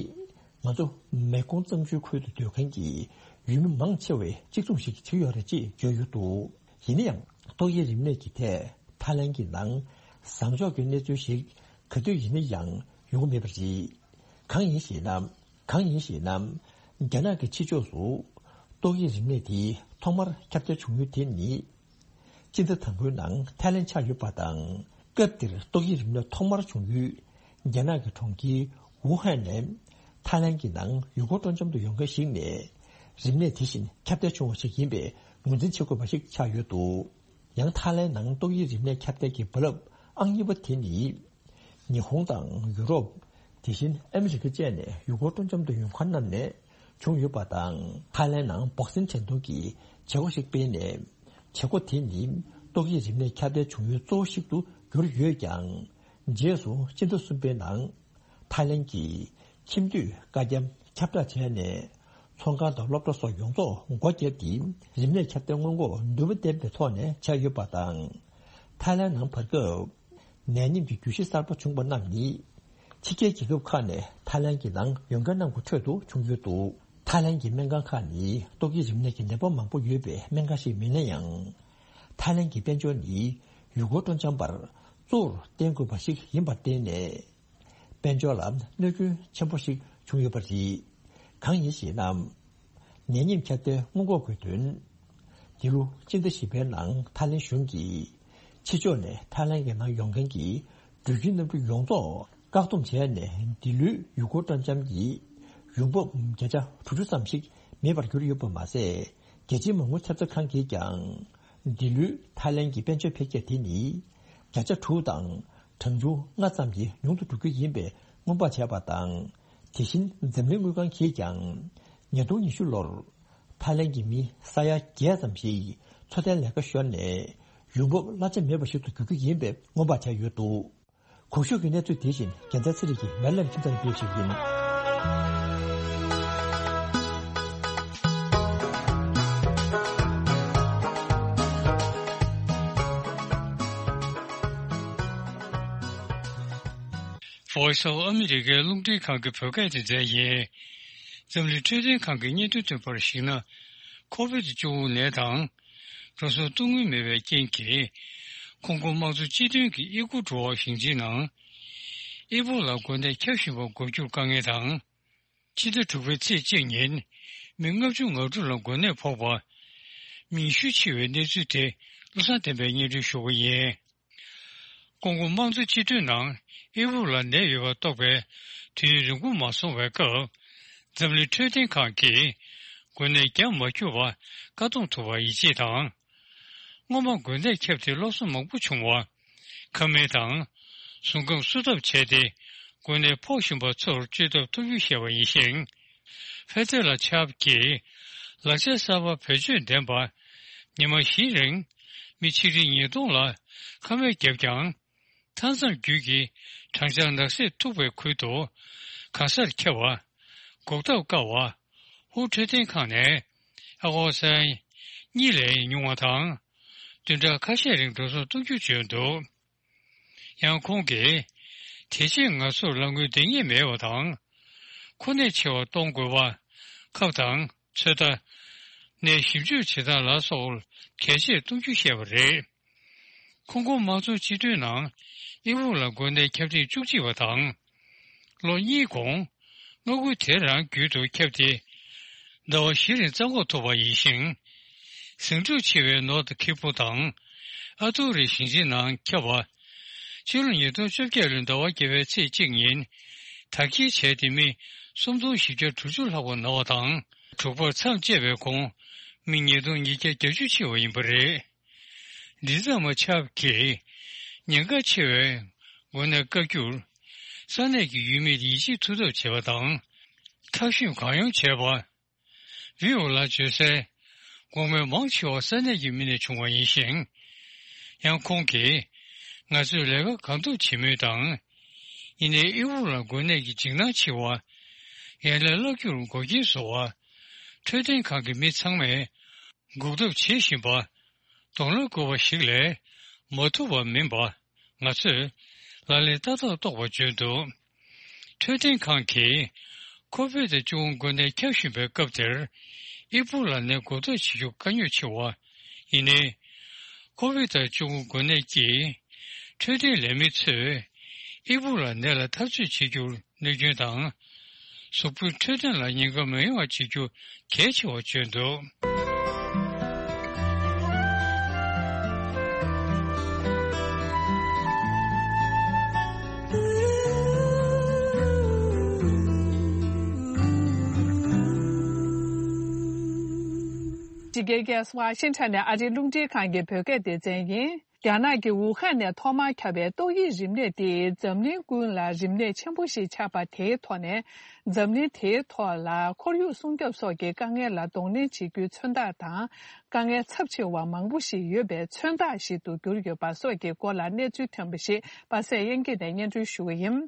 ང་ཚོ་མེ་ཀོང་གཙང་ཆུའི་ཁུལ་དུ་སྡོད་མཁན་གྱི་ཡུལ་མི་མང་ཆེ་བས་གཅིག་མཚུངས་ཤིག་བྱེད་ཀྱི་ཡོད་རེད་ཅེས་བརྗོད་ཡོད་འདུག། ཡིན་ན་ཡང་ཏོག་དབྱིབས་རིམས་ནད་ཀྱི་ཐད། ཐའི་ལན་གྱི་ནང་བཟང་ཕྱོགས་ཀྱི་གནས་ཚུལ་ཞིག་ག་དུས་ཡིན་ན་ཡང་ཡོང་གི་མེད་པ་རེད། གང་ཡིན་ཞེ་ན། གང་ཡིན་ཞེ་ན། རྒྱ་ནག་གི་ཕྱི་ཕྱོགས་སུ་ཏོག་དབྱིབས་རིམས་ནད་དེ་ཐོག་མར་ཁྱབ་གདལ་བྱུང་ཡུལ་དེ་ནི། སྤྱི་ཟླ་དང་པོའི་ནང་ཐའི་ལན་ཆགས་ཡོད་པ་དང་། སྐབས་དེར་ཏོག་དབྱིབས་རིམས་ནད་ཐོག་མར་བྱུང་ཡུལ་རྒྱ་ནག་གི་གྲོང་ཁྱེར་ཝུ་ཧན་ནས་ཐའི་ལན་གྱི་ནང་ཡུལ་སྐོར་སྤྲོ་འཆམ་དུ་ཡོང་མཁན་ཞིག་ནས་རིམས་ནད་དེ་བཞིན་ཁྱབ་གདལ་བྱུང་བ་ཞིག་ཡིན་པའི་ངོས་འཛིན་བྱེད་དགོས་པ་ཞིག་ཆགས་ཡོད་འདུག། ཡང་ཐའི་ལན་ནང་ཏོག་དབྱིབས་རིམས་ནད་ཁྱབ་གདལ་གྱི་རྦ་རླབས་ཨང་གཉིས་པ་དེ་ནི། ཉི་ཧོང་དང་ཡུ་རོབ། དེ་བཞིན་ཨ་མི་རི་ཀ་བཅས་ནས་ཡུལ་སྐོར་སྤྲོ་འཆམ་དུ་ཡོང་མཁན་རྣམས་ནས་བྱུང་ཡོད་པ་དང་། ཐའི་ལན་ནང་བོག་སིན་འགྲན་བསྡུར་གྱི་བྱེད་སྒོ་ཞིག་སྤེལ་ནས། བྱེད་སྒོ་དེ་ནི་ཏོག་དབྱིབས་རིམས་ནད་ཁྱབ་གདལ་བྱུང་ཡུལ་གཙོ་བོ་ཞིག་ཏུ་གྱུར་ཡོད་ཀྱང་། རྗེས་སུ་སྤྱི་ཟླ་གསུམ་པའི་ནང་ཐའི་ལན་གྱི་ཁྱིམ་སྡོད་བཀའ་རྒྱ་ཁྱབ་བསྒྲགས་བྱས་ནས། ཚོང་ཁང་དང་སློབ་གྲྭ་སོགས་ཡོངས་རྫོགས་སྒོ་བརྒྱབ་སྟེ། རིམས་ནད་ཁྱབ་གདལ་སྔོན་འགོག་ནུས་པ་ལྡན་པའི་ཐོག་ནས་བྱས་ཡོད་པ་དང་། ཐའི་ལན་ནང་བར་སྐབས་ནད་ཡམས་ཀྱི་འགྱུར་བཞི་གསར་པ་བྱུང་བ་རྣམས་ནི། ཕྱི་རྒྱལ་རྒྱལ་ཁབ་ཁག་ནས་ཐའི་ལན་གྱི་ནང་ཡོང་མཁན་རྣམས་ཀྱི་ཁྲོད་དུ་བྱུང་ཡོད་འདུག་ཐའི་ལན་གྱི་སྨན་ཁང་ཁག་ནི་ཏོག་དབྱིབས་རིམས་ནད་ཀྱི་ནད་པ་མང་པོ་ཡོད་པའི་སྨན་ཁང་ཞིག་མིན་ན་ཡང་། ཐའི་ལན་གྱི་དཔལ་འབྱོར་ནི་ཡུལ་སྐོར་སྤྲོ་འཆམ་པར་གཙོ་བོར་བརྟེན་དགོས་པ་ཞིག་ཡིན་པར་བརྟེན་ནས། དཔལ་འབྱོར་ལ་གནོད་སྐྱོན་ཆེན་པོ་ཞིག་བྱུང་ཡོད་པ་རེད། གང་ཡིན་ཞེ་ན། ནད་ཡམས་ཁྱབ་གདལ་སྔོན་འགོག་དགོས་དོན། འདི་ལོ་སྤྱི་ཟླ་བཞི་པའི་ནང་ཐའི་ལན་གཞུང་གིས་ཕྱི་ཕྱོགས་ནས་ཐའི་ལན་གྱི་ནང་ཡོང་མཁན་གྱི་འགྲུལ་སྐྱོད་གནམ་གྲུ་ཡོངས་རྫོགས་བཀག་སྡོམ་བྱས་ནས། འདི་ལོའི་ཡུལ་སྐོར་སྤྲོ་འཆམ་གྱི་ཡོང་འབབ་བརྒྱ་ཆ་དྲུག་ཅུ་ཙམ་ཞིག་མེད་པར་གྱུར་ཡོད་པ་མ་ཟད། རྒྱལ་སྤྱིའི་མ་དངུལ་ཚབ་མཚོན་ཁང་གིས་ཀྱང་། འདི་ལོའི་ཐའི་ལན་གྱི་དཔལ་འབྱོར་འཕེལ་རྒྱས་དེ་ནི་བརྒྱ་ཆ་དྲུག་དང་གྲངས་ཆུང་ལྔ་ཙམ་གྱིས་ཉུང་དུ་འགྲོ་རྒྱུ་ཡིན་པའི་སྔོན་དཔག་བྱས་པ་དང་། དེ་བཞིན་འཛམ་གླིང་དངུལ་ཁང་གིས་ཀྱང་ཉིས་སྟོང་ཉི་ཤུ་ལོར་ཐའི་ལན་གྱི་མི་ས་ཡ་བརྒྱད་ཙམ་ཞིག་འཚོ་རྟེན་ལས་ཀ་ཤོར་ནས་ཡོང་འབབ་གླ་ཆ་མེད་པ་ཞིག་ཏུ་འགྱུར་རྒྱུ་ཡིན་པའི་སྔོན་དཔག་བྱས་ཡོད་འདུག་གོང་ཞུས་ཀྱི་གནས་ཚུལ་དེ་བཞིན་རྒྱལ་མཚན་ཚེ་རིང་གིས་མེ་ལན་ཁྱིམ་ཚང་ནས་སྤེལ་ཞུས་ཡིན། Voice of America རླུང་འཕྲིན་ཁང་གི་བོད་སྐད་སྡེ་ཚན་ཡིན། འཛམ་གླིང་འཕྲོད་བསྟེན་ཁང་གི་སྙན་ཐོའི་བསྟན་པར་གཞིགས་ན། ཁོ་བིད་བཅུ་དགུ་ནད་དང་། འགྲོ་སོང་གཏོང་དངུལ་མེད་པའི་རྐྱེན་གྱིས། ཁོང་ཀོ་དམངས་གཙོ་སྤྱི་མཐུན་གྱི་ཨི་ཀུ་གྲོ་བ་ཞིང་ཆེན་ནང་། ཨི་པོ་ལ་འགོས་ནད་ཁྱབ་བཞིན་པ་འགོག་རྒྱུར་དཀའ་ངལ་དང་། ཕྱི་ཟླ་དྲུག་པའི་ཚེས་གཅིག་ཉིན། མི་ལྔ་བཅུ་ང་དྲུག་ལ་འགོས་ནད་ཕོག་པ། མི་ཉི་ཤུ་འཆི་བའི་གནས་ཚུལ་དེ་བློ་བཟང་བསྟན་པས་སྙན་སྒྲོན་ཞུ་བ་ཡིན། ཀོང་ཀོ་དམངས་གཙོ་སྤྱི་མཐུན་ནང་ཨི་ཝུ་ལ་ནད་ཡོད་པ་རྟོགས་པའི་དུས་ཡུན་རིང་པོ་མ་སོང་བའི་སྐབས། འཛམ་གླིང་འཕྲོད་བསྟེན་ཁང་གིས་འགོས་ནད་རྒྱ་མ་ཁྱབ་པ་བཀག་སྡོམ་ཐུབ་པར་ཡིད་ཆེས་དང་། སྔོན་མ་འགོས་ནད་ཁྱབ་སྟེ་སློབ་གསོ་མང་པོ་བྱུང་བ། ཁ་མིག་དང་། གཟུགས་ཁམས་བསུ་ཐབས་བྱས་ཏེ། འགོས་ནད་ཕོག་བཞིན་པ་ཚོར་བཅོས་ཐབས་ཐུབ་རྒྱུ་བཤད་པ་ཡིན་ཞིང་། ཧྥེ་ཏེ་ལ་ཆབ་ཀྱིས་ལག་ཆ་གསར་པ་བེད་སྤྱོད་ལྡན་པ། ཉི་མ་བཞིའི་རིང་མི་ཆིག་ཁྲི་ཉིས་སྟོང་ལ་ཁ་སྨན་བརྒྱབ་ཀྱང་། མཐའ་མཚམས་བརྒྱུད་ཀྱི་གྲང་འཁྱག་ནག་སེལ་ཐུག་པའི་ཁུལ་དུ་གང་སར་འཁྱེར་བ། འགོག་ཐབས་བཀག་པ། ཧུའུ་འཕྲོད་བསྟེན་ཁང་ནས་ཨ་ཀོ་སན་གཉིས་ལས་ཉུང་བ་དང་། བདུན་ཕྲག་ཁ་ཤས་རིང་འགྲོ་སོང་གཏོང་རྒྱུ་བརྗོད་འདུག་ཡང་ཁོང་གིས། དེ་རྗེས་ང་ཚོར་ལག་དངུལ་འདང་ངེས་མེད་པ་དང་། ཁོ་ནས་ཆེ་བ་གཏོང་དགོས་པ། ཁབ་དང་ཚོད་ལྟ། ནད་ཞིབ་འཇུག་བྱེད་སྟངས་ལ་སོགས་གལ་ཆེར་གཏོང་རྒྱུ་བཤད་པ་རེད། ཁོང་ཀོ་དམངས་གཙོ་སྤྱི་མཐུན་ནང་ཨི་ཝུ་ལ་འགོས་ནད་ཁྱབ་ཐེངས་བཅུ་གཅིག་པ་དང་། ལོ་གཉིས་གོང་། མངའ་ཁུལ་དེ་རང་རྒྱུད་དུ་ཁྱབ་སྟེ། ཟླ་བ་བཞི་རིང་རྩ་འགོག་ཐུབ་པ་ཡིན་ཞིང་། ཟིང་འཁྲུག་ཆེ་བའི་ནོར་ཐི་ཁི་པུ་དང་། ཨ་ཐུ་རི་ཞིང་ཆེན་ནང་ཁྱབ་པ། ཕྱི་ལོ་ཉིས་སྟོང་བཅོ་བརྒྱད་ལོའི་ཟླ་བ་བརྒྱད་པའི་ཚེས་གཅིག་ཉིན། དར་འཁྱིལ་བྱས་ཏེ་མི་སུམ་སྟོང་བཞི་བརྒྱ་དྲུག་ཅུ་ལྷག་པ་ན་བ་དང་། དྲུག་པར་མཚམས་བཅད་པའི་གོང་། མི་ཉིས་སྟོང་ཉིས་བརྒྱ་བརྒྱད་ཅུ་འཆི་བ་ཡིན་པ་རེད། ལི་ཙ་མ་ཆབ་ཀྱིས་ཉེན་ཁ་ཆེ་བའི་འགོས་ནད་བཀག་རྒྱུར། ས་གནས་ཀྱི་ཡུལ་མིར་ཡིད་ཆེས་ཐུབ་ཐབས་བྱེད་པ་དང་། ཐབས་ཤེས་གང་ཡོང་བྱས་པ། བྷི་ཨོ་ལ་བརྗོད་གསལ། འགོག་སྨན་མང་ཆེ་བ་ས་གནས་ཀྱི་མི་ནས་བྱུང་བ་ཡིན་ཞིང་། ཡང་ཁོང་གིས། ང་ཚོས་ལས་ཀ་གང་ཐུབ་བྱེད་མུས་དང་། ཡིན་ནའི་ཨི་ཝུ་ལ་འགོས་ནད་ཀྱི་འཇིགས་སྣང་ཆེ་བ། ཡན་ལག་བརླག་རྒྱུར་འགོག་རྐྱེན་བཟོ་བ། འཕྲོད་བསྟེན་ཁང་གི་མི་ཚང་མས། འགོག་ཐབས་བྱེད་བཞིན་པ། གདོང་ལེན་དགོས་པ་ཞིག་ལས་མ་ཐུབ་པ་མིན་པ། ང་ཚོས་ལག་ལེན་བསྟར་ཐབས་རྟོགས་པ་བརྗོད་འདུག་འཕྲོད་བསྟེན་ཁང་གིས་ཁོ་བིད་བཅུ་དགུ་འགོས་ནད་ཁྱབ་བཞིན་པའི་སྐབས་དེར་ཨི་པུ་ལ་ནད་འགོག་ཐབས་བྱེད་རྒྱུ་དཀའ་རྙོག་ཆེ་བ། ཡིན་ནའི། ཁོ་བིད་བཅུ་དགུ་འགོས་ནད་ཀྱིས་འཕྲོད་བསྟེན་ལས་མི་ཚོས་ཨི་པུ་ལ་ནད་ལ་འཐབ་རྩོད་བྱེད་རྒྱུར། གནོད་སྐྱོན་དང་། གཟུགས་པོའི་འཕྲོད་བསྟེན་ལ་ཉེན་ཁ་མི་ཡོང་བ་བྱེད་རྒྱུ་གལ་ཆེ་བར་བརྗོད་འདུག་ཕྱི་རྒྱལ་ཁབ་ཝ་ཤིང་ཊོན་ནས་ཨ་རིའི་རླུང་འཕྲིན་ཁང་གི་བོད་སྐད་སྡེ་ཚན་ཡིན། རྒྱ་ནག་གི་ཝུ་ཧན་ནས་ཐོག་མར་ཁྱབ་པའི་ཏོག་དབྱིབས་རིམས་ནད་དེས་འཛམ་གླིང་ཀུན་ལ་རིམས་ནད་ཆེན་པོ་ཞིག་ཆགས་པ་དེའི་ཐོག་ནས། འཛམ་གླིང་དེའི་ཐོག་ལ་ཁོར་ཡུག་སྲུང་སྐྱོབ་སོགས་ཀྱི་དཀའ་ངལ་ལ་གདོང་ལེན་བྱེད་རྒྱུའི་མཚོན་རྟགས་དང་། དཀའ་ངལ་ཚབས་ཆེ་བ་མང་པོ་ཞིག་ཡོད་པའི་མཚོན་རྟགས་ཤིག་ཏུ་གྱུར་ཡོད་པ་སོགས་ཀྱི་སྐོར་ལ་གནས་ཚུལ་ཐོན་པ་ཞིག་པ་སེ་དབྱིན་སྐད་ནས་སྙན་སྒྲོན་ཞུ་གི་ཡིན།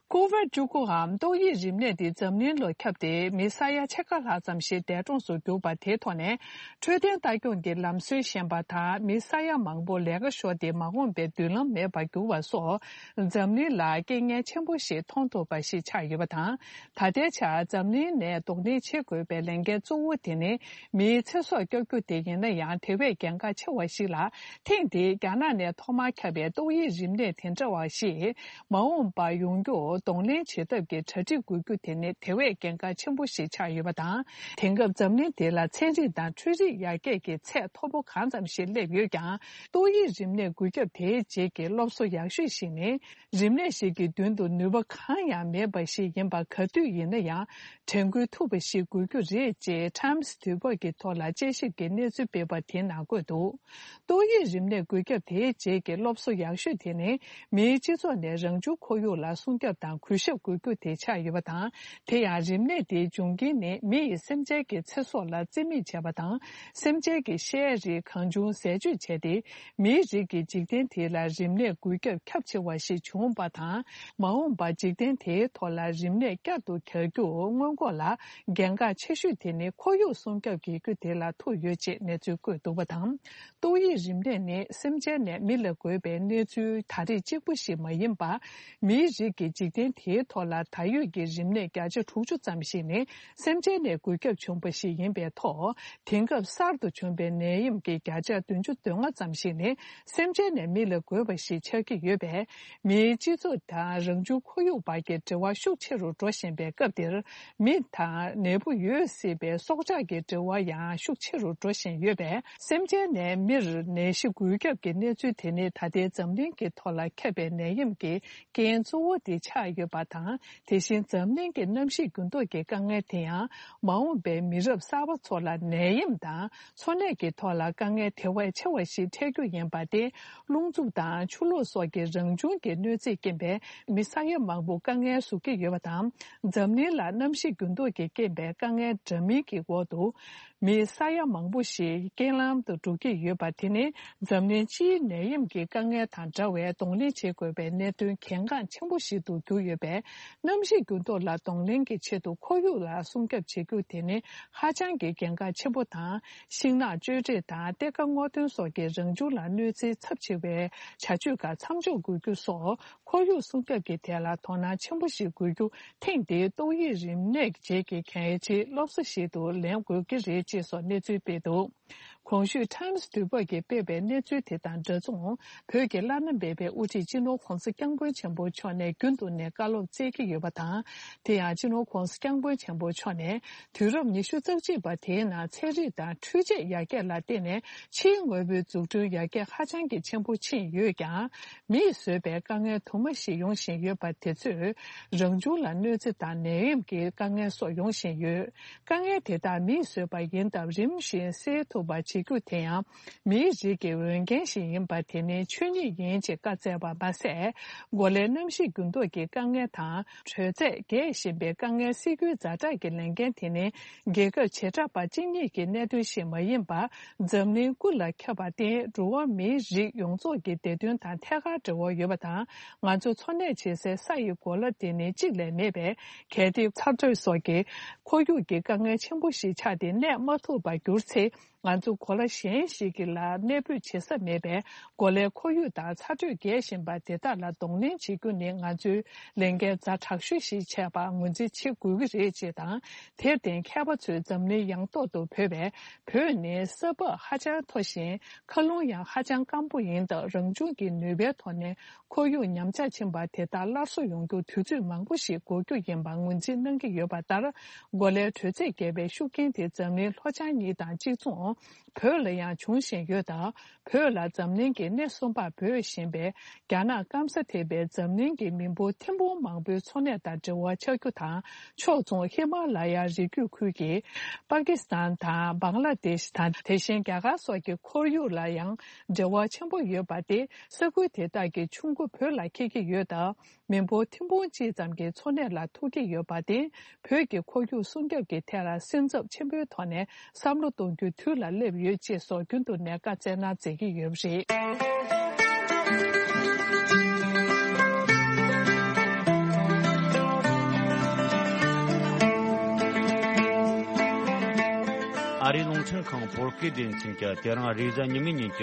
ཀོ་ཝིཌ་བཅུ་དགུའམ་ཏོག་དབྱིབས་རིམས་ནད་དེ་འཛམ་གླིང་ལ་ཁྱབ་སྟེ། མི་ས་ཡ་ཕྱེད་ཀ་ལྷག་ཙམ་ཞིག་འདས་གྲོངས་སུ་གྱུར་པ་དེའི་ཐོག་ནས། འཕྲོད་བསྟེན་ལྟ་སྐྱོང་གི་ལམ་སྲོལ་ཞན་པ་དང་། མི་ས་ཡ་མང་པོ་ལས་ཀ་ཤོར་ཏེ། མ་འོངས་པའི་མདུན་ལམ་མེད་པར་གྱུར་བ་སོགས། འཛམ་གླིང་ལ་རྐྱེན་ངན་ཆེན་པོ་ཞིག་མཐོང་ཐུབ་པ་ཞིག་ཆགས་ཡོད་པ་དང་། ད་ལྟའི་ཆར་འཛམ་གླིང་ནས་གདོང་ལེན་བྱེད་དགོས་པའི་ལས་འགན་གཙོ་བོ་དེ་ནི། མིའི་ཚེ་སྲོག་སྐྱོབ་རྒྱུ་དེ་ཡིན་ན་ཡང་། དེ་བས་གལ་འགངས་ཆེ་བ་ཞིག་ལ། ཐེངས་འདིའི་རྒྱ་ནག་ནས་ཐོག་མར་ཁྱབ་པའི་ཏོག་དབྱིབས་རིམས་ནད་དེ་འདྲ་བ་ཞིག་མ་འོངས་པར་ཡོང་རྒྱུར་གདོང་ལེན་བྱེད་ཐབས་ཀྱི་གྲ་སྒྲིག་དགོས་རྒྱུ་དེ་ནི་དེ་བས་གལ་འགངས་ཆེན་པོ་ཞིག་ཆགས་ཡོད་པ་དང་། དེང་སྐབས་འཛམ་གླིང་འདི་ལ་ཚན་རིག་དང་འཕྲུལ་རིག་ཡར་རྒྱས་ཀྱི་ཚད་མཐོ་པོ་གང་ཙམ་ཞིག་སླེབས་ཡོད་ཀྱང་། ཏོག་དབྱིབས་རིམས་ནད་འགོས་ཁྱབ་དེའི་རྗེས་ཀྱི་སློབ་གསོ་ཡག་ཤོས་ཤིག་ནི། རིམས་ནད་ཞིག་གི་མདུན་དུ་ནུས་པ་གང་ཡང་མེད་པ་ཞིག་ཡིན་པ། ག་དུས་ཡིན་ན་ཡང་དྲན་སྐུལ་ཐུབ་པ་ཞིག་དགོས་རྒྱུ་རེད་ཅེས་Times་དུས་བབ་ཀྱི་ཐོག་ལ་དཔྱད་ཞིབ་ཀྱི་གནས་ཚུལ་སྤེལ་བ་དེའི་ནང་འཁོད་འདུག་ཏོག་དབྱིབས་རིམས་ནད་འགོས་ཁྱབ་དེའི་རྗེས་ཀྱི་སློབ་གསོ་ཡག་ཤོས་དེ་ནི། མིའི་སྤྱི་ཚོགས་ནས་རང་བྱུང་ཁོར་ཡུག་ལ་སྲུང་སྐྱོབ་དང་གུས་ཞབས་དགོས་རྒྱུ་དེ་ཆགས་ཡོད་པ་དང་། དེ་ཡང་རིམས་ནད་དེའི་འབྱུང་རྐྱེན་ནི། མི་ཡིས་སེམས་ཅན་གྱི་ཚེ་སྲོག་ལ་རྩིས་མེད་བྱས་པ་དང་། སེམས་ཅན་གྱི་བཤའ་རིགས་གང་བྱུང་ཟས་སྤྱོད་བྱས་ཏེ། མིའི་རིགས་ཀྱི་འཇིག་རྟེན་དེ་ལ་རིམས་ནད་འགོས་ཁྱབ་ཁྱབ་ཆེ་བ་ཞིག་བྱུང་བ་དང་། མ་འོངས་པར་འཇིག་རྟེན་དེའི་ཐོག་ལ་རིམས་ནད་བསྐྱར་དུ་གྱར་རྒྱུར་སྔོན་འགོག་ལ་གལ་འགངས་ཆེ་ཤོས་དེ་ནི་ཁོར་ཡུག་སྲུང་སྐྱོབ་བྱེད་རྒྱུ་དེ་ལ་ཐུག་ཡོད་ཅེས་གནས་ཚུལ་བཀོད་འདུག་པ་དང་། ཏོག་དབྱིབས་རིམས་ནད་ནི་སེམས་ཅན་ནས་མི་ལ་འགོས་པའི་གནས་ཚུལ་ད་རེས་གཅིག་པུ་ཞིག་མ་ཡིན་པར། མིའི་རིགས་ཀྱི་འཇིག་རྟེན་དེའི་ཐོག་ལ་ད་ཡོད་ཀྱི་རིམས་ནད་བརྒྱ་ཆ་དྲུག་ཅུ་ཙམ་ཞིག་ནི་སེམས་ཅན་ནས་འགོས་ཁྱབ་བྱུང་བ་ཞིག་ཡིན་པའི་ཐོག་དེང་སྐབས་གསར་དུ་བྱུང་བའི་ནད་ཡམས་ཀྱི་བརྒྱ་ཆ་བདུན་ཅུ་དོན་ལྔ་ཙམ་ཞིག་ནི་སེམས་ཅན་ནས་མི་ལ་འགོས་པ་ཞིག་ཆགས་ཀྱི་ཡོད་པས། མིའི་སྤྱི་ཚོགས་དང་རང་བྱུང་ཁོར་ཡུག་བར་གྱི་འབྲེལ་བ་ཤུགས་ཆེ་རུ་འགྲོ་བཞིན་པའི་སྐབས་འདིར། མི་དང་ནད་འབུ་ཡོད་སྲིད་པའི་སྲོག་ཆགས་ཀྱི་འབྲེལ་བ་ཡང་ཤུགས་ཆེ་རུ་འགྲོ་བཞིན་ཡོད་པས། སེམས་ཅན་ནས་མིར་ནད་གཞི་འགོས་ཁྱབ་ཀྱི་གནས་ཚུལ་དེ་ནི་ད་ལྟའི་འཛམ་གླིང་གི་ཐོག་ལ་ཁྱབ་པའི་ནད་ཡམས་ཀྱི་རྐྱེན་གཙོ་བོ་དེ་ཆགས་ཡོད་པ་དང་། དེ་བཞིན་འཛམ་གླིང་གི་གནམ་གཤིས་འགྱུར་ལྡོག་གི་དཀའ་ངལ་དེ་ཡང་། མ་འོངས་པའི་མི་རབས་གསར་པ་ཚོ་ལ་ནད་ཡམས་དང་འཚོ་གནས་ཀྱི་ཐོག་ལ་དཀའ་ངལ་དེ་བས་ཆེ་བ་ཞིག་འཕྲད་རྒྱུ་ཡིན་པ་སྟེ། རླུང་འཚུབ་དང་ཆུ་ལོག་སོགས་ཀྱི་རང་བྱུང་གི་གནོད་འཚེའི་རྐྱེན་པས་མི་ས་ཡ་མང་པོ་དཀའ་ངལ་བཟོ་གི་ཡོད་པ་དང་། འཛམ་གླིང་ལ་གནམ་གཤིས་འགྱུར་ལྡོག་གི་རྐྱེན་པས་དཀའ་ངལ་འདྲ་མིན་གྱི་འོག་ཏུ། མི་ས་ཡ་མང་པོ་ཞིག་རྐྱེན་ལམ་དུ་འགྲོ་གི་ཡོད་པ་དེ་ནི། འཛམ་གླིང་སྤྱིའི་ནད་ཡམས་ཀྱི་དཀའ་ངལ་དང་འདྲ་བའི་གདོང་ལེན་བྱེད་དགོས་པའི་གནད་དོན་གལ་འགངས་ཆེན་པོ་ཞིག་ཏུ་གྱུར་ཡོད་པས། གནམ་གཤིས་འགྱུར་ལྡོག་ལ་གདོང་ལེན་གྱི་ཆེད་དུ་ཁོར་ཡུག་ལ་སྲུང་སྐྱོབ་བྱེད་རྒྱུ་དེ་ནི་ཧ་ཅང་གི་གལ་འགངས་ཆེན་པོ་དང་། ཤིང་ནགས་གཅོད་འབྲེག་དང་གཏེར་ཁ་སྔོག་འདོན་སོགས་ཀྱིས་རང་བྱུང་ལ་གནོད་འཚེ་ཚབས་ཆེ་བའི་བྱ་སྤྱོད་ཁག་མཚམས་འཇོག་དགོས་རྒྱུ་སོགས། ཁོར་ཡུག་སྲུང་སྐྱོབ་ཀྱི་ཐད་ལ་དོ་སྣང་ཆེན་པོ་ཞིག་དགོས་རྒྱུ། ཐེངས་འདིའི་ཏོག་དབྱིབས་རིམས་ནད་རྗེས་ཀྱི་གལ་ཆེའི་སློབ་གསོ་ཞིག་ཏུ་ལེན་དགོས་ཀྱི་རེད་ཅེས་སོགས་གནས་ཚུལ་སྤེལ་འདུག་གོང་ཞུས་Times་དུས་བབ་ཀྱིས་སྤེལ་བའི་གནས་ཚུལ་དེ་དང་འདྲ་མཚུངས། བོད་ཀྱི་བླ་ན་མེད་པའི་དབུ་ཁྲིད་སྤྱི་ནོར་༧གོང་ས་༧སྐྱབས་མགོན་ཆེན་པོ་མཆོག་ནས་རྒྱུན་དུ་ནས་བཀའ་སློབ་སྩལ་གྱི་ཡོད་པ་དང་། དེ་ཡང་སྤྱི་ནོར་༧གོང་ས་༧སྐྱབས་མགོན་ཆེན་པོ་མཆོག་ནས། དུས་རབས་ཉི་ཤུ་རྩ་གཅིག་པ་དེའི་ནང་ཚན་རིག་དང་འཕྲུལ་ཆས་ཡར་རྒྱས་ལ་བརྟེན་ནས་ཕྱིའི་དངོས་པོའི་འཛུགས་སྐྲུན་ཡར་རྒྱས་ཧ་ཅང་གི་ཆེན་པོ་ཕྱིན་ཡོད་ཀྱང་། མིས་བཟོས་པའི་དཀའ་ངལ་དུ་མ་ཞིག་ཡོང་བཞིན་ཡོད་པ་དེ་ཚོས་རང་བྱུང་ལ་གནོད་འཚེ་དང་ནད་ཡམས་ཀྱི་དཀའ་ངལ་སོགས་ཡོང་བཞིན་ཡོད། དཀའ་ངལ་དེ་དག་མིས་བཟོས་པ་ཡིན་སྟབས་རིམ་བཞིན་སེལ་ཐུབ་པ་བྱེད་རྒྱུ་དེ་ཡང་མིའི་རིགས་ཀྱི་འོས་འགན་ཞིག་ཡིན་པ་དེ་ནི་ཆོས་ཉིད་ཡིན་ཅེས་བཀའ་སྩལ་བ་མ་ཟད། གོ་ལའི་གནམ་གཤིས་འགྱུར་ལྡོག་གི་དཀའ་ངལ་དང་། དྲོད་ཚད་རྒྱས་བཞིན་པའི་དཀའ་ངལ་སེལ་རྒྱུའི་ཛ་དྲག་གི་ལས་འགན་དེ་ནི་རྒྱལ་ཁབ་བྱེ་བྲག་པ་གཅིག་གཉིས་ཀྱི་གནད་དོན་ཞིག་མ་ཡིན་པར། འཛམ་གླིང་ཀུན་ལ་ཁྱབ་པར་བརྟེན། འགྲོ་བ་མིའི་རིགས་ཡོངས་རྫོགས་ཀྱི་བདེ་དོན་དང་ཐད་ཀར་འབྲེལ་བ་ཡོད་པ་དང་། ང་ཚོ་འཚོ་གནས་བྱེད་སའི་ས་ཡི་གོ་ལ་དེ་ནི་གཅིག་ལས་མེད་པས། གལ་ཏེ་ཚ་དྲོད་སོགས་ཀྱི་ཁོར་ཡུག་གི་དཀའ་ངལ་ཆེན་པོ་ཞིག་ཆགས་ཏེ་གནས་མ་ཐུབ་པར་གྱུར་ཚེ། ང་ཚོ་གོ་ལ་གཞན་ཞིག་གི་ལ་གནས་སྤོས་བྱེད་ས་མེད་པས། གོ་ལའི་ཁོར་ཡུག་དང་ཚ་དྲོད་རྒྱས་བཞིན་པ་དེ་དག་ལ་གདོང་ལེན་བྱེད་རྒྱུ་ནི་ང་ཚོའི་ལས་འགན་ཛ་དྲག་ཤོས་ཤིག་བྱས་པ་ངོས་འཛིན་བྱེད་དགོས་ཀྱི་རེད་ཅེས་དང་། དེར་བརྟེན་མཁས་པ་ཚོས་འཛམ་གླིང་ཡང་ཐོག་ཏུ་བོད་པས། བོད་ནི་ས་བབ་ཧ་ཅང་མཐོ་ཞིང་། མཁའ་རླུང་ཡང་ཧ་ཅང་སྐམ་པོ་ཡིན་སྟབས། རང་བྱུང་གི་ནུས་པའི་ཐོག་ནས་ཁོར་ཡུག་ཉམས་ཆག་ཕྱིན་པ་དེ་དག་སླར་གསོ་ཡོང་རྒྱུར་དུས་ཚོད་མང་པོ་ཞིག་འགོར་རྒྱུ་ཡིན་པ་ངོས་འཛིན་གནང་གི་ཡོད་པ་ལྟར། གོ་ལའི་དྲོད་ཚད་བརྒལ་བའི་ཤུགས་རྐྱེན་དེ་འཛམ་གླིང་ལྷོ་བྱང་གཉིས་དང་གཅིག་མཚུངས། བོད་ལ་ཡང་འབྱུང་བཞིན་ཡོད་སྟབས། བོད་ལ་འཛམ་གླིང་གི་སྣེ་གསུམ་པར་འབོད་བཞིན་པའི་རྒྱ་ནག་སྐམ་ས་དེ་བས་འཛམ་གླིང་གི་མི་འབོར་ཐེར་འབུམ་མང་པོའི་འཚོ་གནས་དང་འབྲེལ་བ་ཆགས་རྒྱུ་དང་། ཕྱོགས་མཚུངས་ཧི་མ་ལ་ཡ་རི་རྒྱུད་ཁུལ་གྱི་པ་ཀི་སི་ཐན་དང་བང་ལ་དེཤ་དང་། དེ་བཞིན་རྒྱ་གར་སོགས་ཀྱི་ཁོར་ཡུག་ལ་ཡང་འབྲེལ་བ་ཆེན་པོ་ཡོད་པ་སྟེ། ས་ཁུལ་དེ་དག་གི་ཆུ་མགོ་བོད་ལ་འཁེལ་གྱི་ཡོད་སྟབས། མི་འབོར་ཐེར་འབུམ་གཅིག་ཙམ་གྱི་འཚོ་གནས་ལ་ཐུག་གི་ཡོད་པར་བརྟེན། བོད་ཀྱི་ཁོར་ཡུག་སྲུང་སྐྱོབ་ཀྱི་ཐད་ལ་སེམས་འཚབ་ཆེན་པོའི་ཐོག་ནས་བསམ་བློ་གཏོང་རྒྱུའི་དུས་ལ་སླེབས་ཡོད་ཅེས་སོགས་རྒྱུན་དུ་ནས་བཀའ་སྩལ་གནང་མཛད་ཀྱི་ཡོད་པ་རེད། ཨ་རིའི་རླུང་འཕྲིན་ཁང་བོད་སྐད་སྡེ་ཚན་གྱིས་དེ་རིང་རེས་གཟའ་ཉི་མའི་ཉིན་གྱི་